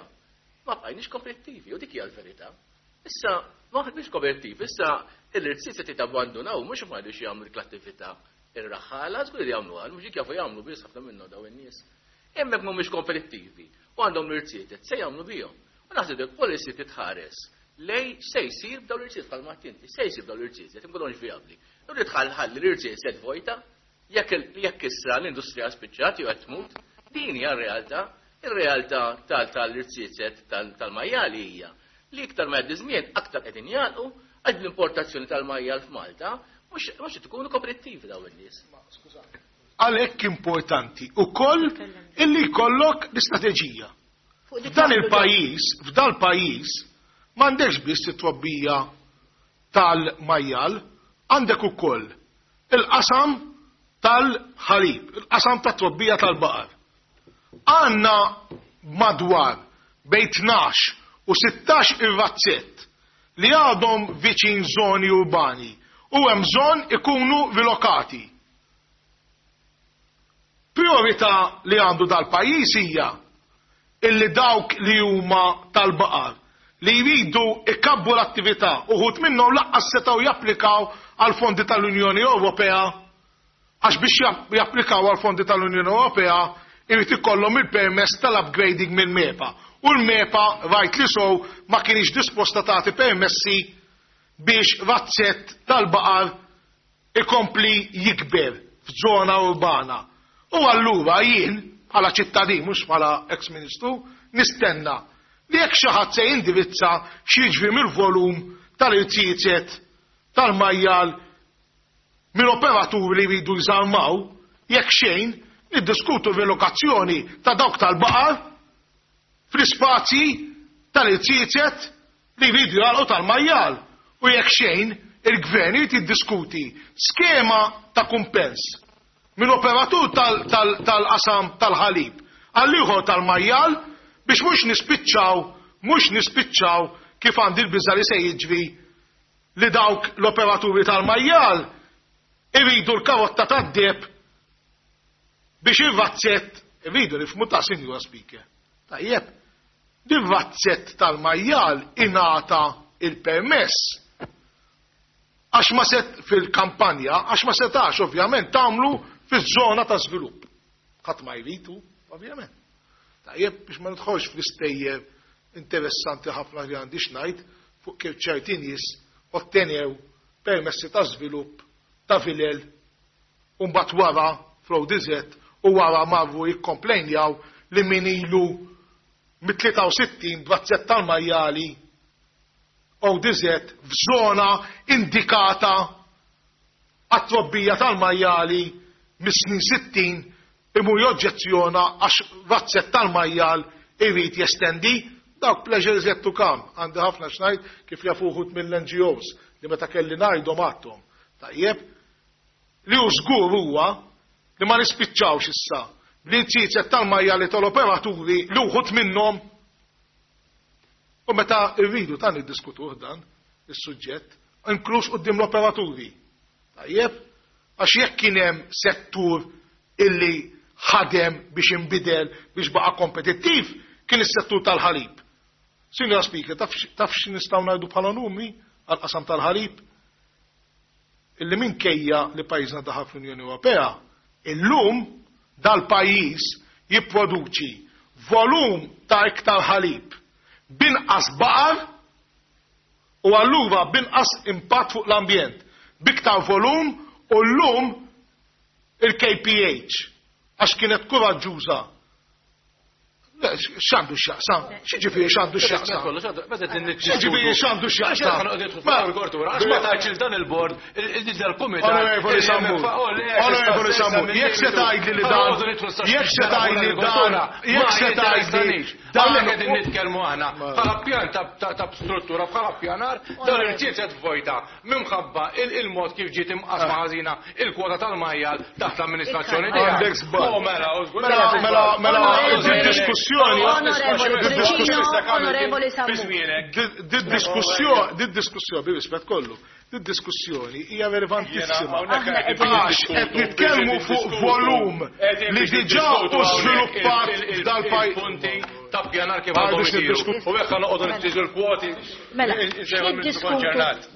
Speaker 8: ma bqajniex kompetittivi u dik hija l-verità. Issa ma ħadniex kompetittivi, issa l-irziezet jitabbandunaw mhux ma jridux jagħmlu dik l-attività ir-raħħala, żgur li jagħmlu għal, mhux jafu jagħmlu biss ħafna minnhom daw in-nies. Hemmhekk mhumiex kompetittivi u għandhom l-irziezet se jagħmlu bihom. U naħseb il-policy titħares lej se jsir b'dawn l-irziezet bħal inti, se jsir b'dawn l-irziezet, imkunux vijabbli. U tħalli l-irziezet vojta, jekk issa l-industrija spiċċat jew qed tmut, din hija r-realtà. Ir-realtà tal-irziezet tal-majjali hija li iktar ma jgħaddi żmien aktar qegħdin jagħlqu għax l-importazzjoni tal-majjal f'Malta mhux tkunu kompetittivi dawn in-nies.
Speaker 3: Għalhekk importanti ukoll illi jkollok l-istrateġija. F'dan il-pajjiż, f'dan il-pajjiż m'għandekx biss it-trobbija tal-majjal, għandek ukoll il-qasam tal-ħalib, il-qasam tat-trobbija tal-baqar. Għandna madwar bejn tnax u sittax ir-razzett li għadhom viċin zoni urbani u hemm bżonn ikunu rilokati. Priorità li għandu dal-pajjiż hija illi dawk li huma tal-baqar li jridu ikabbu l-attività uħud minnhom laqqas setgħu japplikaw għal fondi tal-Unjoni Ewropea għax biex japplikaw għal fondi tal-Unjoni Ewropea irid ikollhom il-permess tal-upgrading mill-MEPA. U l-MEPA rajt li sow ma kienx disposta tagħti permessi biex razzett tal-baqar ikompli jikber f'żona urbana. U allura jien bħala ċittadin mhux bħala ex-ministru nistenna li jekk xi ħadd se jindirizza x'jiġri mill-volum tal-irziezet tal-majjal minn operaturi li jridu jżarmaw, jekk xejn niddiskutu relokazzjoni ta' dawk tal-baqar fl-ispazji tal-irziezet li jridu jagħlqu tal-majjal. U jekk xejn il-gvern irid jiddiskuti skema ta' kumpens minn operatur tal-qasam tal-ħalib għal ieħor tal-majjal biex mhux nispiċċaw, mhux nispiċċaw kif għandi l-biża' li se jiġri li dawk l-operaturi tal-majjal iridu l-karotta tad-deb biex ir-razzett, iridu nifhmu ta' Sinjura Speaker. Tajjeb, dir-razzett tal-majjal ingħata il-permess għax ma set fil-kampanja, għax ma setax ovvjament tagħmlu fiż-żona ta' żvilupp. Ħadd ma jridu, ovvjament. Tajjeb biex ma nidħolx fl-istejjer interessanti ħafna li għandi x'ngħid fuq kif ċerti nies ottenew permessi ta' żvilupp ta' vilel u mbagħad wara fl-O D Z u wara marru jikkomplejnjaw li min ilu mit-tlieta u sittin b'razzett tal-majjali O D Z f'żona indikata għat-trobbija tal-majjali mis-snin sittin imur joġġezzjona għax razzett tal-majjal irid jestendi. Dawk pleasures yet to come. Għandi ħafna x'ngħid kif jafu wħud mill-N G Os li meta kelli ngħidhom għadthom. Tajjeb, li hu żgur huwa li ma nispiċċawx issa bl-irziezet tal-majjali tal-operaturi li wħud minnhom u meta rridu ta' niddiskutuh dan is-suġġett, inkluż quddiem l-operaturi. Tajjeb, għax jekk kien hemm settur illi ħadem biex inbidel biex baqa' kompetittiv, kien is-settur tal-ħalib. Sinjora Speaker, taf x'nistgħu ngħidu bħala numri għal-qasam tal-ħalib? Illi minkejja li pajjiżna daħal fl-Unjoni Ewropea, illum dal-pajjiż jipproduċi volum ta' iktar ħalib binqas baqar u allura binqas impatt fuq l-ambjent, biktar volum u llum il-K P H għax kienet kuraġġuża. Le, X'għandu x'jaqsam? X'jiġifieri x'għandu x'jaqsam? X'jiġifieri x'għandu x'jaqsam?
Speaker 4: Għax ma tgħidx dan il-bord, il-kumitat.
Speaker 3: Onorevoli Sammut, Onorevoli Sammut, jekk se tgħidli li dan, jekk se tgħidli dan, jekk se tgħidli
Speaker 4: dan qegħdin nitkellmu aħna bħala pjan ta' struttura, bħala pjanar, dan l-irtiet vojta minħabba il-mod kif ġiet imqasma ħażina il-kwota tal-majjal taħt l-amministrazzjoni tiegħek.
Speaker 3: Għandek żball. Mela, mela, mela, diskussjoni Di diskussjoni, bi rispett kollu, di diskussjoni hija relevantissima. Għax qed nitkellmu fuq volum li diġà hu żviluppat f'dal-pajjiż.
Speaker 4: Punti ta' pjanar kif għandhom isiru. U hekk noqogħdu nittiżu l-kwoti.
Speaker 1: Mela, niddiskutu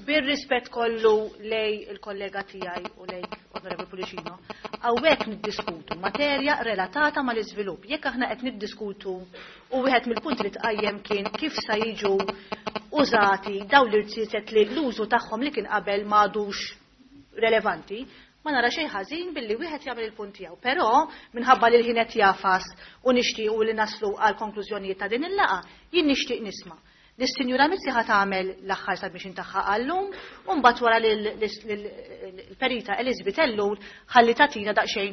Speaker 1: bir-rispett kollu lej il-kollega tiegħi u lejk Onorevoli Pullicino, hawnhekk niddiskutu materja relatata mal-iżvilupp. Jekk aħna qed niddiskutu u wieħed mill-punti li tqajjem kien kif sa jiġu użati dawn l-irziezet li l-użu tagħhom li kien qabel m'għadux relevanti, ma nara xejn ħażin billi wieħed jagħmel il-punt tiegħu. Però minħabba li l-ħin qed jafas u nixtiequ li naslu għal konklużjonijiet ta' din il-laqgħa, jien nixtieq nisma' Lis-Sinjura Mizzi ħa tagħmel l-aħħar submission tagħha għallum u mbagħad wara lill-perita Elizabeth Ellul ħalli tagħtina daqsxejn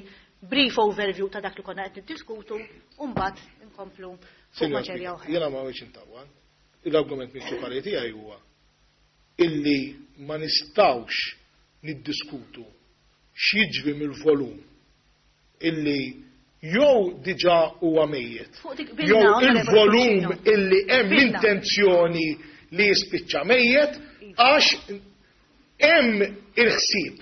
Speaker 1: brief overview ta' dak li konna qed niddiskutu u mbagħad inkomplu fuq materja oħra.
Speaker 3: Jiena ma rridx intawwan. L-argument prinċipali tiegħi huwa illi ma nistgħux niddiskutu x'jiġri mill-volum illi jew diġà huwa mejjet, jew il-volum illi hemm l-intenzjoni li jispiċċa mejjet, għax hemm il-ħsieb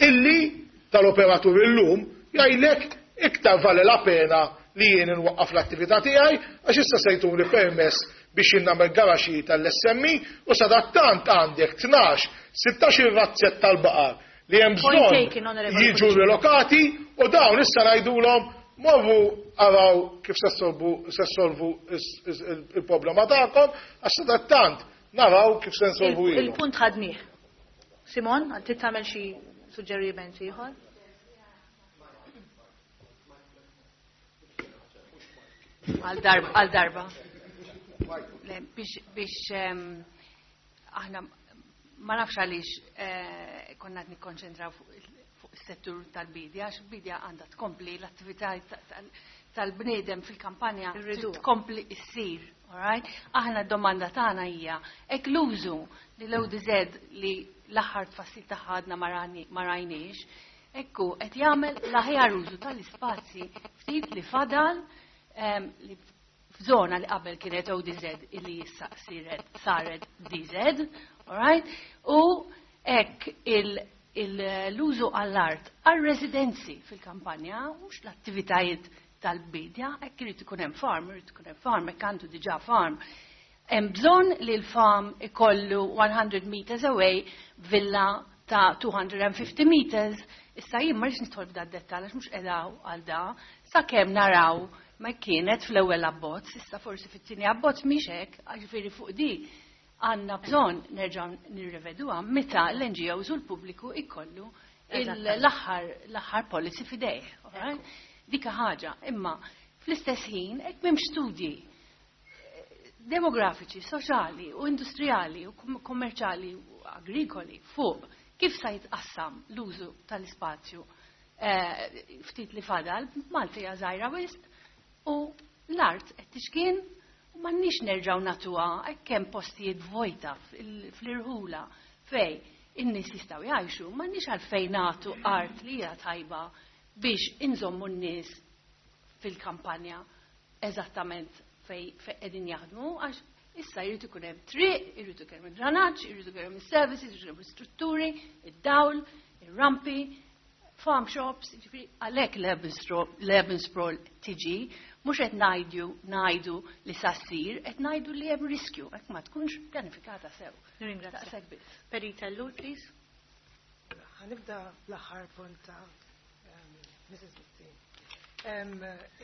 Speaker 3: illi tal-operatur illum jgħidlek iktar vale la pena li jien inwaqqaf l-attività tiegħi għax issa se jtuni permess biex jien nagħmel garaxi tal-S M E u sadattant għandek tnax, sittax il-razzett tal-baqar li hemm bżonn jiġu relokati u dawn issa ngħidulhom morru araw kif se ssolvu il-problema tagħkom għax sadattant naraw kif se nsolvu ilhom.
Speaker 1: Il-punt ħadnieh. Simon, trid tagħmel xi suġġeriment ieħor?
Speaker 11: Għal darba, għal darba. Biex, biex aħna ma nafx għaliex konna qed nikkonċentraw fuq is-settur tal-bidja, għax il-bidja għandha tkompli l-attività tal-bniedem fil-kampanja tkompli issir, all right? Aħna d-domanda tagħna hija hekk l-użu li l-O D Z li l-aħħar tfassil tagħha għadna ma rajniex, ekku qed jagħmel l-aħjar użu tal-ispazji ftit li fadal li f'żona li qabel kienet O D Z illi issa saret D Z, all right? U hekk l-użu għall-art għal-residenzi fil-kampanja, mhux l-attivitajiet tal-bidja, hekk irid ikun hemm farm, irid ikun hemm farm, hekk għandu diġà farm. Hemm bżonn li l-farm ikollu one hundred meters away villa ta' two hundred and fifty meters. Issa jien ma rridx nidħol f'da d-dettall għax mhux qiegħda għal da, sakemm naraw ma kienet fl-ewwel abbozz, issa forsi fit-tieni abbozz mhix hekk, ġifieri fuq di għandna bżonn nerġgħu nirreveduha meta l-N G Os u l-pubbliku jkollu l-aħħar policy f'idejh. Dika ħaġa, imma fl-istess ħin hekk m'hemmx studji demografiċi, soċjali u industrijali u kommerċjali u agrikoli fuq kif sa jitqassam l-użu tal-ispazju ftit li fadal, Malta hija żgħira wisq u l-art qed tixkien u m'għandniex nerġgħu nagħtuha hekk hemm postijiet vojta fl-irħula fej in-nies jistgħu jgħixu, m'għandniex għalfejn nagħtu art li hija tajba biex inżommu n-nies fil-kampanja eżattament fej qegħdin jaħdmu, għax issa jrid ikun hemm triq, jrid ikun hemm dranaġġ, jrid ikun hemm is-services, jrid ikun hemm strutturi, id-dawl, ir-rampi, farm shops, ġifieri għalhekk l-urban sprawl tiġi, mhux qed ngħidu ngħidu li sa ssir, qed ngħidu li hemm riskju, hekk ma tkunx pjanifikata sew.
Speaker 1: Nirringrazzjak biss. Perita Ellul, please.
Speaker 10: Ħanibda bl-aħħar punt ta' Missus Mizzi.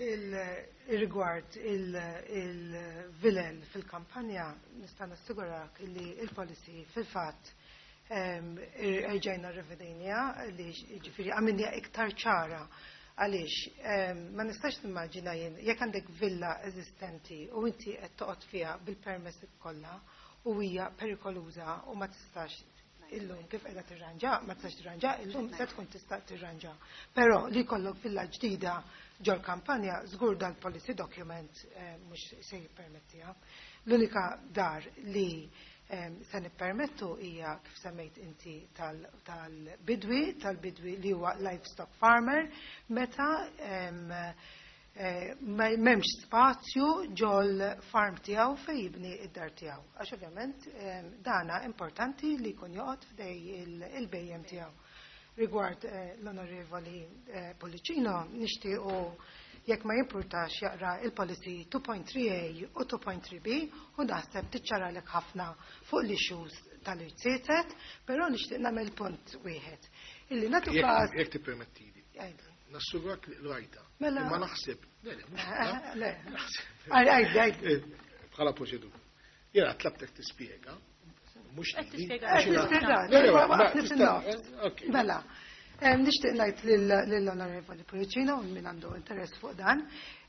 Speaker 10: Il-rigward il-villain fil-kampanja nista' nassigurak li il-policy fil-fatt erġajna rrivedejnija li ġifieri għamilniha iktar ċara Għaliex, ma nistax nimmaġina jien, jekk għandek villa eżistenti u inti qed toqgħod fiha bil-permess kollha u hija perikoluża u ma tistax illum kif qiegħda tirranġa, ma tistax tirranġa, illum se tkun tista' tirranġa. Però li jkollok villa ġdida ġol kampanja, żgur dal-policy document mhux se jippermettiha. L-unika dar li se nippermettu hija kif semmejt inti tal-bidwi, tal-bidwi li huwa livestock farmer, meta m'hemmx spazju ġol farm tiegħu fejn jibni id-dar tiegħu. Għax ovvjament dana importanti li jkun joqgħod f'dej il-bejjem tiegħu. Rigward l-Onorevoli Pollicino, nixtiequ jekk ma jimpurtax jaqra il-policy two point three A u two point three B u naħseb tiċċaralek ħafna fuq l-issues tal-irtietet, però nixtieq nagħmel punt wieħed. Illi nagħtu każ.
Speaker 3: Jekk tippermettili. Nassurak li rajta.
Speaker 10: Mela.
Speaker 3: Ma naħseb. Le, le, mhux
Speaker 10: Le. Għaj, għaj, għaj.
Speaker 3: Bħala proċedura. Jiena tlabtek tispjega. Mhux
Speaker 1: Qed
Speaker 3: li.
Speaker 1: tispjega.
Speaker 10: Qed tispjega.
Speaker 3: Le, le,
Speaker 10: Ma
Speaker 3: ma
Speaker 10: waqafni
Speaker 3: tista'
Speaker 10: fin-nofs.
Speaker 3: Ok.
Speaker 10: Mela. Nixtieq ngħid lill-Onorevoli Pullicino min għandu interess fuq dan,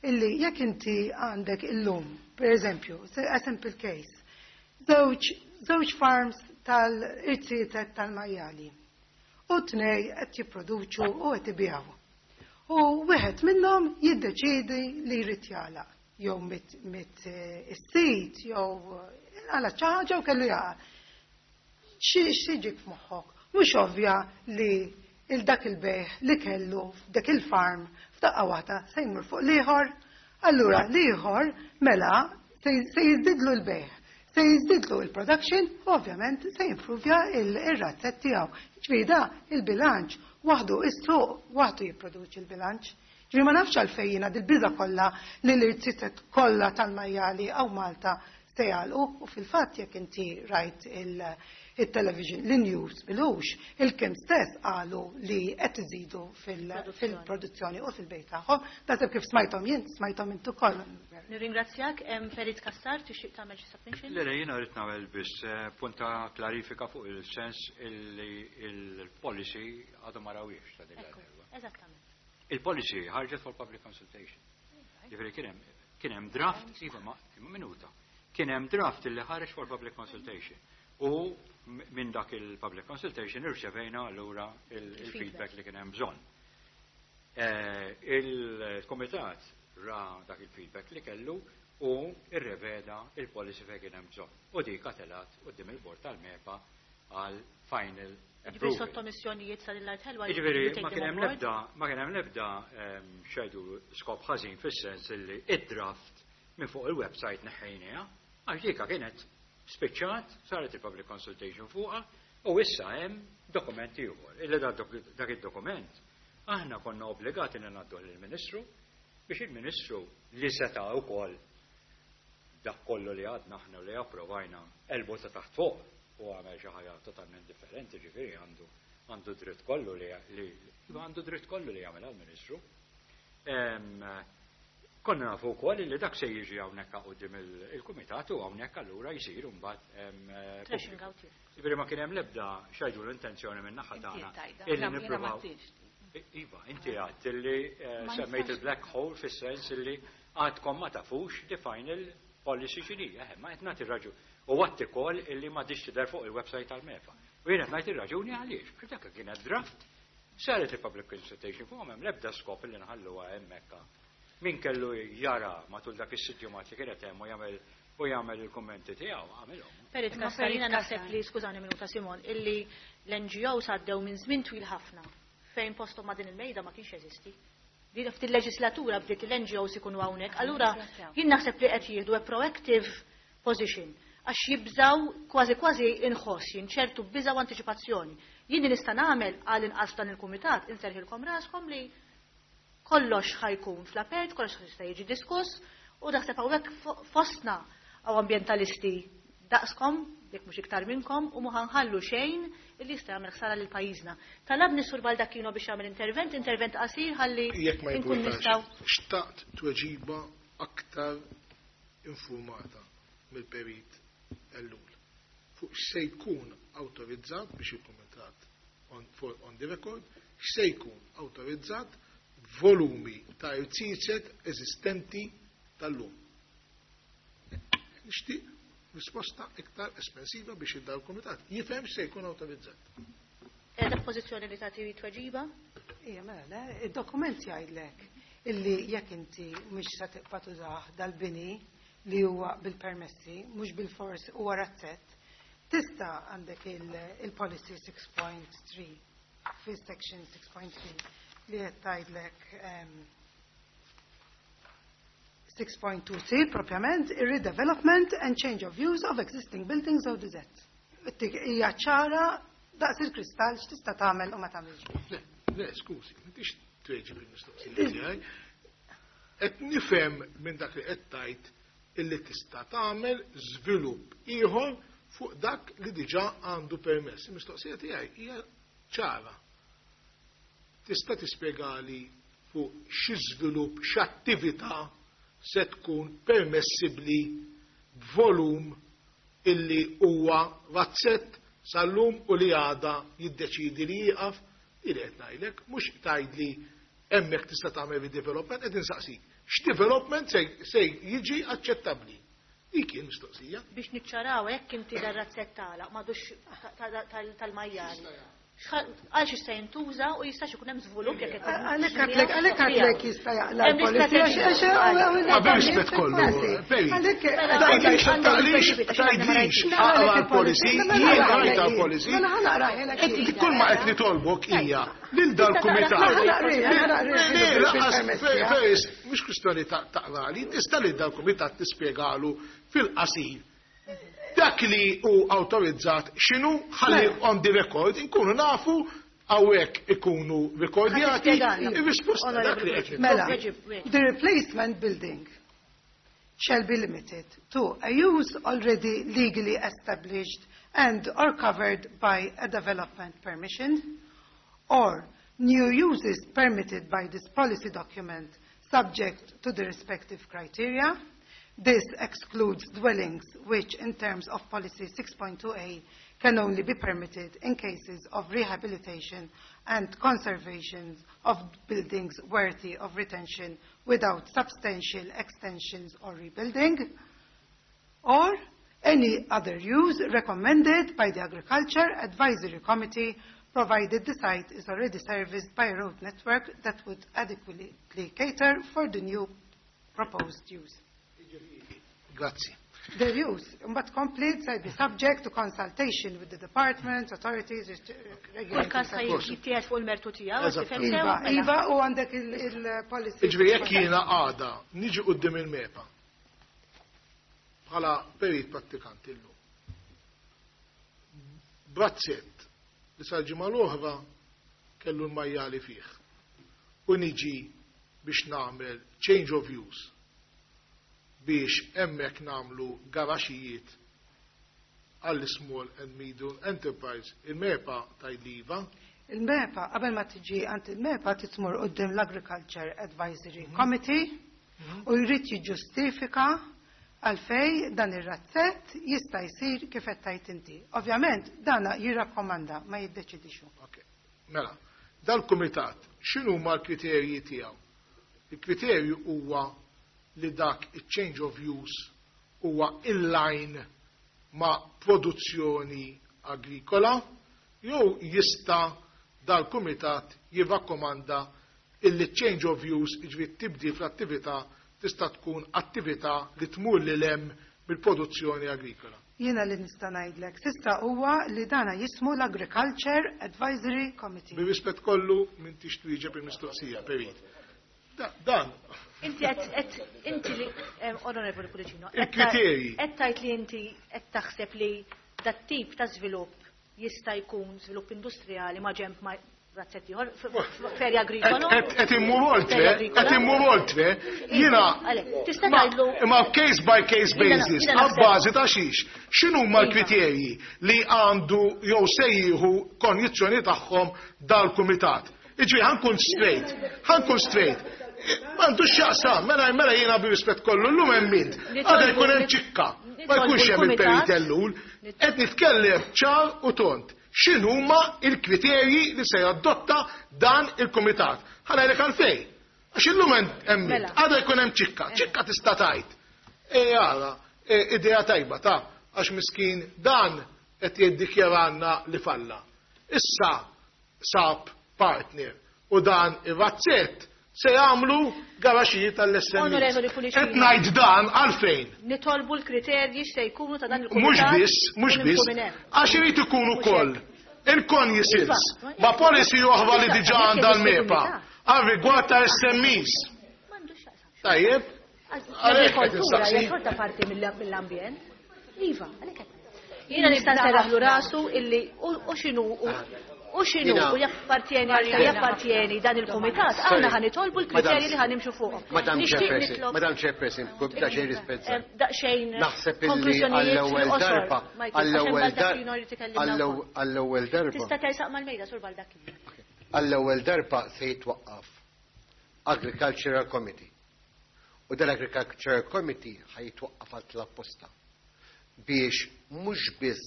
Speaker 10: illi jekk inti għandek illum, per eżempju, a simple case, żewġ, żewġ farms tal-irtietet tal-majjali u tnej qed jipproduċu u qed ibigħu. U wieħed minnhom jiddeċiedi li jrid jagħlaq, jew mit, mit, eh, is-sit, jew għala xi ħaġa u kellu jagħlaq. Xi, xi ġik f'moħħok? Mhux ovvja li il-dak il-bejħ li kellu f'dak il-farm f'daqqa waħda se jmur fuq l-ieħor, allura l-ieħor mela se, se jiżdidlu l-bejħ, se jiżdidlu l-production, ovvjament se jimpruvja il-, ir-razzett tiegħu. Ġifieri da il-bilanċ waħdu is-suq waħdu jipproduċi l-bilanċ. Ġifieri ma nafx għalfejn jiena dil-biża kollha li l-irtietet kollha tal-majjali hawn Malta se jagħlqu, u fil-fatt jekk inti rajt il-, il-television, l-news bilux, il-kim stess qalu li qed iżidu fil-, fil-produzzjoni u fil-bejt tagħhom. Naħseb kif smajthom jien, smajthom intu koll.
Speaker 1: Nirringrazzjak, hemm Perit Cassar, tixtieq tagħmel xi submission?
Speaker 5: Le, le, jiena rrid nagħmel biss, eh, punta klarifika fuq il-sens illi il-policy għadu ma rawiex ta' din
Speaker 1: Ekku,
Speaker 5: l-darba.
Speaker 1: Eżattament.
Speaker 5: Il-policy ħarġet for public consultation. Ġifieri kien hemm, kien hemm draft, iva, ma, imma minuta. Kien hemm draft illi ħareġ for public consultation. U m-, minn dak il-public consultation irċevejna allura il-, il-feedback li kien hemm bżonn. Eh, il-komitat ra dak il-feedback li kellu u irreveda il-policy fejn kien hemm bżonn. U dik għatelat quddiem il-bord tal-MEPA għal final
Speaker 1: Ġifieri
Speaker 5: approval.
Speaker 1: sottomissjonijiet sa lill-art ħelwa
Speaker 5: Ġifieri,
Speaker 1: you take
Speaker 5: ma
Speaker 1: them
Speaker 5: kien hemm
Speaker 1: on board?
Speaker 5: l-ebda, ma kien hemm l-ebda, ehm, xejdu skop ħażin fis-sens illi id-draft minn fuq il-website neħħejniha, għax dika kienet spiċċat, saret il-public consultation fuqha, u issa hemm dokument ieħor. Illi da dok-, dak id-dokument aħna konna obbligati li ngħaddu lill-Ministru biex il-Ministru li seta' wkoll dak kollu li għadna aħna li approvajna elbu ta' taħt fuq u għamel xi ħaġa totalment differenti, ġifieri għandu, għandu dritt kollu li, li, għandu dritt kollu li jagħmel għall-Ministru. Em, konna nafu wkoll li dak se jiġi hawnhekk quddiem il-, il-kumitat u hawnhekk allura jsir imbagħad, em,
Speaker 1: Trashing
Speaker 5: pubbliku.
Speaker 1: out here.
Speaker 5: Ġifieri ma kien hemm l-ebda xajdu l-intenzjoni minn naħa
Speaker 12: Inti
Speaker 5: tagħna
Speaker 12: tajda.
Speaker 5: illi
Speaker 12: Jiena ma
Speaker 5: nippruvaw.
Speaker 12: tix.
Speaker 5: Iva, inti għadt illi, eh,
Speaker 12: Ma
Speaker 5: semmejt
Speaker 12: nistax.
Speaker 5: il-black hole fis-sens illi għadkom ma tafux the final policy x'inhi, eh, ma qed nagħti raġun. U għadt ukoll illi ma dix tidher fuq il-website tal-MEPA. U jien qed ngħid ir-raġuni għaliex, għax dak kienet draft, saret il-public consultation fuqhom hemm l-ebda skop illi nħalluha hemmhekk. Min kellu jara matul dak is-sitt ġimgħat li kienet hemm u jagħmel u jagħmel il-kummenti tiegħu, għamilhom.
Speaker 1: Perit
Speaker 12: Imma
Speaker 1: Cassar, jiena
Speaker 12: Perit
Speaker 1: naħseb
Speaker 12: Cassar.
Speaker 1: li, skużani minuta Simon, illi l-N G Os għaddew minn żmien twil ħafna fejn postom ma' din il-mejda ma kienx jeżisti. Li ftit il-leġislatura bdiet l-N G Os ikunu hawnhekk, allura jien naħseb li qed jieħdu a proactive position għax jibżaw kważi kważi inħoss jien ċertu biżaw antiċipazzjoni. Jien li nista' nagħmel għal inqas dan il-kumitat inserħilkom raskom li kollox ħajkun fl-apert, kollox jista' jiġi diskuss u naħseb hawnhekk fo-, fostna għaw ambjentalisti daqskom, jekk mhux iktar minnkom, u ma ħanħallu xejn illi jista' jagħmel ħsara lil pajjiżna. Talabni Sur Baldacchino biex jagħmel intervent, intervent qasir ħalli
Speaker 3: Jekk ma
Speaker 1: inkun
Speaker 3: jimpurtax,
Speaker 1: nistgħu.
Speaker 3: xtaqt tweġiba aktar informata mill-Perit Ellul fuq x'se jkun awtorizzat biex il-kumitat on, for, on the record, x'se jkun awtorizzat Volumi ta' irziezet eżistenti tal-lum. Nixtieq risposta iktar espensiva biex id l-Kumitat jifhem se jkun awtorizzat.
Speaker 1: Qiegħda f'pożizzjoni li tagħti tweġiba?
Speaker 10: Ija, mela, le, id-dokument jgħidlek illi jekk inti mhux se tibqa' tużah dal-bini li huwa bil-permessi, mhux bil-fors huwa razzett, tista' għandek il-policy six point three, fi section six point three li qed tgħidlek six point two C propjament, redevelopment and change of use of existing buildings of the Z. Hija ċara daqs il-kristall x'tista' tagħmel u ma tagħmilx.
Speaker 3: Le, le, skużi, m'intix tweġib il-mistoqsija tiegħi. Qed nifhem minn dak li qed tgħid illi tista' tagħmel żvilupp ieħor fuq dak li diġà għandu permess. Il-mistoqsija tiegħi hija ċara. Tista' tispjegali fuq xi żvilupp, x'attività se tkun permessibbli b'volum illi huwa razzett sal-lum u li għada jiddeċidi li jieqaf? Ili qed ngħidlek, mhux tgħidli hemmhekk tista' tagħmel redevelopment, qed insaqsik. X'development se se jiġi aċċettabbli? Dik kien mistoqsija.
Speaker 1: Biex niċċaraw, hekk inti dar-razzett tagħlaq m'għadux tal-majjali. Għal xi se jintuża u jistax ikun hemm żvilupp jekk qed
Speaker 10: Għalhekk għedtlek, għalhekk għedtlek jista' jaqla'
Speaker 1: Hemm
Speaker 10: l-policy.
Speaker 1: l-istrateġija.
Speaker 3: Ma biex kollu, Peri. Tgħidlix, tgħidlix, tgħidlix, aqra l-policy, jien rajta l-policy.
Speaker 10: Mela ħa naqra.
Speaker 3: Kull ma qed nitolbok hija lil dal-kumitat. Le, lanqas, Feris, mhux kwistjoni ta' taqrali, tista' lil dal-kumitat tispjegalu fil-qasir dak li hu awtorizzat x'inhu, ħalli on the record inkunu nafu, hawnhekk ikunu rekordjati ir-risposta dak li qed.
Speaker 10: Mela, the replacement building shall be limited to a use already legally established and or covered by a development permission or new uses permitted by this policy document, subject to the respective criteria. This excludes dwellings which, in terms of policy six point two A, can only be permitted in cases of rehabilitation and conservation of buildings worthy of retention without substantial extensions or rebuilding, or any other use recommended by the Agriculture Advisory Committee, provided the site is already serviced by a road network that would adequately cater for the new proposed use.
Speaker 3: Grazzi.
Speaker 10: The use, but complete, shall be subject to consultation with the department, authorities,
Speaker 1: Kull każ jittieħed fuq il-mertu tiegħu,
Speaker 3: Eżatt.
Speaker 1: tifhem sew?
Speaker 10: Iva,
Speaker 1: Mela.
Speaker 10: iva, u għandek il-policy.
Speaker 3: Iġri, jekk jiena għada niġi quddiem il-MEPA bħala perit prattikanti illum, b'razzett li sal-ġimgħa l-oħra kellu l-majjali fih, u niġi biex nagħmel change of use biex hemmhekk nagħmlu garaxijiet għall small and medium enterprise, il-MEPA tgħidli iva?
Speaker 10: Il-MEPA, qabel ma tiġi għand il-MEPA, titmur quddiem l-Agriculture Advisory Committee u jrid jiġġustifika għalfej dan ir-razzett jista' jsir kif qed tgħid inti. Ovvjament dana jirrakkomanda, ma jiddeċidix hu.
Speaker 3: Ok. Mela, dal-kumitat x'inhu ma l-kriterji tiegħu? Il-kriterju huwa li dak il-change of use huwa in line ma' produzzjoni agrikola, jew jista' dal-kumitat jirrakkomanda illi change of use, iġifieri tibdil fl-attività, tista' tkun attività li tmur lil hemm mill-produzzjoni agrikola?
Speaker 10: Jiena li nista' ngħidlek s'issa huwa li dana jismu l-Agriculture Advisory Committee.
Speaker 3: Bir-rispett kollu, m'intix twieġeb il-mistoqsija, perit. Da- Dan,
Speaker 1: Inti qed qed inti li eh, Onorevoli Pullicino, qed
Speaker 3: Il-kriterji.
Speaker 1: qed tgħid li inti qed taħseb li dat tip ta' żvilupp jista' jkun żvilupp industrijali ma' ġemp ma' razzett ieħor f'erja agrikola.
Speaker 3: Qed immur oltre, qed immur oltre, jiena
Speaker 1: Għalek, tista'
Speaker 3: ma-
Speaker 1: tgħidlu
Speaker 3: ma case by case
Speaker 1: Jiena-
Speaker 3: basis,
Speaker 1: jiena naħseb-
Speaker 3: għabbażi ta' xiex, x'inhuma l-kriterji li għandu jew se jieħu konjizzjoni tagħhom dal-kumitat? Iġri, ħa nkun straight, ħa nkun straight. M'għandux x'jaqsam, mela mela jiena bir-rispett kollu llum hemm mint. Għada jkun hemm ċikka, ma jkunx hemm il-perit Ellul. Qed nitkellem ċar u tont. X'inhuma il-kriterji li se jadotta dan il-kumitat? Ħa ngħidlek għalfejn. Għax illum hemm
Speaker 1: Mela.
Speaker 3: għada jkun hemm ċikka, ċikka tista' tgħid. E għala, idea tajba ta' għax miskin dan qed jiddikjaranna li falla. Issa sab partner u dan ir-razzett se jagħmlu garaxijiet tal-S M Es.
Speaker 1: Onorevoli Pullicino.
Speaker 3: Qed ngħid dan għalfejn.
Speaker 1: Nitolbu l-kriterji x'se jkunu ta' dan
Speaker 3: Mhux
Speaker 1: il-kumitat.
Speaker 3: biss, mhux
Speaker 1: u
Speaker 3: biss,
Speaker 1: nimxu minn hemm.
Speaker 3: għax irid ikun ukoll il-cognisance
Speaker 1: Iva.
Speaker 3: ma' policy oħra li
Speaker 1: Iva,
Speaker 3: diġà
Speaker 1: jekk
Speaker 3: għandha
Speaker 1: jeżisti
Speaker 3: l-MEPA
Speaker 1: kumitat.
Speaker 3: għal rigward ta' S M Es.
Speaker 1: M'għandux x'jaqsam.
Speaker 3: Tajjeb? Għalhekk qed
Speaker 1: L-agrikoltura
Speaker 3: insaqsi.
Speaker 1: hija xorta parti mill-ambjent. Iva, għalhekk qed. Jiena nista' nserraħlu rasu illi u x'inhu u x'inhu
Speaker 7: Jiena-
Speaker 1: u jappartjeni għal jappartjeni dan il-kumitat, aħna ħa nitolbu l-kriterji li ħa nimxu fuqhom.
Speaker 7: Madam
Speaker 1: Nixtieq
Speaker 7: Chairperson,
Speaker 1: nitlob-
Speaker 7: Madam Chairperson, daqsxejn rispett.
Speaker 1: Eh, Daqsxejn
Speaker 7: Naħseb illi
Speaker 1: konklużjonijiet
Speaker 7: għall-ewwel
Speaker 1: fil-qosor,
Speaker 7: darba,
Speaker 1: Michael, għax hemm
Speaker 7: għall-ewwel
Speaker 1: Baldacchino jrid ikellimna
Speaker 7: darba,
Speaker 1: wkoll.
Speaker 7: għall-ewwel darba,
Speaker 1: Tista' tersaq mal-mejda sur Baldacchino.
Speaker 7: għall-ewwel darba se jitwaqqaf Agricultural Committee. U dal-Agricultural Committee ħa jitwaqqaf għal tal-apposta biex mhux biss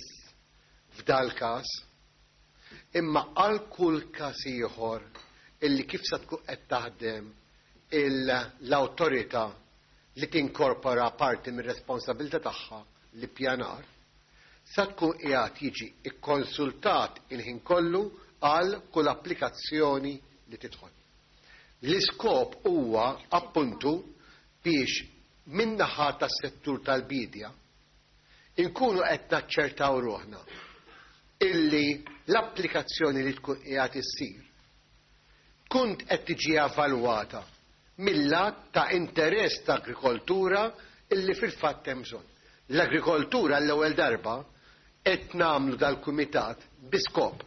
Speaker 7: f'dal każ imma għal kull każ ieħor illi kif se tkun qed taħdem l-awtorità li tinkorpora parti mir-responsabilità tagħha li pjanar, sa tkun qiegħed jiġi ikkonsultat il-ħin kollu għal kull applikazzjoni li tidħol. L-iskop huwa appuntu biex min-naħa tas-settur tal-bidja inkunu qed naċċertaw ruħna illi l-applikazzjoni li tkun qiegħed issir tkun qed tiġi evalwata mill-lat ta' interess ta' agrikoltura illi fil-fatt hemm bżonn. L-agrikoltura l-ewwel darba qed nagħmlu dal-kumitat bi skop.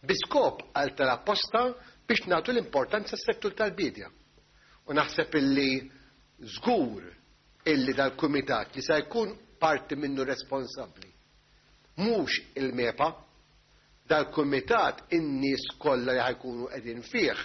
Speaker 7: Bi skop għal tal-apposta biex nagħtu l-importanza s-settur tal-bidja. U naħseb illi żgur illi dal-kumitat li se jkun parti minnu responsabbli. Mhux il-MEPA, dal-kumitat in-nies kollha li ħajkunu qegħdin fih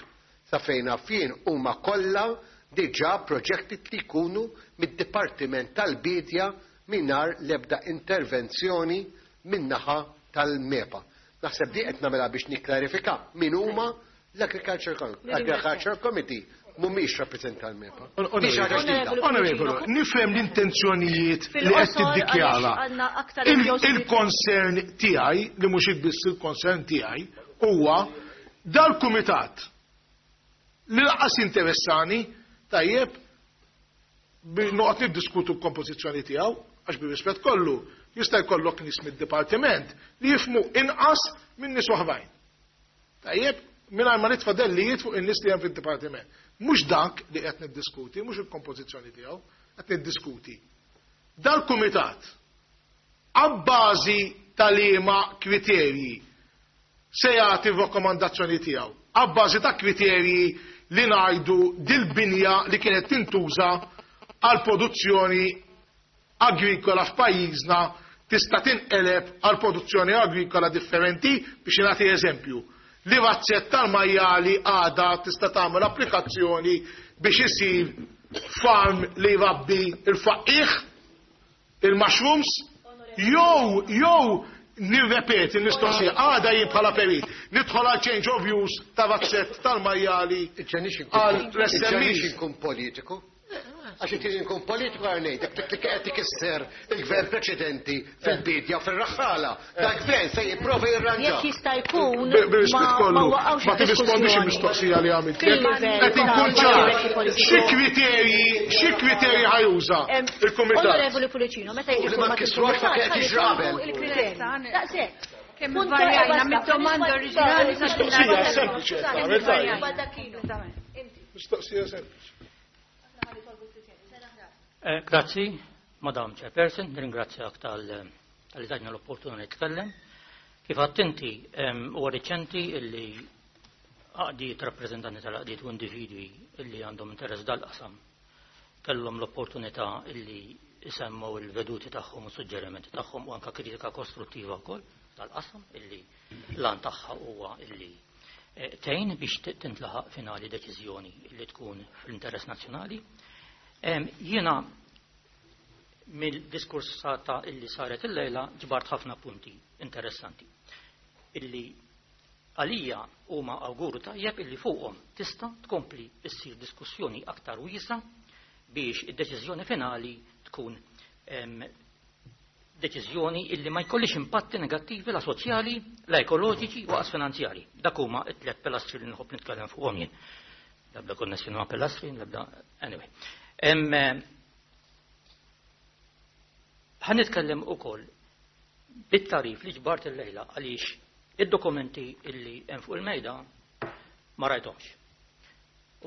Speaker 7: sa fejn fien huma kollha diġà proġetti li jkunu mid-Dipartiment tal-Bidja mingħajr l-ebda intervenzjoni min-naħa tal-MEPA. Naħseb di qed nagħmilha biex nikklarifika min huma l-Agriculture Com- Agriculture Committee mhumiex rappreżentant tal-MEPA. Di xi ħaġa ġdida.
Speaker 3: Onorevole, nifhem l-intenzjonijiet li qed
Speaker 1: Fil-qosor,
Speaker 3: tiddikjara.
Speaker 1: għaliex għandna aktar
Speaker 3: Il-
Speaker 1: N G Os li-
Speaker 3: Il-concern tiegħi, li mhux biss il-concern tiegħi, huwa dal-kumitat li laqas interessani tajjeb bi noqgħod niddiskutu l-kompożizzjoni tiegħu, għax bi rispett kollu jista' jkollok nies mid-dipartiment li jifhmu inqas minn nies oħrajn. Tajjeb, mingħajr ma nitfa' dellijiet fuq in-nies li hemm fid-dipartiment. Mhux dak li qed niddiskuti, mhux il-kompożizzjoni tiegħu, qed niddiskuti. Dal-kumitat abbażi tal-liema kriterji se jagħti r-rakkomandazzjoni tiegħu, abbażi ta' kriterji li ngħidu dil-binja li kienet tintuża għal produzzjoni agrikola f'pajjiżna tista' tinqeleb għal produzzjoni agrikola differenti. Biex nagħti eżempju, li razzett tal-majjali għada tista' tagħmel applikazzjoni biex isir farm li jrabbi il-faqih, il-mushrooms, jew jew nirrepeti l-mistoqsija, għada jien bħala perit, nidħol għal change of use ta' razzett tal-majjali għal
Speaker 7: Iġġenix
Speaker 3: S M Es.
Speaker 7: inkun politiku. Għax inti nkun politiku għal ngħidlek dik li qed tikisser il-gvern preċedenti fil-bidja u fir-raħħala. Dak gvern se jipprova jirranġa.
Speaker 1: Jekk jista' jkun
Speaker 3: Bi-, bi-rispett
Speaker 1: ma-
Speaker 3: kollu,
Speaker 1: ma waqgħux
Speaker 3: ma tirrispondix
Speaker 1: id-diskussjoni.
Speaker 3: il-mistoqsija li għamilt.
Speaker 1: Fil-livell
Speaker 3: Qed inkun
Speaker 1: ta'
Speaker 3: ċar.
Speaker 1: livell politiku.
Speaker 3: Xi kriterji, xi kriterji ħajuża
Speaker 1: Em,
Speaker 3: il-kumitat?
Speaker 1: Onorevoli Pullicino, meta jiġi
Speaker 7: U li ma
Speaker 1: format
Speaker 7: nkissruhx
Speaker 1: il-kumitat,
Speaker 7: ma kien
Speaker 1: ħalli
Speaker 7: jiġri qabel.
Speaker 1: jkunu il-kriterji. Daqshekk.
Speaker 11: Kemm
Speaker 1: Punto
Speaker 11: varjajna
Speaker 1: e basta.
Speaker 11: mid-domanda oriġinali sa
Speaker 3: Mistoqsija sempliċi,
Speaker 1: Skużani,
Speaker 3: għamil tajjeb.
Speaker 1: Baldacchino. Inti.
Speaker 3: Mistoqsija sempliċi.
Speaker 12: Eh, grazzi, Madam Chairperson, nirringrazzjak tal-, tal-li tajtna l-opportunità nitkellem. Kif għedt inti, em, huwa riċenti illi għaqdiet rappreżentanti tal-għaqdiet u individwi illi għandhom interess dal-qasam kellhom l-opportunità illi isemmu il-veduti tagħhom u suġġerimenti tagħhom u anka kritika kostruttiva wkoll tal-qasam illi l-għan tagħha huwa illi, eh, tgħin biex t-, tintlaħaq finali deċiżjoni illi tkun fl-interess nazzjonali. Em, jiena mill-diskors ta' illi saret il-lejla ġbart ħafna punti interessanti illi Għalija huma awguru tajjeb illi fuqhom tista' tkompli issir diskussjoni aktar wiesa biex id-deċiżjoni finali tkun deċiżjoni illi ma jkollix impatti negattivi la soċjali, la ekoloġiċi u qas finanzjari. Dak huma t-tliet pilastri li nħobb nitkellem fuqhom jien. L-ebda konnessjoni ma' pilastri, l-ebda anyway. Ħa nitkellem ukoll bit-tarif li ġbart il-lejla għaliex id-dokumenti illi hemm fuq il-mejda ma rajthomx.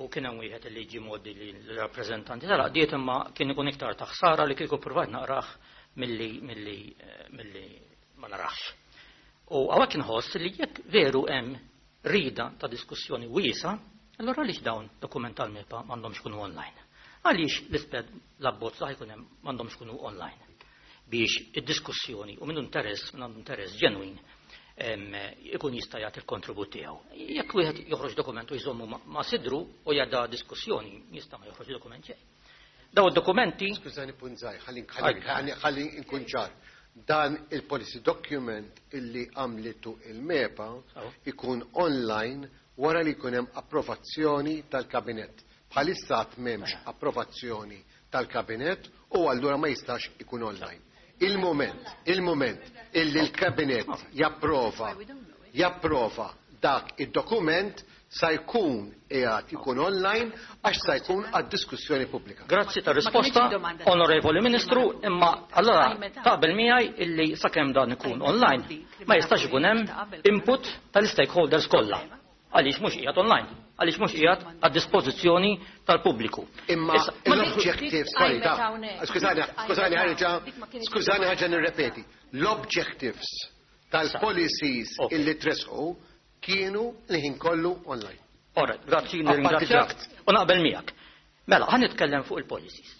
Speaker 12: U kien hemm wieħed illi ġie mgħoddi l-rappreżentanti tal-għaqdiet, imma kien ikun iktar ta' ħsara li kieku ppruvajt naqrah milli milli milli ma narax. U hawnhekk inħoss li jekk veru hemm rida ta' diskussjoni wiesa, allura għaliex dawn dokument tal-MEPA m'għandhomx ikunu online? Għaliex l-isped l-abbozz li jkun hemm m'għandhomx ikunu online? Biex id-diskussjoni u minn interess, minn għandu interess ġenwin, ikun jista' jagħti l-kontribut tiegħu. Jekk wieħed joħroġ dokument u jżommu ma' sidru u jgħadda diskussjoni, jista' ma joħroġ dokument xejn. Daw id-dokumenti.
Speaker 7: Skużani punt żgħir, ħalli ħalli nkun ċar. Dan il-policy document illi għamlitu il-MEPA ikun online wara li jkun hemm approvazzjoni tal-kabinett. Bħalissa għad m'hemmx approvazzjoni tal-kabinett u allura ma jistax ikun online. Il-moment, il-moment illi l-kabinett japprova, japprova dak id-dokument sa jkun qiegħed ikun online għax sa jkun għad-diskussjoni pubblika.
Speaker 12: Grazzi ta' risposta, Onorevoli Ministru, imma allora taqbel miegħi illi sakemm dan ikun online ma jistax ikun hemm input tal-stakeholders kollha. Għaliex mhux qiegħed online, għaliex mhux qiegħed għad-dispożizzjoni tal-pubbliku.
Speaker 7: Imma l-objectives, sorry, skużani, skużani ħaġa, skużani ħaġa nirrepeti. L-objectives tal-policies illi tresqu kienu li ħin kollu online.
Speaker 12: Ora, grazzi, nirringrazzjak u naqbel miegħek. Mela, ħa nitkellem fuq il-policies.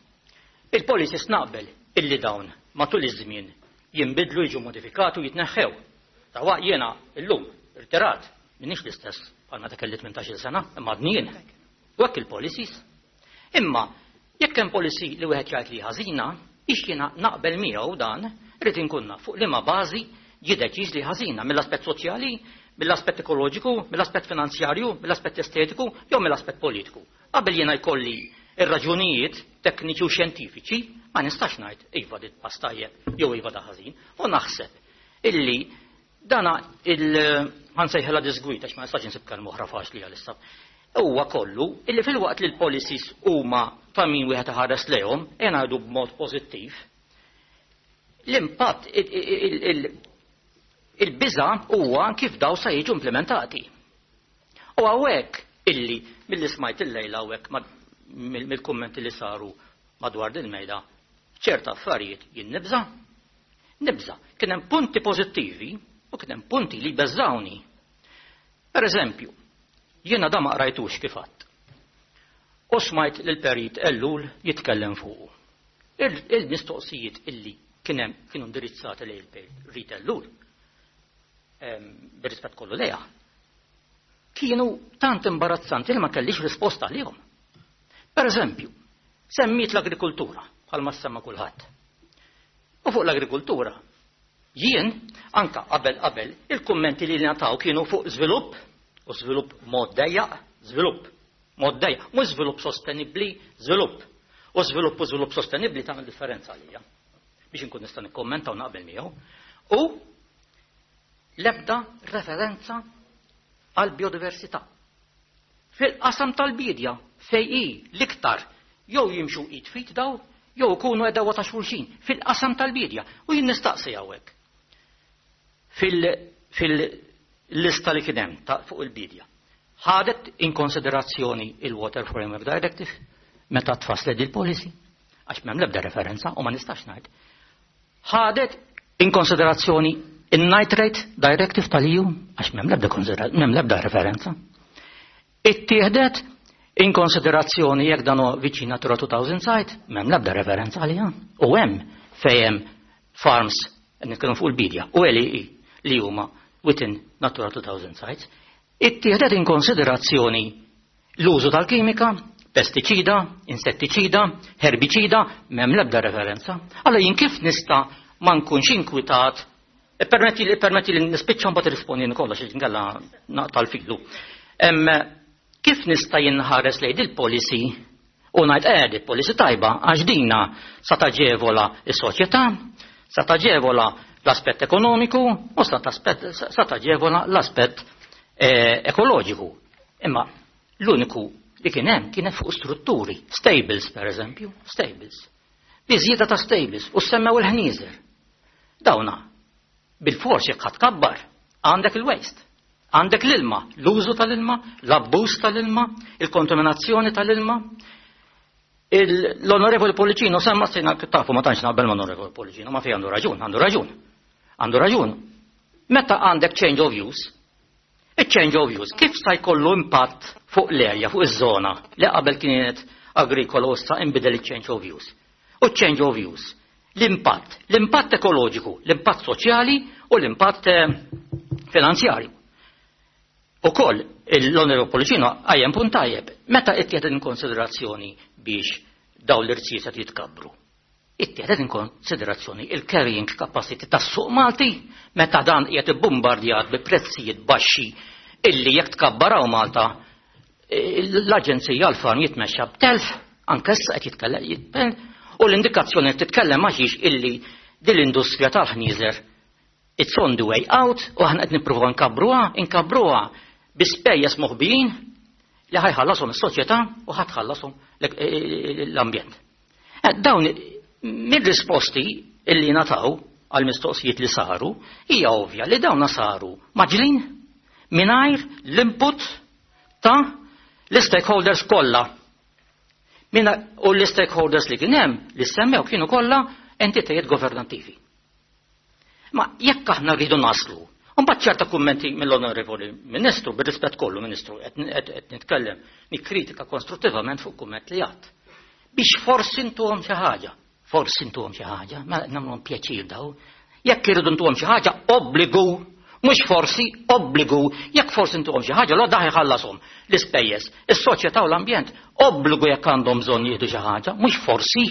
Speaker 12: Il-policies naqbel illi dawn matul iż-żmien jinbidlu, jiġu modifikati u jitneħħew. Tawa jiena illum irtirat minix l-istess bħal meta kelli tmintax-il sena, imma għadni jien. U hekk il-policies. Imma jekk hemm policy li wieħed jgħid li ħażina, biex jiena naqbel miegħu dan, irid inkun naf fuq liema bażi ġie deċiż li ħażina mill-aspett soċjali, mill-aspett ekoloġiku, mill-aspett finanzjarju, mill-aspett estetiku jew mill-aspett politiku. Qabel jiena jkolli ir-raġunijiet tekniċi u xjentifiċi, ma nistax ngħid iva dit pass tajjeb jew iva da ħażin. U naħseb illi dana il ħansejħela disgwita għax ma nistax insib kelma oħra faċli għalissa. Huwa kollu illi fil-waqt li l-policies huma ta' min wieħed iħares lejhom, ejja ngħidu b'mod pożittiv, l-impatt il-biża huwa kif daw sa jiġu implementati. U hawnhekk illi milli smajt illejla hawnhekk mill-kummenti li saru madwar din mejda, ċerta affarijiet jien nibża. Nibża. Kien hemm punti pożittivi u kien hemm punti li beżawni. Per eżempju, jiena da ma qrajtux kif għadd. U smajt lil Perit Ellul jitkellem fuqu. Il-mistoqsijiet illi kien hemm kienu indirizzati lejn il-Perit Ellul, bir-rispett kollu lejha, kienu tant imbarazzanti li ma kellix risposta għalihom. Per eżempju, semmiet l-agrikoltura, bħalma semma kulħadd. U fuq l-agrikoltura, jien, anka qabel qabel, il-kummenti li nataw kienu fuq żvilupp, u żvilupp mod dejjaq, żvilupp mod dejjaq, mhux żvilupp sostenibbli, żvilupp. U żvilupp u żvilupp sostenibbli tagħmel differenza għalija. Biex inkun nista' nikkommenta u naqbel miegħu. U l-ebda referenza għal biodiversità. Fil-qasam tal-bidja fej hi l-iktar jew jimxu id fit daw, jew ikunu għedawa ta' xulxin fil-qasam tal-bidja. U jien nistaqsi hawnhekk. Fil-lista li kien hemm fuq il-bidja. Ħadet in konsiderazzjoni il-Water Framework Directive meta tfasslet il-policy, għax m'hemm l-ebda referenza u ma nistax ngħid. Ħadet in konsiderazzjoni il-Nitrate Directive tal-E U, għax m'hemm l-ebda m'hemm l-ebda referenza. Ittieħdet in konsiderazzjoni jekk dan huwa viċin Natura two thousand site, m'hemm l-ebda referenza għaliha. U hemm fejn hemm farms nitkellmu fuq il-bidja u L E E li huma within Natura two thousand sites, ittieħdet in konsiderazzjoni l-użu tal-kimika, pestiċida, insettiċida, herbiċida, m'hemm l-ebda referenza. Allora jien kif nista' ma nkunx inkwitat Permetti li permetti li nispiċċa mbagħad irrispondi kollox inkella naqta' l-filu. Kif nista' jinħares lejn il-policy u ngħid eh il-policy tajba għax dina sa taġevola s-soċjetà, sa taġevola l-aspett ekonomiku u sa taġevola l-aspett ekoloġiku. Imma l-uniku li kien hemm kienet fuq strutturi, stables per eżempju, stables. Biżjieda ta' stables u semmew il-ħnieżer. Dawna bil-fors jekk ħadd kabbar, għandek il-waste, għandek l-ilma, l-użu tal-ilma, l-abbuż tal-ilma, il-kontaminazzjoni tal-ilma. L-Onorevoli Pollicino semma sejna tafu ma tantx naqbel ma' Onorevoli Pollicino, ma fi għandu raġun, għandu raġun. Għandu raġun. Meta għandek change of use, il-change of use, kif sa jkollu impatt fuq l-area, fuq iż-żona li qabel kienet agrikola u issa inbidel il-change of use. U change of use, l-impatt, l-impatt ekoloġiku, l-impatt soċjali u l-impatt finanzjarju. U koll, l-Onorevoli Pollicino għajem punt tajjeb, meta ittieħdet in konsiderazzjoni biex daw l-irziezet jitkabbru? Ittieħdet in konsiderazzjoni il-carrying capacity tas-suq Malti meta dan qiegħed ibbombardjat bi prezzijiet baxxi illi jekk tkabbaraw Malta l-Aġenzija għall-Farm jitmexxa b'telf, anke issa qed jitkellem u l-indikazzjoni qed titkellem għaxiex illi din l-industrija tal-ħnieżer it's on the way out u aħna qed nippruvaw nkabbruha, inkabbruha bi spejjeż moħbijin li ħajħallasom is-soċjetà u ħatħallasom l-ambjent. Dawn mir-risposti illi nataw għal mistoqsijiet li saru hija ovvja li dawna saru maġlin mingħajr l-input ta' l-stakeholders kollha. U l-stakeholders li kien hemm li semmew kienu kollha entitajiet governattivi. Ma jekk aħna rridu naslu, mbagħad ċerta kummenti mill-Onorevoli Ministru, bir-rispett kollu Ministru, qed nitkellem, nikkritika konstruttivament fuq kumment li għadd. Biex forsi ntuhom xi ħaġa, forsi ntuhom xi ħaġa, ma nagħmluhom pjaċir daw. Jekk irridu ntuhom xi ħaġa, obbligu, mhux forsi, obbligu, jekk forsi ntuhom xi ħaġa, l daħ iħallashom l-ispejjeż, is-soċjetà u l-ambjent, obbligu jekk għandhom bżonn jieħdu xi ħaġa, mhux forsi.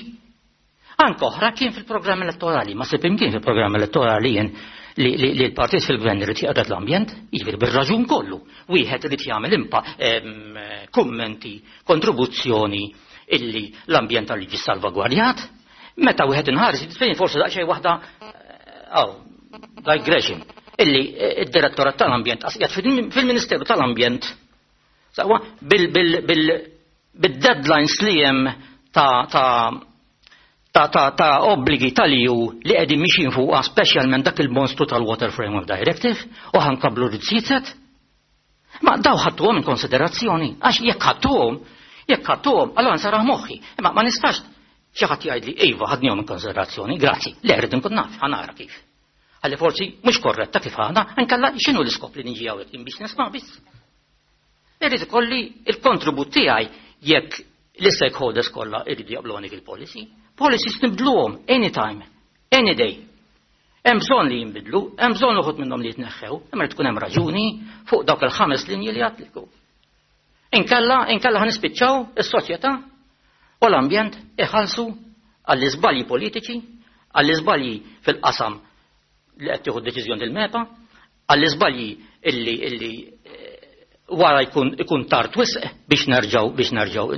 Speaker 12: Anke oħra kien fil-programm elettorali, ma sib imkien fil-programm elettorali jien li l-partit fil-gvern irid jaqgħod l-ambjent, jiġifieri bir-raġun kollu. Wieħed irid jagħmel impa kummenti, kontribuzzjoni illi l-ambjent tal jiġi salvagwardjat. Meta wieħed inħares fejn forsi daqsxejn waħda aw digression illi id-direttorat tal-ambjent qiegħed fil-Ministeru tal-Ambjent sewwa bil-deadlines li hemm ta' ta' ta' ta' ta' obbligi tal-E U li qegħdin mixin fuqha, speċjalment dak il-monstru tal-Water Framework Directive, u ħankablu rziezet. Ma daw ħadtuhom in konsiderazzjoni, għax jekk ħadtuhom, jekk ħadtuhom, allora nsarah moħħi. Imma ma nistax xi ħadd jgħidli iva ħadnihom in konsiderazzjoni, grazzi, le rrid inkun naf, ħanara kif. Għalli forsi mhux korretta kif ħadna, inkella x'inhu l-iskop li niġi hawnhekk biex nisma' biss. Irrid ikolli il-kontribut tiegħi jekk l-stakeholders kollha jridu jaqblu dik il-policy. Policies nibdluhom anytime, any day. Hemm bżonn li jinbidlu, hemm bżonn uħud minnhom li jitneħħew, imma tkun hemm raġuni fuq dawk il-ħames linji li għatliku. Inkella, inkella ħanispiċċaw is-soċjetà u l-ambjent iħallsu għall-iżbalji politiċi, għall-iżbalji fil-qasam li qed tieħu deċiżjoni il-MEPA, għall-iżbalji illi illi wara jkun ikun tard wisq biex nerġgħu biex nerġgħu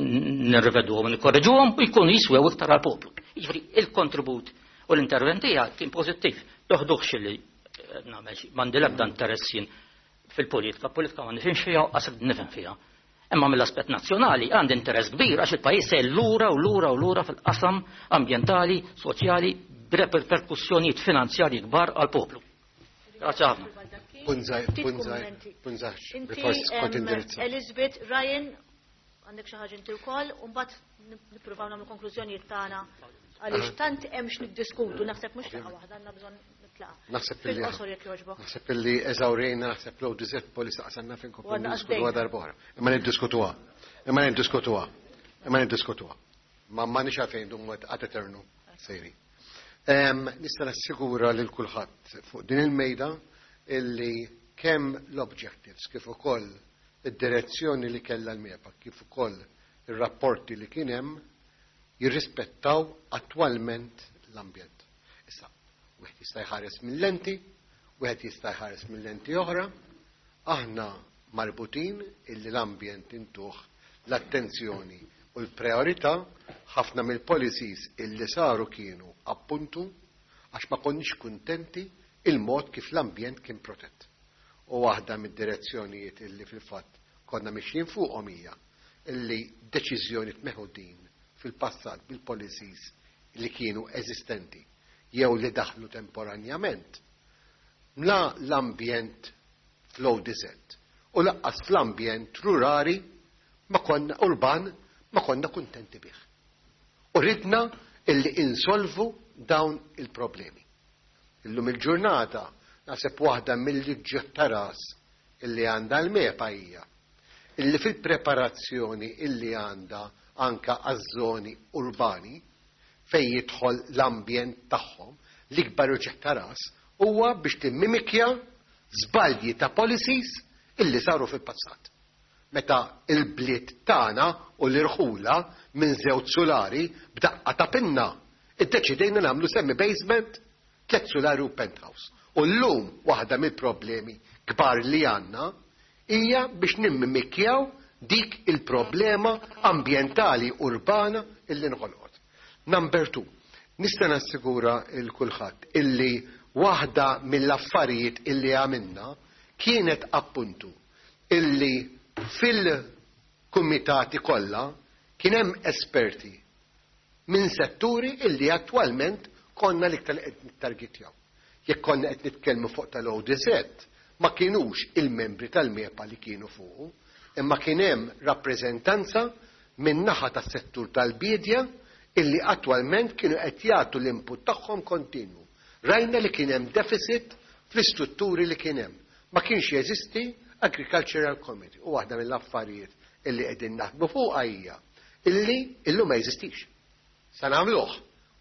Speaker 12: nirriveduhom u nikkorreġuhom u jkunu jiswew iktar għall-poplu. Jiġifieri il-kontribut u l-intervent tiegħek kien pożittiv. Toħduħx li nagħmel xi m'għandi l-ebda interess jien fil-politika, politika ma nifhimx fiha u qas nifhem fiha. Imma mill-aspett nazzjonali għandi interess kbir għax il-pajjiż se lura u lura u lura fil-qasam ambjentali, soċjali, b'reperkussjonijiet finanzjarji kbar għall-poplu. Grazie ħafna.
Speaker 7: Punżaj, punżaj, punżaj.
Speaker 1: Inti, Elizabeth, Ryan, għandek xi ħaġa inti wkoll, u mbagħad nippruvaw nagħmlu konklużjonijiet tagħna għaliex tant hemm x'niddiskutu, naħseb mhux laqgħa waħda għandna bżonn nitlaqa.
Speaker 7: Naħseb illi
Speaker 1: Fil-qosor jekk jogħġbok.
Speaker 7: Naħseb illi eżawrejna, naħseb l dizet polis aqsanna fejn
Speaker 1: U għadna
Speaker 7: niddiskutuha
Speaker 1: għaddejna.
Speaker 7: darb'oħra. Imma niddiskutuha. Imma niddiskutuha. Imma niddiskutuha. Ma ma nix għalfejn dum għad eternu sejri. Em, Nista' nassigura lil kulħadd fuq din il-mejda illi kemm l-objectives kif ukoll id-direzzjoni li kellha l-MEPA kif ukoll ir-rapporti li kien hemm jirrispettaw attwalment l-ambjent. Issa, wieħed jista' jħares minn lenti, Wieħed jista' jħares mill-lenti oħra, aħna marbutin illi l-ambjent intuh l-attenzjoni u l-priorità. Ħafna mill-policies illi saru kienu appuntu għax ma konniex kuntenti il-mod kif l-ambjent kien protett. U waħda mid-direzzjonijiet illi fil-fatt konna mixjin fuqhom hija illi deċiżjoni meħudin fil-passat bil-policies li kienu eżistenti jew li daħlu temporanjament la l-ambjent fl-O D Z u lanqas fl-ambjent rurali ma konna urban ma konna kuntenti bih. U ridna illi insolvu dawn il-problemi. Illum il-ġurnata naħseb waħda mill-uġigħ ta' ras illi għandha l-MEPA hija illi fil-preparazzjoni illi għandha anka għaż-żoni urbani fejn jidħol l-ambjent tagħhom, l-ikbar uġigħ ta' ras huwa biex timmimikja żbalji ta' policies illi saru fil-passat. Meta il-bliet tagħna u l-irħula minn żewġ sulari b'daqqa ta' pinna iddeċidejna nagħmlu semi basement, tliet sulari u penthouse. U llum waħda mill-problemi kbar li għandna hija biex nimmimikjaw dik il-problema ambjentali urbana illi nħolqot. Number two, nista' nassigura lil kulħadd illi waħda mill-affarijiet illi għamilna kienet appuntu illi fil-kumitati kollha kien hemm esperti minn setturi illi attwalment konna l-iktar qed nittargetjaw. Jekk konna qed nitkellmu fuq tal-O D Z, ma kienux il-membri tal-MEPA li kienu fuq, imma kien hemm rappreżentanza minn naħa tas-settur tal-bidja illi attwalment kienu qed jagħtu l-input tagħhom kontinwu. Rajna li kien hemm deficit fl-istrutturi li kien hemm. Ma kienx jeżisti Agricultural Committee u waħda mill-affarijiet illi qegħdin naħdmu fuqha hija illi illum ma jeżistix. Sa nagħmluh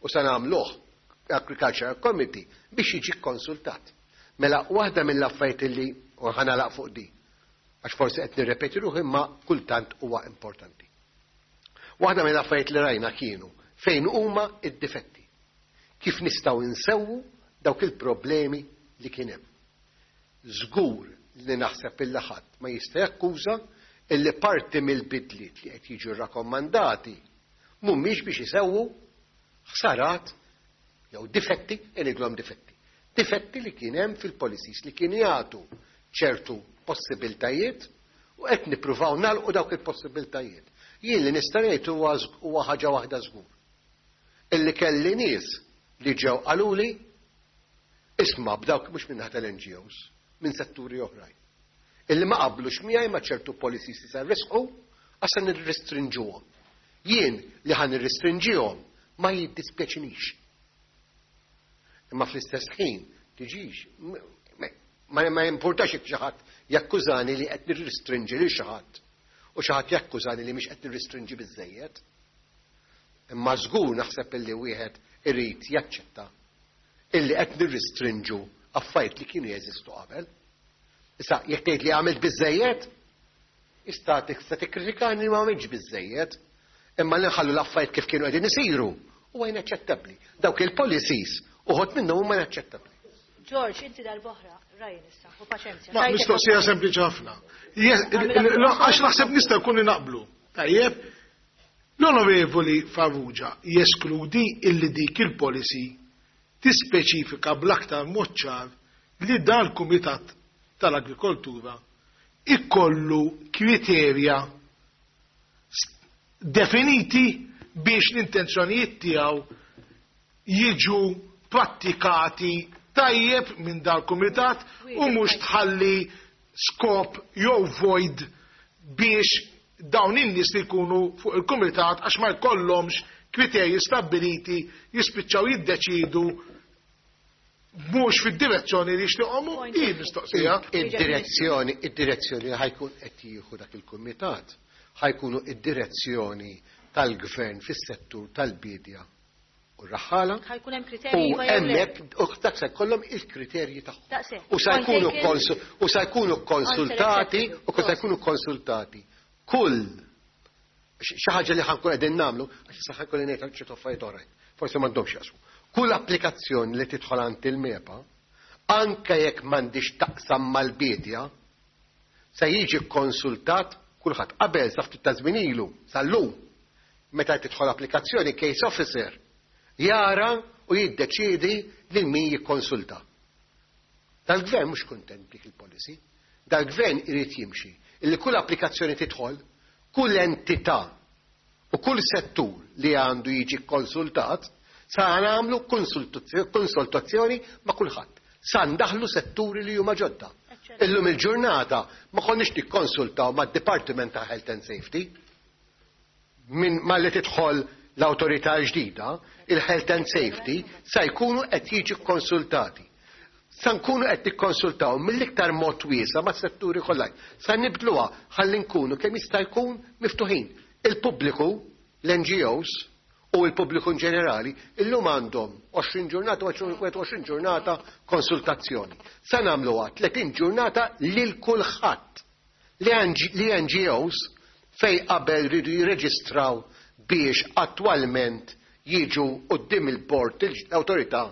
Speaker 7: u sa nagħmluh Agricultural Committee biex jiġi konsultat. Mela waħda mill-affarijiet illi, u ħa nagħlaq fuq di, għax forsi qed nirrepeti ruħi, imma kultant huwa importanti. Waħda mill-affarijiet li rajna kienu fejn huma id-difetti. Kif nistgħu nsewwu dawk il-problemi li kien hemm. Żgur li naħseb illi ħadd ma jista' jakkuża illi parti mill-bidliet li qed jiġu rakkomandati mhumiex biex isewwu ħsarat jew difetti, ngħidulhom difetti. Difetti li kien hemm fil-policies li kienu jagħtu ċertu possibiltajiet u qed nippruvaw nagħlqu dawk il-possibiltajiet. Jien li nista' ngħid huwa huwa ħaġa waħda żgur. Illi kelli nies li ġew qaluli, isma', b'dawk mhux minn tal-N G Os, minn setturi oħrajn. Illi ma qablux miegħi ma' ċertu policies li se risqu għax se nirrestrinġuhom. Jien li ħa nirrestrinġihom ma jiddispjaċinix. Imma fl-istess ħin tiġix ma ma importax jekk xi ħadd jakkużani li qed nirrestrinġi lil xi ħadd u xi ħadd jakkużani li mhix qed nirrestrinġi biżejjed. Imma żgur naħseb illi wieħed irid jaċċetta illi qed nirrestrinġu affarijiet li kienu jeżistu qabel. Issa, jekk tgħid li għamilt biżejjed, ista' tista' tikkritikani li ma għamiltx biżejjed, imma li nħallu l-affarijiet kif kienu qegħdin isiru huwa inaċċettabbli. Dawk il-policies uħud minnhom huma inaċċettabbli.
Speaker 1: George, inti darb'oħra, Ryan issa, u paċenzja.
Speaker 3: Ma mistoqsija sempliċi ħafna. Għax naħseb nista' jkun naqblu. Tajjeb, l-Onorevoli Farrugia jeskludi illi dik il-policy tispeċifika bl-aktar mod ċar li dan kumitat tal-agrikoltura ikollu kriterja definiti biex l-intenzjonijiet tiegħu jiġu prattikati tajjeb minn dal-kumitat u mhux tħalli skop jew void biex dawn in-nies li jkunu fuq il-kumitat, għax ma jkollhomx kriterji stabiliti, jispiċċaw jiddeċidu mhux fid-direzzjoni li jixtieqhom hi mistoqsija.
Speaker 7: Id-direzzjoni, id-direzzjoni li ħa jkun qed jieħu dak il-kumitat ħa jkunu id-direzzjoni tal-gvern fis-settur tal-bidja u r-raħħala.
Speaker 1: Ħa jkun hemm kriterji
Speaker 7: u
Speaker 1: iva jew le.
Speaker 7: Hemmhekk u dak se jkollhom il-kriterji tagħhom.
Speaker 1: Daqshekk.
Speaker 7: U sa jkunu
Speaker 1: Point taken.
Speaker 7: konsu- u sa jkunu konsultati u sa jkunu konsultati kull xi ħaġa li ħa nkun qegħdin nagħmlu, għax issa ħa jkolli ngħid ċertu affarijiet oħrajn. Forsi m'għandhomx jaqsmu. Kull applikazzjoni li tidħol għand il-MEPA Anke jekk m'għandix taqsam mal-bidja, se jiġi konsultat kulħadd. Qabel sa ftit ta' żmien ilu, sal-lum, meta tidħol applikazzjoni, case officer jara u jiddeċiedi lil min jikkonsulta. Dal-gvern mhux kuntent dik il-policy. Dal-gvern irid jimxi illi kull applikazzjoni tidħol, kull entità u kull settur li għandu jiġi konsultat, sa nagħmlu konsultazzjoni ma' kulħadd. Sa ndaħlu setturi li huma ġodda. Illum il-ġurnata ma konniex nikkonsultaw mad-Department ta' Health and Safety. Minn malli tidħol l-awtorità ġdida, il-Health and Safety sa jkunu qed jiġu konsultati. Sa nkunu qed nikkonsultaw mill-iktar mod wiesa' mas-setturi kollha. Sa nibdluha ħalli nkunu kemm jista' jkun miftuħin. Il-pubbliku, l-N G Os u l-pubbliku in ġenerali illum għandhom għoxrin ġurnata, wieħed u għoxrin ġurnata konsultazzjoni. Sa nagħmluha tletin ġurnata lil kulħadd. L-N G Os fej qabel ridu jirreġistraw biex attwalment jiġu quddiem il-bord l-awtorità,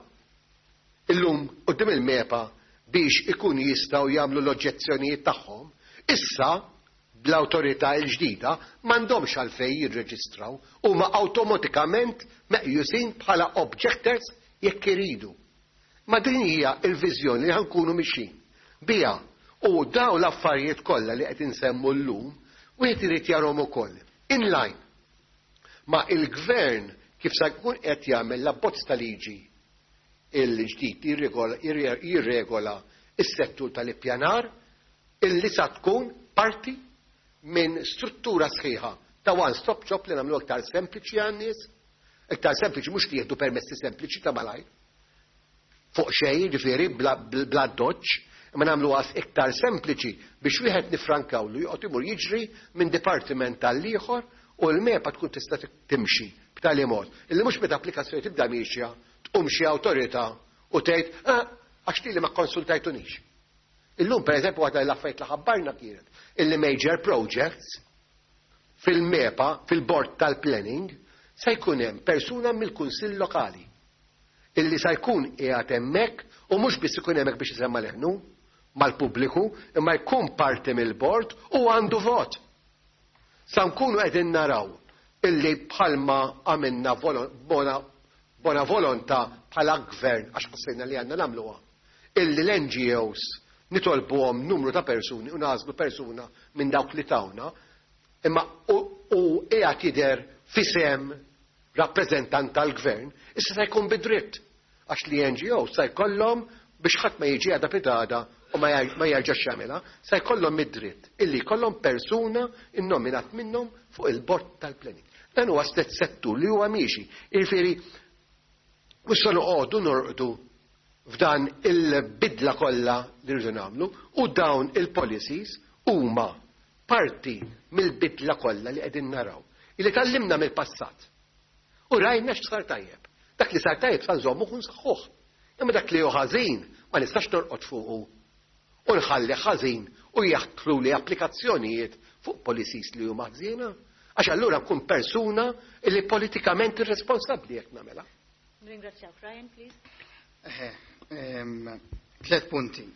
Speaker 7: illum quddiem il-MEPA biex ikun jistgħu jagħmlu l-oġġezzjonijiet tagħhom, issa bl-awtorità l-ġdida m'għandhomx għalfejn jirreġistraw, huma awtomatikament meqjusin bħala objectors jekk iridu. Ma din hija l-viżjoni li ħa nkunu mixin biha u daw l-affarijiet kollha li qed insemmu llum wieħed irid jarhom ukoll in line ma' il-gvern kif sa jkun qed jagħmel l-abbozz ta' liġi il-ġdid jirregola is-settur tal-ippjanar, illi sa tkun parti minn struttura sħiħa ta' one-stop shop li nagħmlu iktar sempliċi għan-nies, iktar sempliċi mhux li jieħdu permessi sempliċi ta' malajr. Fuq xejn, ġifieri bla doċ, imma nagħmlu għas iktar sempliċi biex wieħed nifrankawlu joqgħod imur jiġri minn dipartiment tal-ieħor u l-MEPA tkun tista' timxi b'tali mod illi mhux meta applikazzjoni tibda miexja tqum xi awtorità u tgħid, "Ah, għax li ma konsultajtunix." Illum, per eżempju, għadha l-affarijiet li ħabbarna kienet illi major projects fil-MEPA, fil-board tal-planning, se jkun hemm persuna mill-kunsill lokali illi sa jkun qiegħed hemmhekk u mhux biss ikun hemmhekk biex isemma leħnu mal-pubbliku, imma jkun parti mill-bord u għandu vot. Sa nkunu qegħdin naraw illi bħalma għamilna bona, bona volontà bħala gvern għax ħassejna li għandna nagħmluha. Illi l-N G Os nitolbuhom numru ta' persuni u nagħżlu persuna minn dawk li tawna, imma u qiegħed jidher f'isem rappreżentant tal-gvern, issa se jkun bidritt għax li N G O sa jkollhom biex ħadd ma jiġi għada pitgħada u ma jerġax jagħmilha, sa jkollhom id-dritt illi jkollhom persuna innominat minnhom fuq il-bord tal-planning. Dan huwa stess settur li huwa miexi. Jiġifieri mhux se noqogħdu norqdu f'dan il-bidla kollha li rridu nagħmlu u dawn il-policies huma parti mill-bidla kollha li qegħdin naraw. Illi tgħallimna mill-passat. U rajna x'sar tajjeb. Dak li sar tajjeb sa nżommu u nsaħħuh. Imma dak li hu ħażin ma nistax norqod fuqu u nħalli ħażin u jaħtlu li applikazzjonijiet fuq policies li huma ħżiena. Għax allura nkun persuna li politikament irresponsabbli jekk nagħmilha.
Speaker 1: Ringrazzjak, Ryan, please.
Speaker 9: Eħe, tlet punti.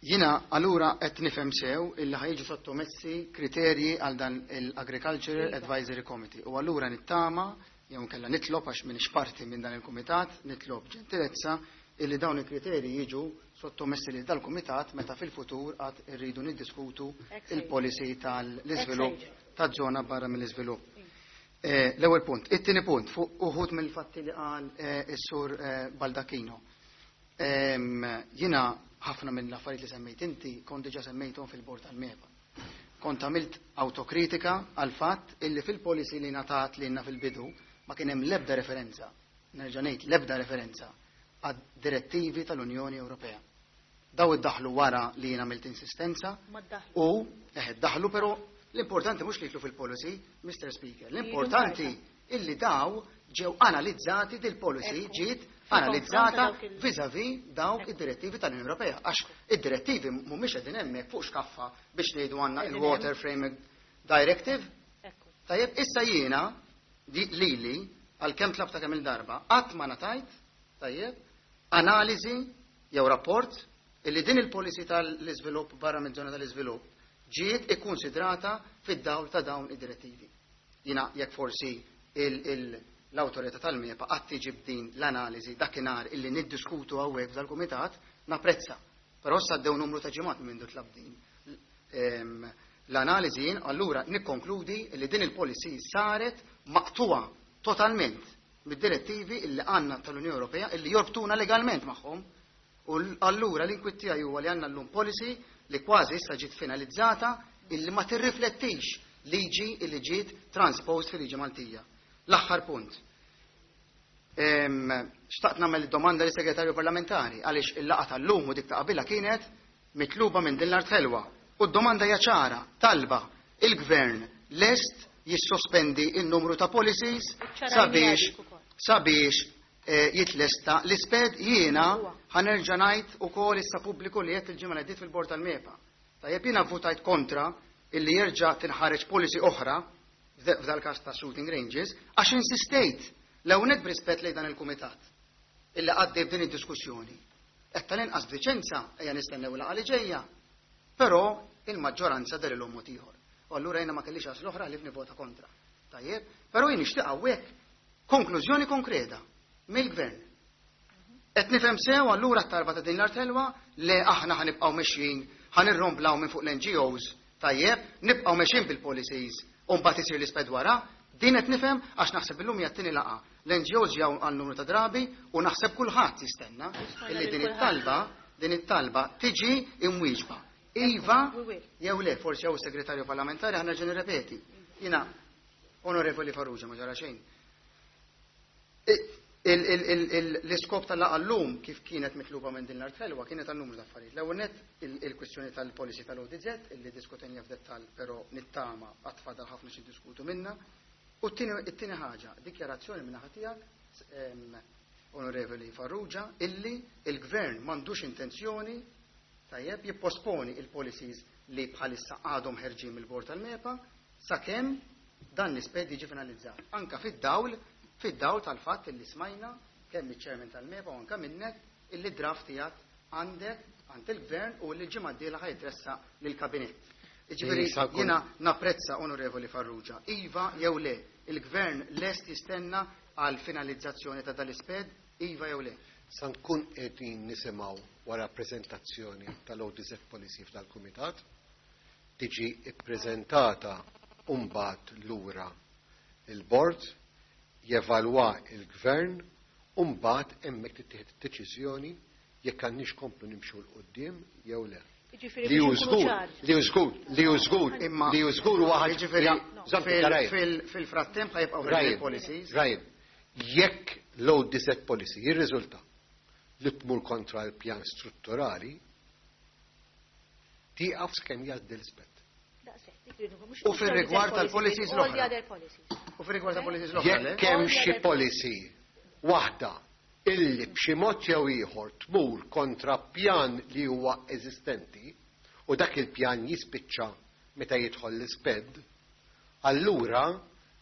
Speaker 9: Jina allura qed nifhem sew illi ħa jiġu sottomessi kriterji għal dan l-Agricultural Advisory Committee u allura nittama jew kella nitlob, għax m'iniex parti minn dan il-kumitat, nitlob ġentilezza illi dawn il-kriterji jiġu sottomessi lil dal-kumitat meta fil-futur għad irridu niddiskutu il-policy tal-iżvilupp ta' żona barra mill-iżvilupp. Eh, l-ewwel punt. It-tieni punt fuq uħud mill-fatti li qal eh, is-sur eh, Baldacchino. Jiena ħafna mill-affarijiet li semmejt inti kont diġà semmejthom fil-bord tal-MEPA. Kont għamilt autokritika għal fatt illi fil-policy li ngħatat lilna fil-bidu ma kien hemm l-ebda referenza, nerġa' ngħid l-ebda referenza għad direttivi tal-Unjoni Ewropea. Daw iddaħlu wara li jiena għamilt insistenza u eh, daħlu, però l-importanti mhux li jidħlu fil-policy, Mister Speaker, l-importanti illi daw ġew analizzati, dil-policy ġiet analizzata vis-a-vis dawk id-direttivi tal-Unjoni Ewropea. Għax id-direttivi mhumiex qegħdin hemmhekk fuq xkaffa biex ngħidu għandna il-Water Framework Directive. Tajjeb, issa jiena lili għalkemm tlabta kemm il-darba, qatt ma ngħatajt, tajjeb, analiżi jew rapport illi din il-policy tal-iżvilupp barra minn żona tal-iżvilupp ġiet ikkonsidrata fid-dawl ta' dawn id-direttivi. Jiena jekk forsi l-awtorità tal-MEPA qatt tiġi b'din l-analiżi dakinhar illi niddiskutu hawnhekk f'dal-kumitat, napprezza. Però issa għaddew numru ta' ġimgħat minn tlab din l-analiżi jien allura nikkonkludi li din il-policy saret maqtuwa totalment mid-direttivi illi għandna tal-Unjoni Ewropea illi jorbtuna legalment magħhom. U allura l-inkwiet tiegħi huwa li għandna llum policy li kważi issa ġiet finalizzata illi ma tirriflettix liġi illi ġiet transposed fil-liġi Maltija. L-aħħar punt. Xtaqt nagħmel domanda lis segretarju parlamentari għaliex il-laqgħa tal-lum u dik ta' qabilha kienet mitluba minn din l-art ħelwa. U d-domanda hija ċara, talba, il-gvern lest jissospendi il-numru ta' policies sabiex sabiex eh, jitlesta l-iSPED. Jiena ħa nerġa' ngħid ukoll issa pubbliku li qed il-ġimgħa li fil-bord tal-MEPA. Tajjeb, jiena votajt kontra illi jerġa' tinħareġ policy oħra f'dal każ ta' shooting ranges għax insistejt l-ewwel b'rispett lejn dan il-kumitat illi għaddej b'din id-diskussjoni. Qed tal-inqas b'diċenza ejja nistennew il li ġejja. Però il-maġġoranza dehrilhom mod ieħor. U allura jiena ma kellix għażla oħra li nivvota kontra. Tajjeb, però jien nixtieq hawnhekk konklużjoni konkreta mill-gvern. Qed nifhem sew allura t-talba ta' din l-art ħelwa li aħna ħa nibqgħu mexjin, ħa nirromblaw minn fuq l-N G Os, tajjeb, nibqgħu mexjin bil-policies u mbagħad isir l-iSPED wara, din qed nifhem għax naħseb illum hija t-tieni laqgħa. L-N G Os ġew għal numru ta' drabi u naħseb kulħadd jistenna illi din it-talba din it-talba tiġi imwieġba. Iva, jew le, forsi jew segretarju parlamentari ħa nerġa' nirrepeti. Jiena, Onorevoli Farrugia, ma ġara xejn. L-iskop tal-laqgħa llum kif kienet mitluba minn din l-art ħelwa kienet għal numru ta' affarijiet. L-ewwel nett il-kwistjoni tal-policy tal-O D Z illi diskutejna f'dettall, però nittama għad fadal ħafna xi diskutu minna. U t-tieni ħaġa, dikjarazzjoni minn naħa tiegħek, Onorevoli Farrugia, illi il-gvern m'għandux intenzjoni, tajjeb, jipposponi il-policies li bħalissa għadhom ħerġin mill-bord tal-MEPA sakemm dan l-iSPED jiġi finalizzat. Anka fid-dawl fid-dawl tal-fatt illi smajna kemm iċ-chairman tal-MEPA u anka minnek illi draft tiegħek għandek għand il-gvern u li l-ġimgħa d-dieħla ħa jitressaq lill-kabinett. Jiġifieri jiena napprezza, Onorevoli Farrugia, iva jew le, il-gvern lest jistenna għal finalizzazzjoni ta' dal-iSPED, iva jew le?
Speaker 7: Sa nkun qegħdin nisimgħu wara prezentazzjoni tal-O D Z policy f'dal-kumitat, tiġi ippreżentata mbagħad lura il-bord, jevalwa il-gvern, u mbagħad hemmhekk tittieħed id-deċiżjoni jekk għandniex komplu nimxu 'l quddiem jew le. Li hu żgur, li hu żgur, li hu żgur, li hu żgur huwa
Speaker 9: Jiġifieri fil-frattemp ħa jibqgħu policies.
Speaker 7: Rajn, jekk l-O D Z policy jirriżulta li tmur kontra l-pjan strutturali, tieqaf sakemm jgħaddi l-iSPED.
Speaker 9: U fil-rigward tal-policies l-oħra. U fil-rigward tal-policies l-oħra.
Speaker 7: Jekk hemm xi policy waħda illi b'xi mod jew ieħor tmur kontra pjan li huwa eżistenti u dak il-pjan jispiċċa meta jidħol l-iSPED, allura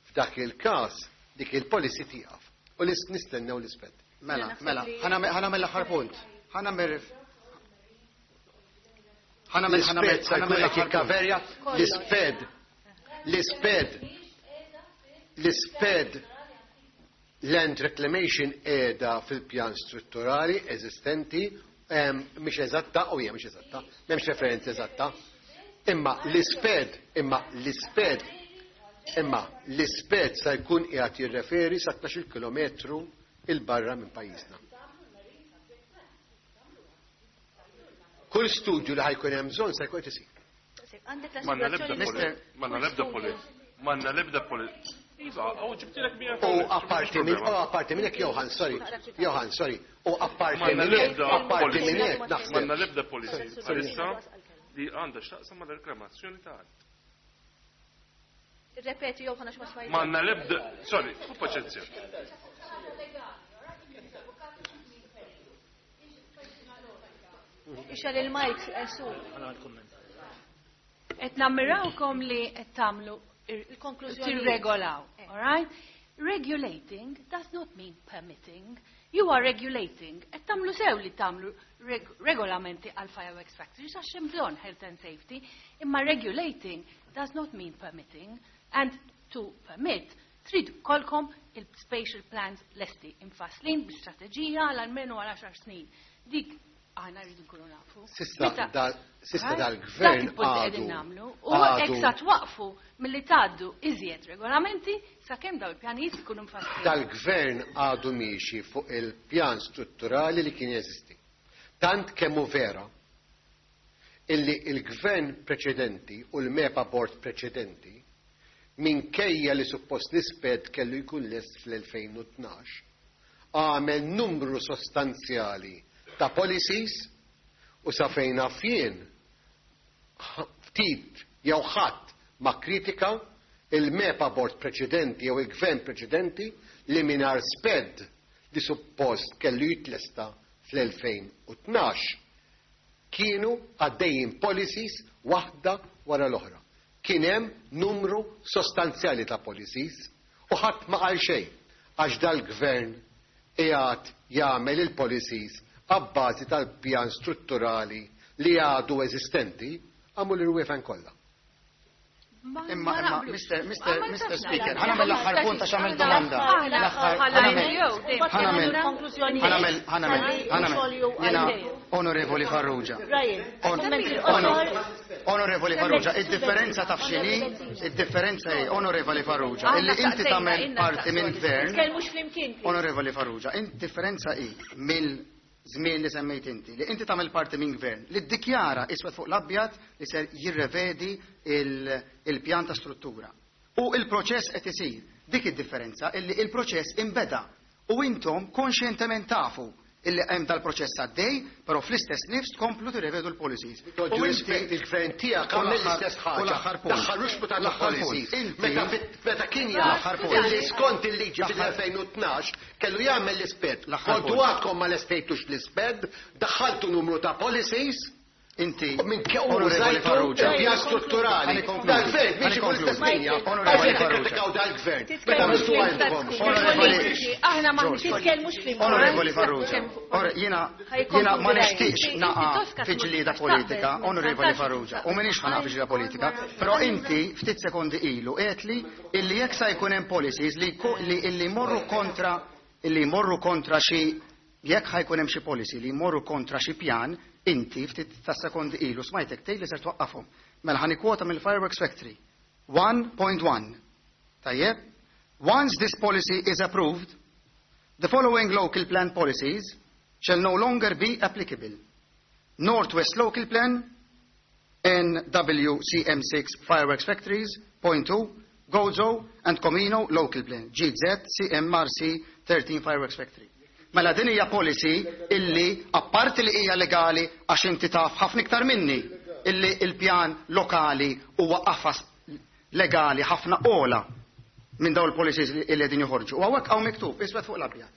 Speaker 7: f'dak il-każ dik il-policy tieqaf u nistennew l-iSPED.
Speaker 9: Mela, mela, ħa nagħmel l-aħħar punt. Ħa nagħmel ħa nagħmel ħa nagħmel
Speaker 7: L-iSPED sa jkun qed jikkaverja l-iSPED. L-iSPED. L-iSPED land reclamation qiegħda fil-pjan strutturali eżistenti, mhix eżatta, u hija mhix eżatta, m'hemmx referenza eżatta. Imma l-iSPED, imma l-iSPED, imma l-iSPED sa jkun qiegħed jirreferi sa tnax-il kilometru 'il barra minn pajjiżna. Kull studju li ħa jkun hemm bżonn sa jkun qed isir.
Speaker 6: M'għandna lebda m'għandna lebda poli. M'għandna lebda poli.
Speaker 7: U apparti minn u apparti minn hekk, Johan, sorry, Johan, sorry. U apparti minn hekk, apparti minn hekk naħseb.
Speaker 6: M'għandna lebda policy bħalissa li għandha x'taqsam mal-reklamazzjoni ta' art.
Speaker 1: Ripeti, Johan, għax ma smajt.
Speaker 6: M'għandna lebda, sorry, hu paċenzja.
Speaker 1: Ixgħel il-mic, su.
Speaker 11: Qed nammirawkom li qed tagħmlu
Speaker 1: il-konklużjoni.
Speaker 11: Tirregolaw, all right? Regulating does not mean permitting. You are regulating. Qed tagħmlu sew li tagħmlu reg regolamenti għal fireworks factories għax hemm bżonn health and safety, imma regulating does not mean permitting. And to permit, trid ikollkom il-spatial plans lesti imfasslin bi-strateġija għal almenu għal għaxar snin. Dik aħna rridu nkunu nafu.
Speaker 7: S'issa
Speaker 11: Meta-
Speaker 7: dal- s'issa
Speaker 11: Right?
Speaker 7: dal-gvern
Speaker 11: Dak il-punt li qegħdin
Speaker 7: għadu-
Speaker 11: nagħmlu. U
Speaker 7: għadu-
Speaker 11: hekk sa twaqfu milli tgħaddu iżjed regolamenti sakemm daw il-pjanijiet ikunu mfasslin.
Speaker 7: Dal-gvern għadu miexi fuq il-pjan strutturali li kien jeżisti. Tant kemm hu vera illi il-gvern preċedenti u l-MEPA board preċedenti, minkejja li suppost l-iSPED kellu jkun lest fl-elfejn u tnax, għamel numru sostanzjali ta' policies u sa fejn naf jien ftit jew ħadd ma kritika il-MEPA board preċedenti jew il-gvern preċedenti li mingħajr SPED li suppost kellu jitlesta fl-elfejn u tnax kienu għaddejjin policies waħda wara l-oħra. Kien hemm numru sostanzjali ta' policies u ħadd ma qal xejn għax dal-gvern qiegħed jagħmel il-policies abbażi tal-pjan strutturali li għadu eżistenti għamlu l-irwiefen kollha.
Speaker 9: Imma, imma, Mister Mister Mister Speaker, ħa nagħmel l-aħħar punt għax għamel domanda. L-aħħar, ħa nagħmel, ħa nagħmel, ħa nagħmel, ħa nagħmel, ħa nagħmel, jiena, Onorevoli Farrugia. Onorevoli Farrugia, id-differenza taf x'inhi, id-differenza hi, Onorevoli Farrugia, illi inti tagħmel parti minn gvern.
Speaker 1: Tkellmux flimkien.
Speaker 9: Onorevoli Farrugia, id-differenza hi mill żmien li semmejt inti, li inti tagħmel parti minn gvern li ddikjara iswed fuq l-abjad li ser jirrevedi il-pjan ta' struttura. U il-proċess qed isir. Dik id-differenza illi il-proċess imbeda u intom konxjentement tafu illi hemm dal-proċess għaddej, però fl-istess nifs tkomplu tirrevedu l-policies.
Speaker 7: U inti il-gvern tiegħek għamel l-istess ħaġa. Daħħalux ta' policies. Meta meta kien jaf li skont il-liġi fil-elfejn u tnax kellu jagħmel l-iSPED. Kontu għadkom ma lestejtux l-iSPED, daħħaltu numru ta' policies.
Speaker 9: Inti,
Speaker 7: minn Onorevoli Farrugia, pjan strutturali. Dal-gvern, biex ikun l-istess linja. Onorevoli Farrugia. Dal-gvern. Meta mistu għandkom.
Speaker 11: Aħna ma
Speaker 1: titkellmux flimkien.
Speaker 9: Onorevoli Farrugia, jiena jiena ma nixtieqx naqa' fi ġlieda politika, Onorevoli Farrugia, u m'iniex ħa naqa' fi ġlieda politika, però inti ftit sekondi ilu għedtli illi jekk sa jkun hemm policies li illi jmorru kontra illi jmorru kontra xi jekk ħa jkun hemm xi policy li jmorru kontra xi pjan, inti ftit ta' sekondi ilu smajtek tgħid li ser twaqqafhom. Mela ħa nikkwota mill-Fireworks Factory. one point one. Tajjeb? Once this policy is approved, the following local plan policies shall no longer be applicable. Northwest Local Plan, N W C M six Fireworks Factories, point two, Gozo and Comino Local Plan, G Z C M R C thirteen Fireworks Factory. Mela din hija policy illi apparti li hija legali, għax inti taf ħafna iktar minni illi il-pjan lokali huwa qafas legali ħafna ola minn dawn il-policies li qegħdin joħorġu. U hawnhekk hawn miktub iswed fuq l-abjad.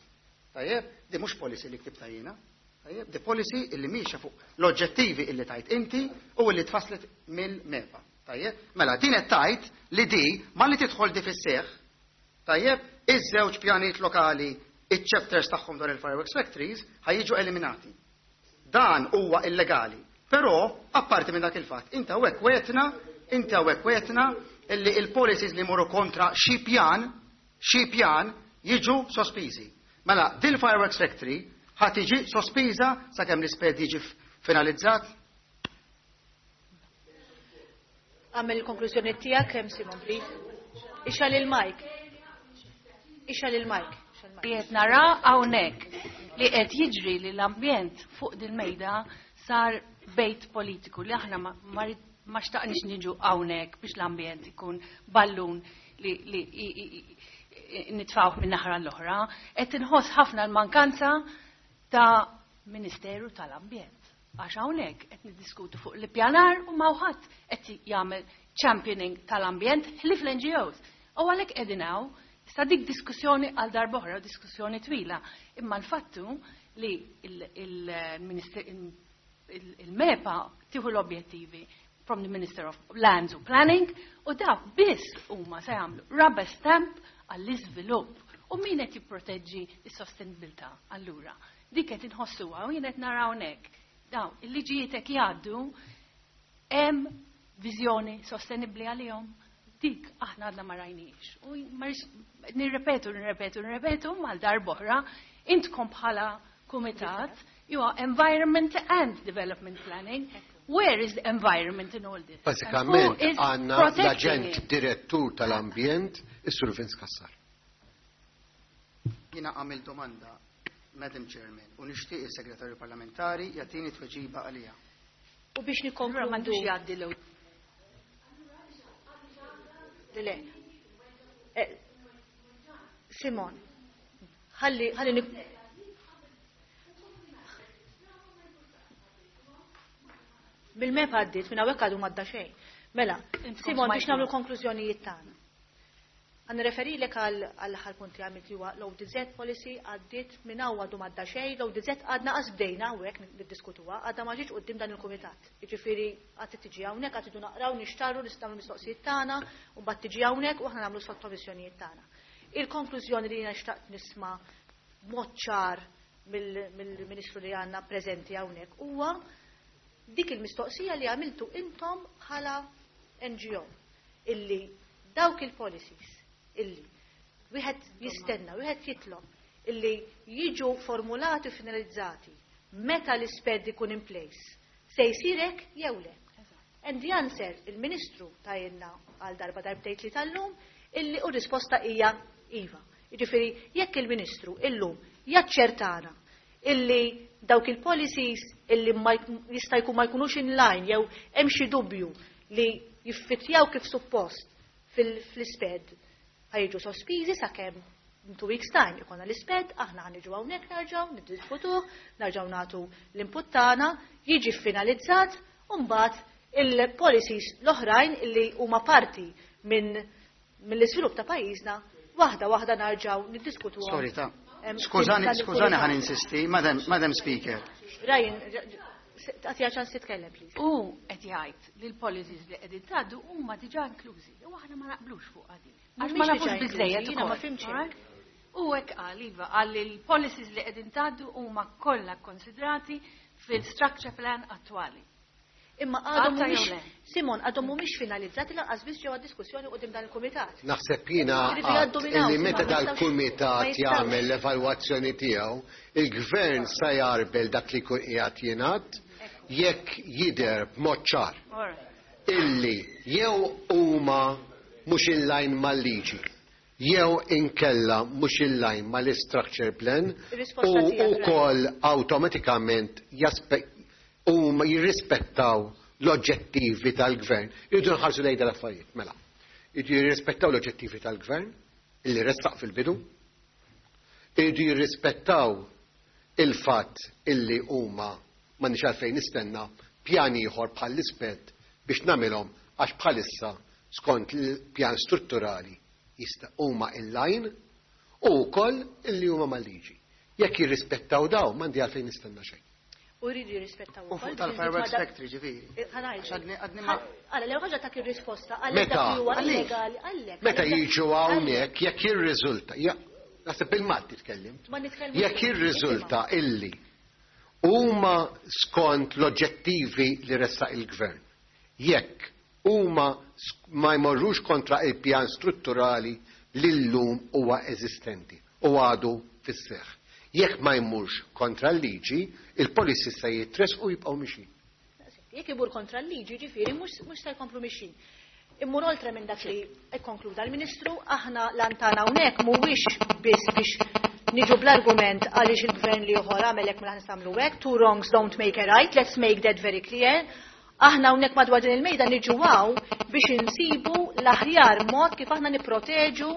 Speaker 9: Tajjeb, di mhux policy li ktibta jiena. Tajjeb, di policy illi miexa fuq l-oġġettivi illi tajt inti u illi tfasslet mill-MEPA. Tajjeb, mela din qed tajt li di malli tidħol di fis-seħħ, tajjeb, iż-żewġ pjanijiet lokali, iċ-chapters tagħhom dwar il-fireworks factories ħa jiġu eliminati. Dan huwa illegali. Però, apparti minn dak il-fatt, inta hawnhekk wegħedtna, inti hawnhekk wegħedtna illi il-policies li jmorru kontra xi pjan, xi pjan jiġu sospiżi. Mela, dil fireworks factory ħa tiġi sospiża sakemm l-iSPED jiġi finalizzat?
Speaker 1: Għamel il-konklużjoni tiegħek hemm, Simon, please. Ixgħel il-mic. Ixgħel il-mic.
Speaker 11: Li qed nara hawnhekk li qed jiġri li l-ambjent fuq dil-mejda sar bejt politiku li aħna ma, ma, ma xtaqniex niġu hawnhekk biex l-ambjent ikun ballun li, li nitfawh minn naħra l-oħra. Qed inħoss ħafna l-mankanza ta' Ministeru tal-Ambjent. Għax hawnhekk qed niddiskutu fuq l-ippjanar u m'hawn ħadd qed jagħmel championing tal-ambjent ħlief l-N G Os. U għalhekk qegħdin hawn. Issa dik diskussjoni għal darb'oħra, diskussjoni twila. Imma l-fattu li il-MEPA tieħu l-objettivi from the Minister of Lands u Planning u dak biss huma se jagħmlu rubber stamp għall-iżvilupp. U min qed jipproteġġi s-sostenibilità allura? Dik qed inħossuha u jien qed nara hawnhekk. Daw, il-liġijiet hekk jgħaddu, hemm viżjoni sostenibbli għalihom. Dik aħna għadna ma rajniex. U nirrepetu, nirrepetu, nirrepetu mal darb'oħra, intkom bħala kumitat, you are environment and development planning. Where is the environment in all this?
Speaker 7: Basikament għandna l-aġent direttur tal-ambjent, is-Sur Vince Cassar.
Speaker 9: Jiena għamil domanda, Madam Chairman, u nixtieq il-Segretarju Parlamentari jagħtini tweġiba għalija.
Speaker 1: U biex nikkonkludu
Speaker 11: m'għandux jgħaddi l
Speaker 1: Le. Simon, ħalli ħalli nik Bil-mep għaddit, minn hawnhekk għadu m'għadda xejn. Mela, Simon, biex nagħmlu konklużjonijiet tagħna. Għan referilek għall-aħħar punt li għamilt li huwa l-O D Z policy għaddit, minn hawn għadu m'għadda xejn, l-O D Z għadna qas bdejna hawnhekk niddiskutuha, għadha ma ġietx quddiem dan il-kumitat. Jiġifieri għad tiġi hawnhekk, għad tidu naqraw, nixtarru, nistgħu mistoqsijiet tagħna, u mbagħad tiġi hawnhekk u aħna nagħmlu sottomissjonijiet tagħna. Il-konklużjoni li jiena xtaqt nisma' b'mod ċar mill-Ministru li għandna preżenti hawnhekk huwa dik il-mistoqsija li għamiltu intom bħala N G O, illi dawk il-policies illi wieħed jistenna, wieħed jitlob illi jiġu formulati u finalizzati meta l-isped ikun in place, se jsirek jew le. And the answer, il-Ministru tajinna għal darba darbtejt li tal-lum, illi u risposta hija iva. Jiġifieri jekk il-Ministru illum jaċċertana illi dawk il-policies illi jista' jkun ma jkunux in line jew hemm xi dubju li jiffitjaw kif suppost fil-isped, ħa jiġu sospiżi sakemm in two weeks time ikonna l-isped, aħna ħa niġu hawnhekk nerġgħu niddiskutuh, nerġgħu nagħtu l-input tagħna, jiġi finalizzat u mbagħad il-policies l-oħrajn illi huma parti minn mill-iżvilupp ta' pajjiżna waħda waħda nerġgħu niddiskutuhom.
Speaker 9: Sorry, ta' skużani, skużani ħa ninsisti, Madam, Madam Speaker.
Speaker 1: Ryan, għatija ċans titkellem, please.
Speaker 11: U qed jgħid li l-policies li qegħdin tgħaddu huma diġà inklużi. U aħna ma naqblux fuq għadi. Għax ma nafux biżejjed.
Speaker 1: Jiena ma fhimtx.
Speaker 11: U hekk qal, iva, qal li l-policies li qegħdin tgħaddu huma kollha konsidrati fil-structure plan attwali.
Speaker 1: Imma għadhom mhumiex, Simon, għadhom mhumiex finalizzati, lanqas biss ġewwa diskussjoni quddiem dan il-kumitat.
Speaker 7: Naħseb jiena illi meta dal-kumitat jagħmel l-evalwazzjoni tiegħu, il-gvern sa jarbel dak li jkun qiegħed jingħad jekk jidher b'mod ċar illi jew huma mhux in line mal-liġi jew inkella mhux in line mal-structure plan u wkoll awtomatikament huma jirrispettaw l-oġġettivi tal-gvern. Irridu nħarsu lejn dal-affarijiet, mela. Irridu jirrispettaw l-oġġettivi tal-gvern, illi ressaq fil-bidu. Irridu jirrispettaw il-fatt illi huma m'għandix għalfejn nistenna pjan ieħor bħall-isped biex nagħmilhom, għax bħalissa skont il-pjan strutturali jista' huma in-line u wkoll illi huma mal-liġi. Jekk jirrispettaw daw, m'għandi għalfejn nistenna xejn.
Speaker 1: U jridu jirrispettaw
Speaker 9: U fuq tal-fireworks factory, ġifieri.
Speaker 1: Għala, l ħaġa ta' ir-risposta għalek dak li huwa illegali għalek.
Speaker 7: Meta jiġu hawnhekk, jekk jirriżulta, naħseb bil-Malti tkellimt. Jekk jirriżulta illi huma skont l-oġġettivi li ressaq il-gvern, jekk huma ma jmorrux kontra il-pjan strutturali li llum huwa eżistenti u għadu fis-seħħ. Jekk ma jmurx kontra l-liġi, il-policy se jitressqu u jibqgħu mixin.
Speaker 1: Jekk imur kontra l-liġi, ġifieri mhux se jkomplu mixin. Immur oltre minn dak li ikkonkluda l-Ministru, aħna lantana hawnhekk mhuwiex biss biex niġu bl-argument għaliex il-gvern li ieħor għamel hekk, mela nistgħmlu hekk, two wrongs don't make a right, let's make that very clear. Aħna hawnhekk madwar din il-mejda niġu hawn biex insibu l-aħjar mod kif aħna nipproteġu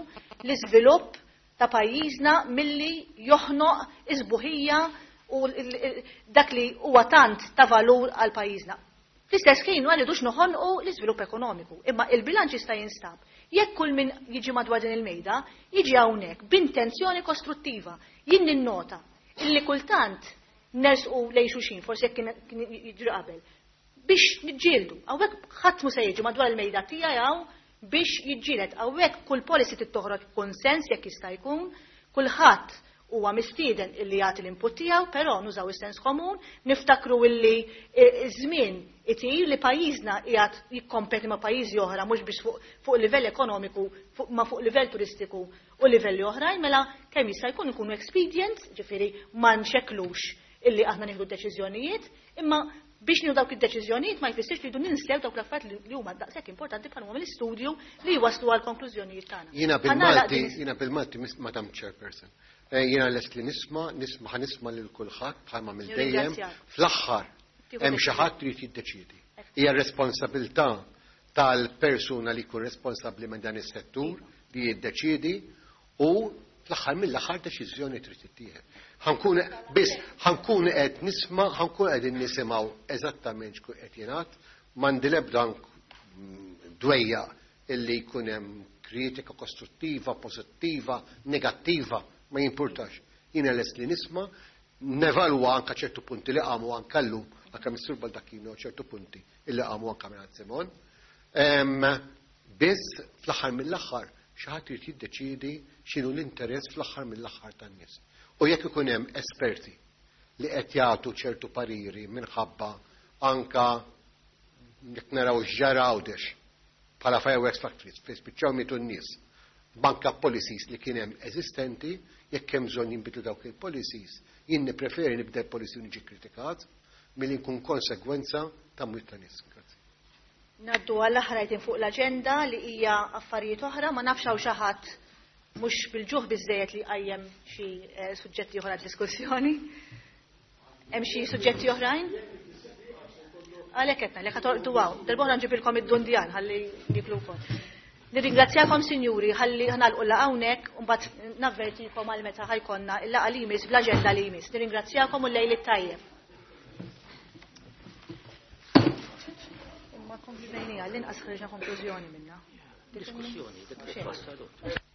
Speaker 1: l-iżvilupp ta' pajjiżna milli joħnoq is-sbuħija u dak li huwa tant ta' valur għal pajjiżna. Fl-istess ħin ma rridux noħonqu l-iżvilupp ekonomiku, imma il-bilanċ jista' jinstab jekk kull min jiġi madwar din il-mejda jiġi hawnhekk b'intenzjoni kostruttiva. Jien ninnota illi kultant nersqu lejn xulxin, forsi jekk kien jiġri qabel, biex niġġieldu. Hawnhekk ħadd mu se jiġi madwar il-mejda tiegħi hawn biex jiġġieled. Hawnhekk kull policy trid toħroġ b'konsens jekk jista' jkun, kulħadd huwa mistieden illi jagħti l-input tiegħu, però nużaw is-sens komun, niftakru illi iż-żmien itir li pajjiżna qiegħed jikkompeti ma' pajjiżi oħra mhux biex fuq, fuq livell ekonomiku, fuq, ma fuq livell turistiku u livelli oħrajn, mela kemm jista' jkun ikunu expedient, ġifieri ma nxekklux illi aħna nieħdu deċiżjonijiet, imma biex nieħdu dawk id-deċiżjonijiet ma jfissirx li jdu ninsew dawk l-affarijiet li huma daqshekk importanti bħal huma mill-istudju li jwaslu għal konklużjonijiet tagħna.
Speaker 7: Jiena bil-Malti, jiena bil-Malti, Madam Chairperson. Jiena lest li nisma', nisma' ħa nisma' lil kulħadd bħalma mill dejjem. Fl-aħħar hemm xi ħadd trid jiddeċiedi. Hija responsabilità tal-persuna li jkun responsabbli minn dan is-settur li jiddeċiedi u fl-aħħar mill-aħħar deċiżjoni trid tittieħed. Ħankun biss ħankun qed nisma', ħankun qegħdin nisimgħu eżattament x'kun qed jingħad, m'għandi l-ebda dwejja illi jkun hemm kritika kostruttiva, pożittiva, negattiva, ma jimpurtax. Jiena lest li nisma', nevalwa anka ċertu punti li qamu anka llum, anka Missur Baldacchino ċertu punti illi qamu anka minn Simon. Biss fl-aħħar mill-aħħar xi ħadd irid jiddeċiedi x'inhu l-interess fl-aħħar mill-aħħar tan-nies. U jekk ikun hemm esperti li qed jagħtu ċertu pariri minħabba anka jekk naraw x'ġara Għawdex bħala fireworks factories fejn spiċċaw mietu n-nies, banka policies li kien hemm eżistenti, jekk hemm bżonn jinbidlu dawk il-policies, jien nippreferi nibdel policy u niġi kritikat milli nkun konsegwenza ta' mwiet ta' nies. Grazzi.
Speaker 1: Naddu għall-aħħar item fuq l-aġenda li hija affarijiet oħra, ma nafx hawn xi ħadd mhux bil-ġuħ biżejjed li qajjem xi suġġetti oħra diskussjoni. Hemm xi suġġetti oħrajn? Għalhekk qed ngħidlek ħa hawn. Darb'oħra nġibilkom id-dundjan ħalli niklu wkoll. Nirringrazzjakom sinjuri ħalli ħnalqu laqgħa hawnhekk u mbagħad navvertikom għal meta ħajkonna il-laqgħa li jmiss bl-aġenda li jmiss. Nirringrazzjakom u l-lejl it-tajjeb. Imma konkludejnija, l-inqas ħriġna konklużjoni minna.
Speaker 12: Diskussjoni, dik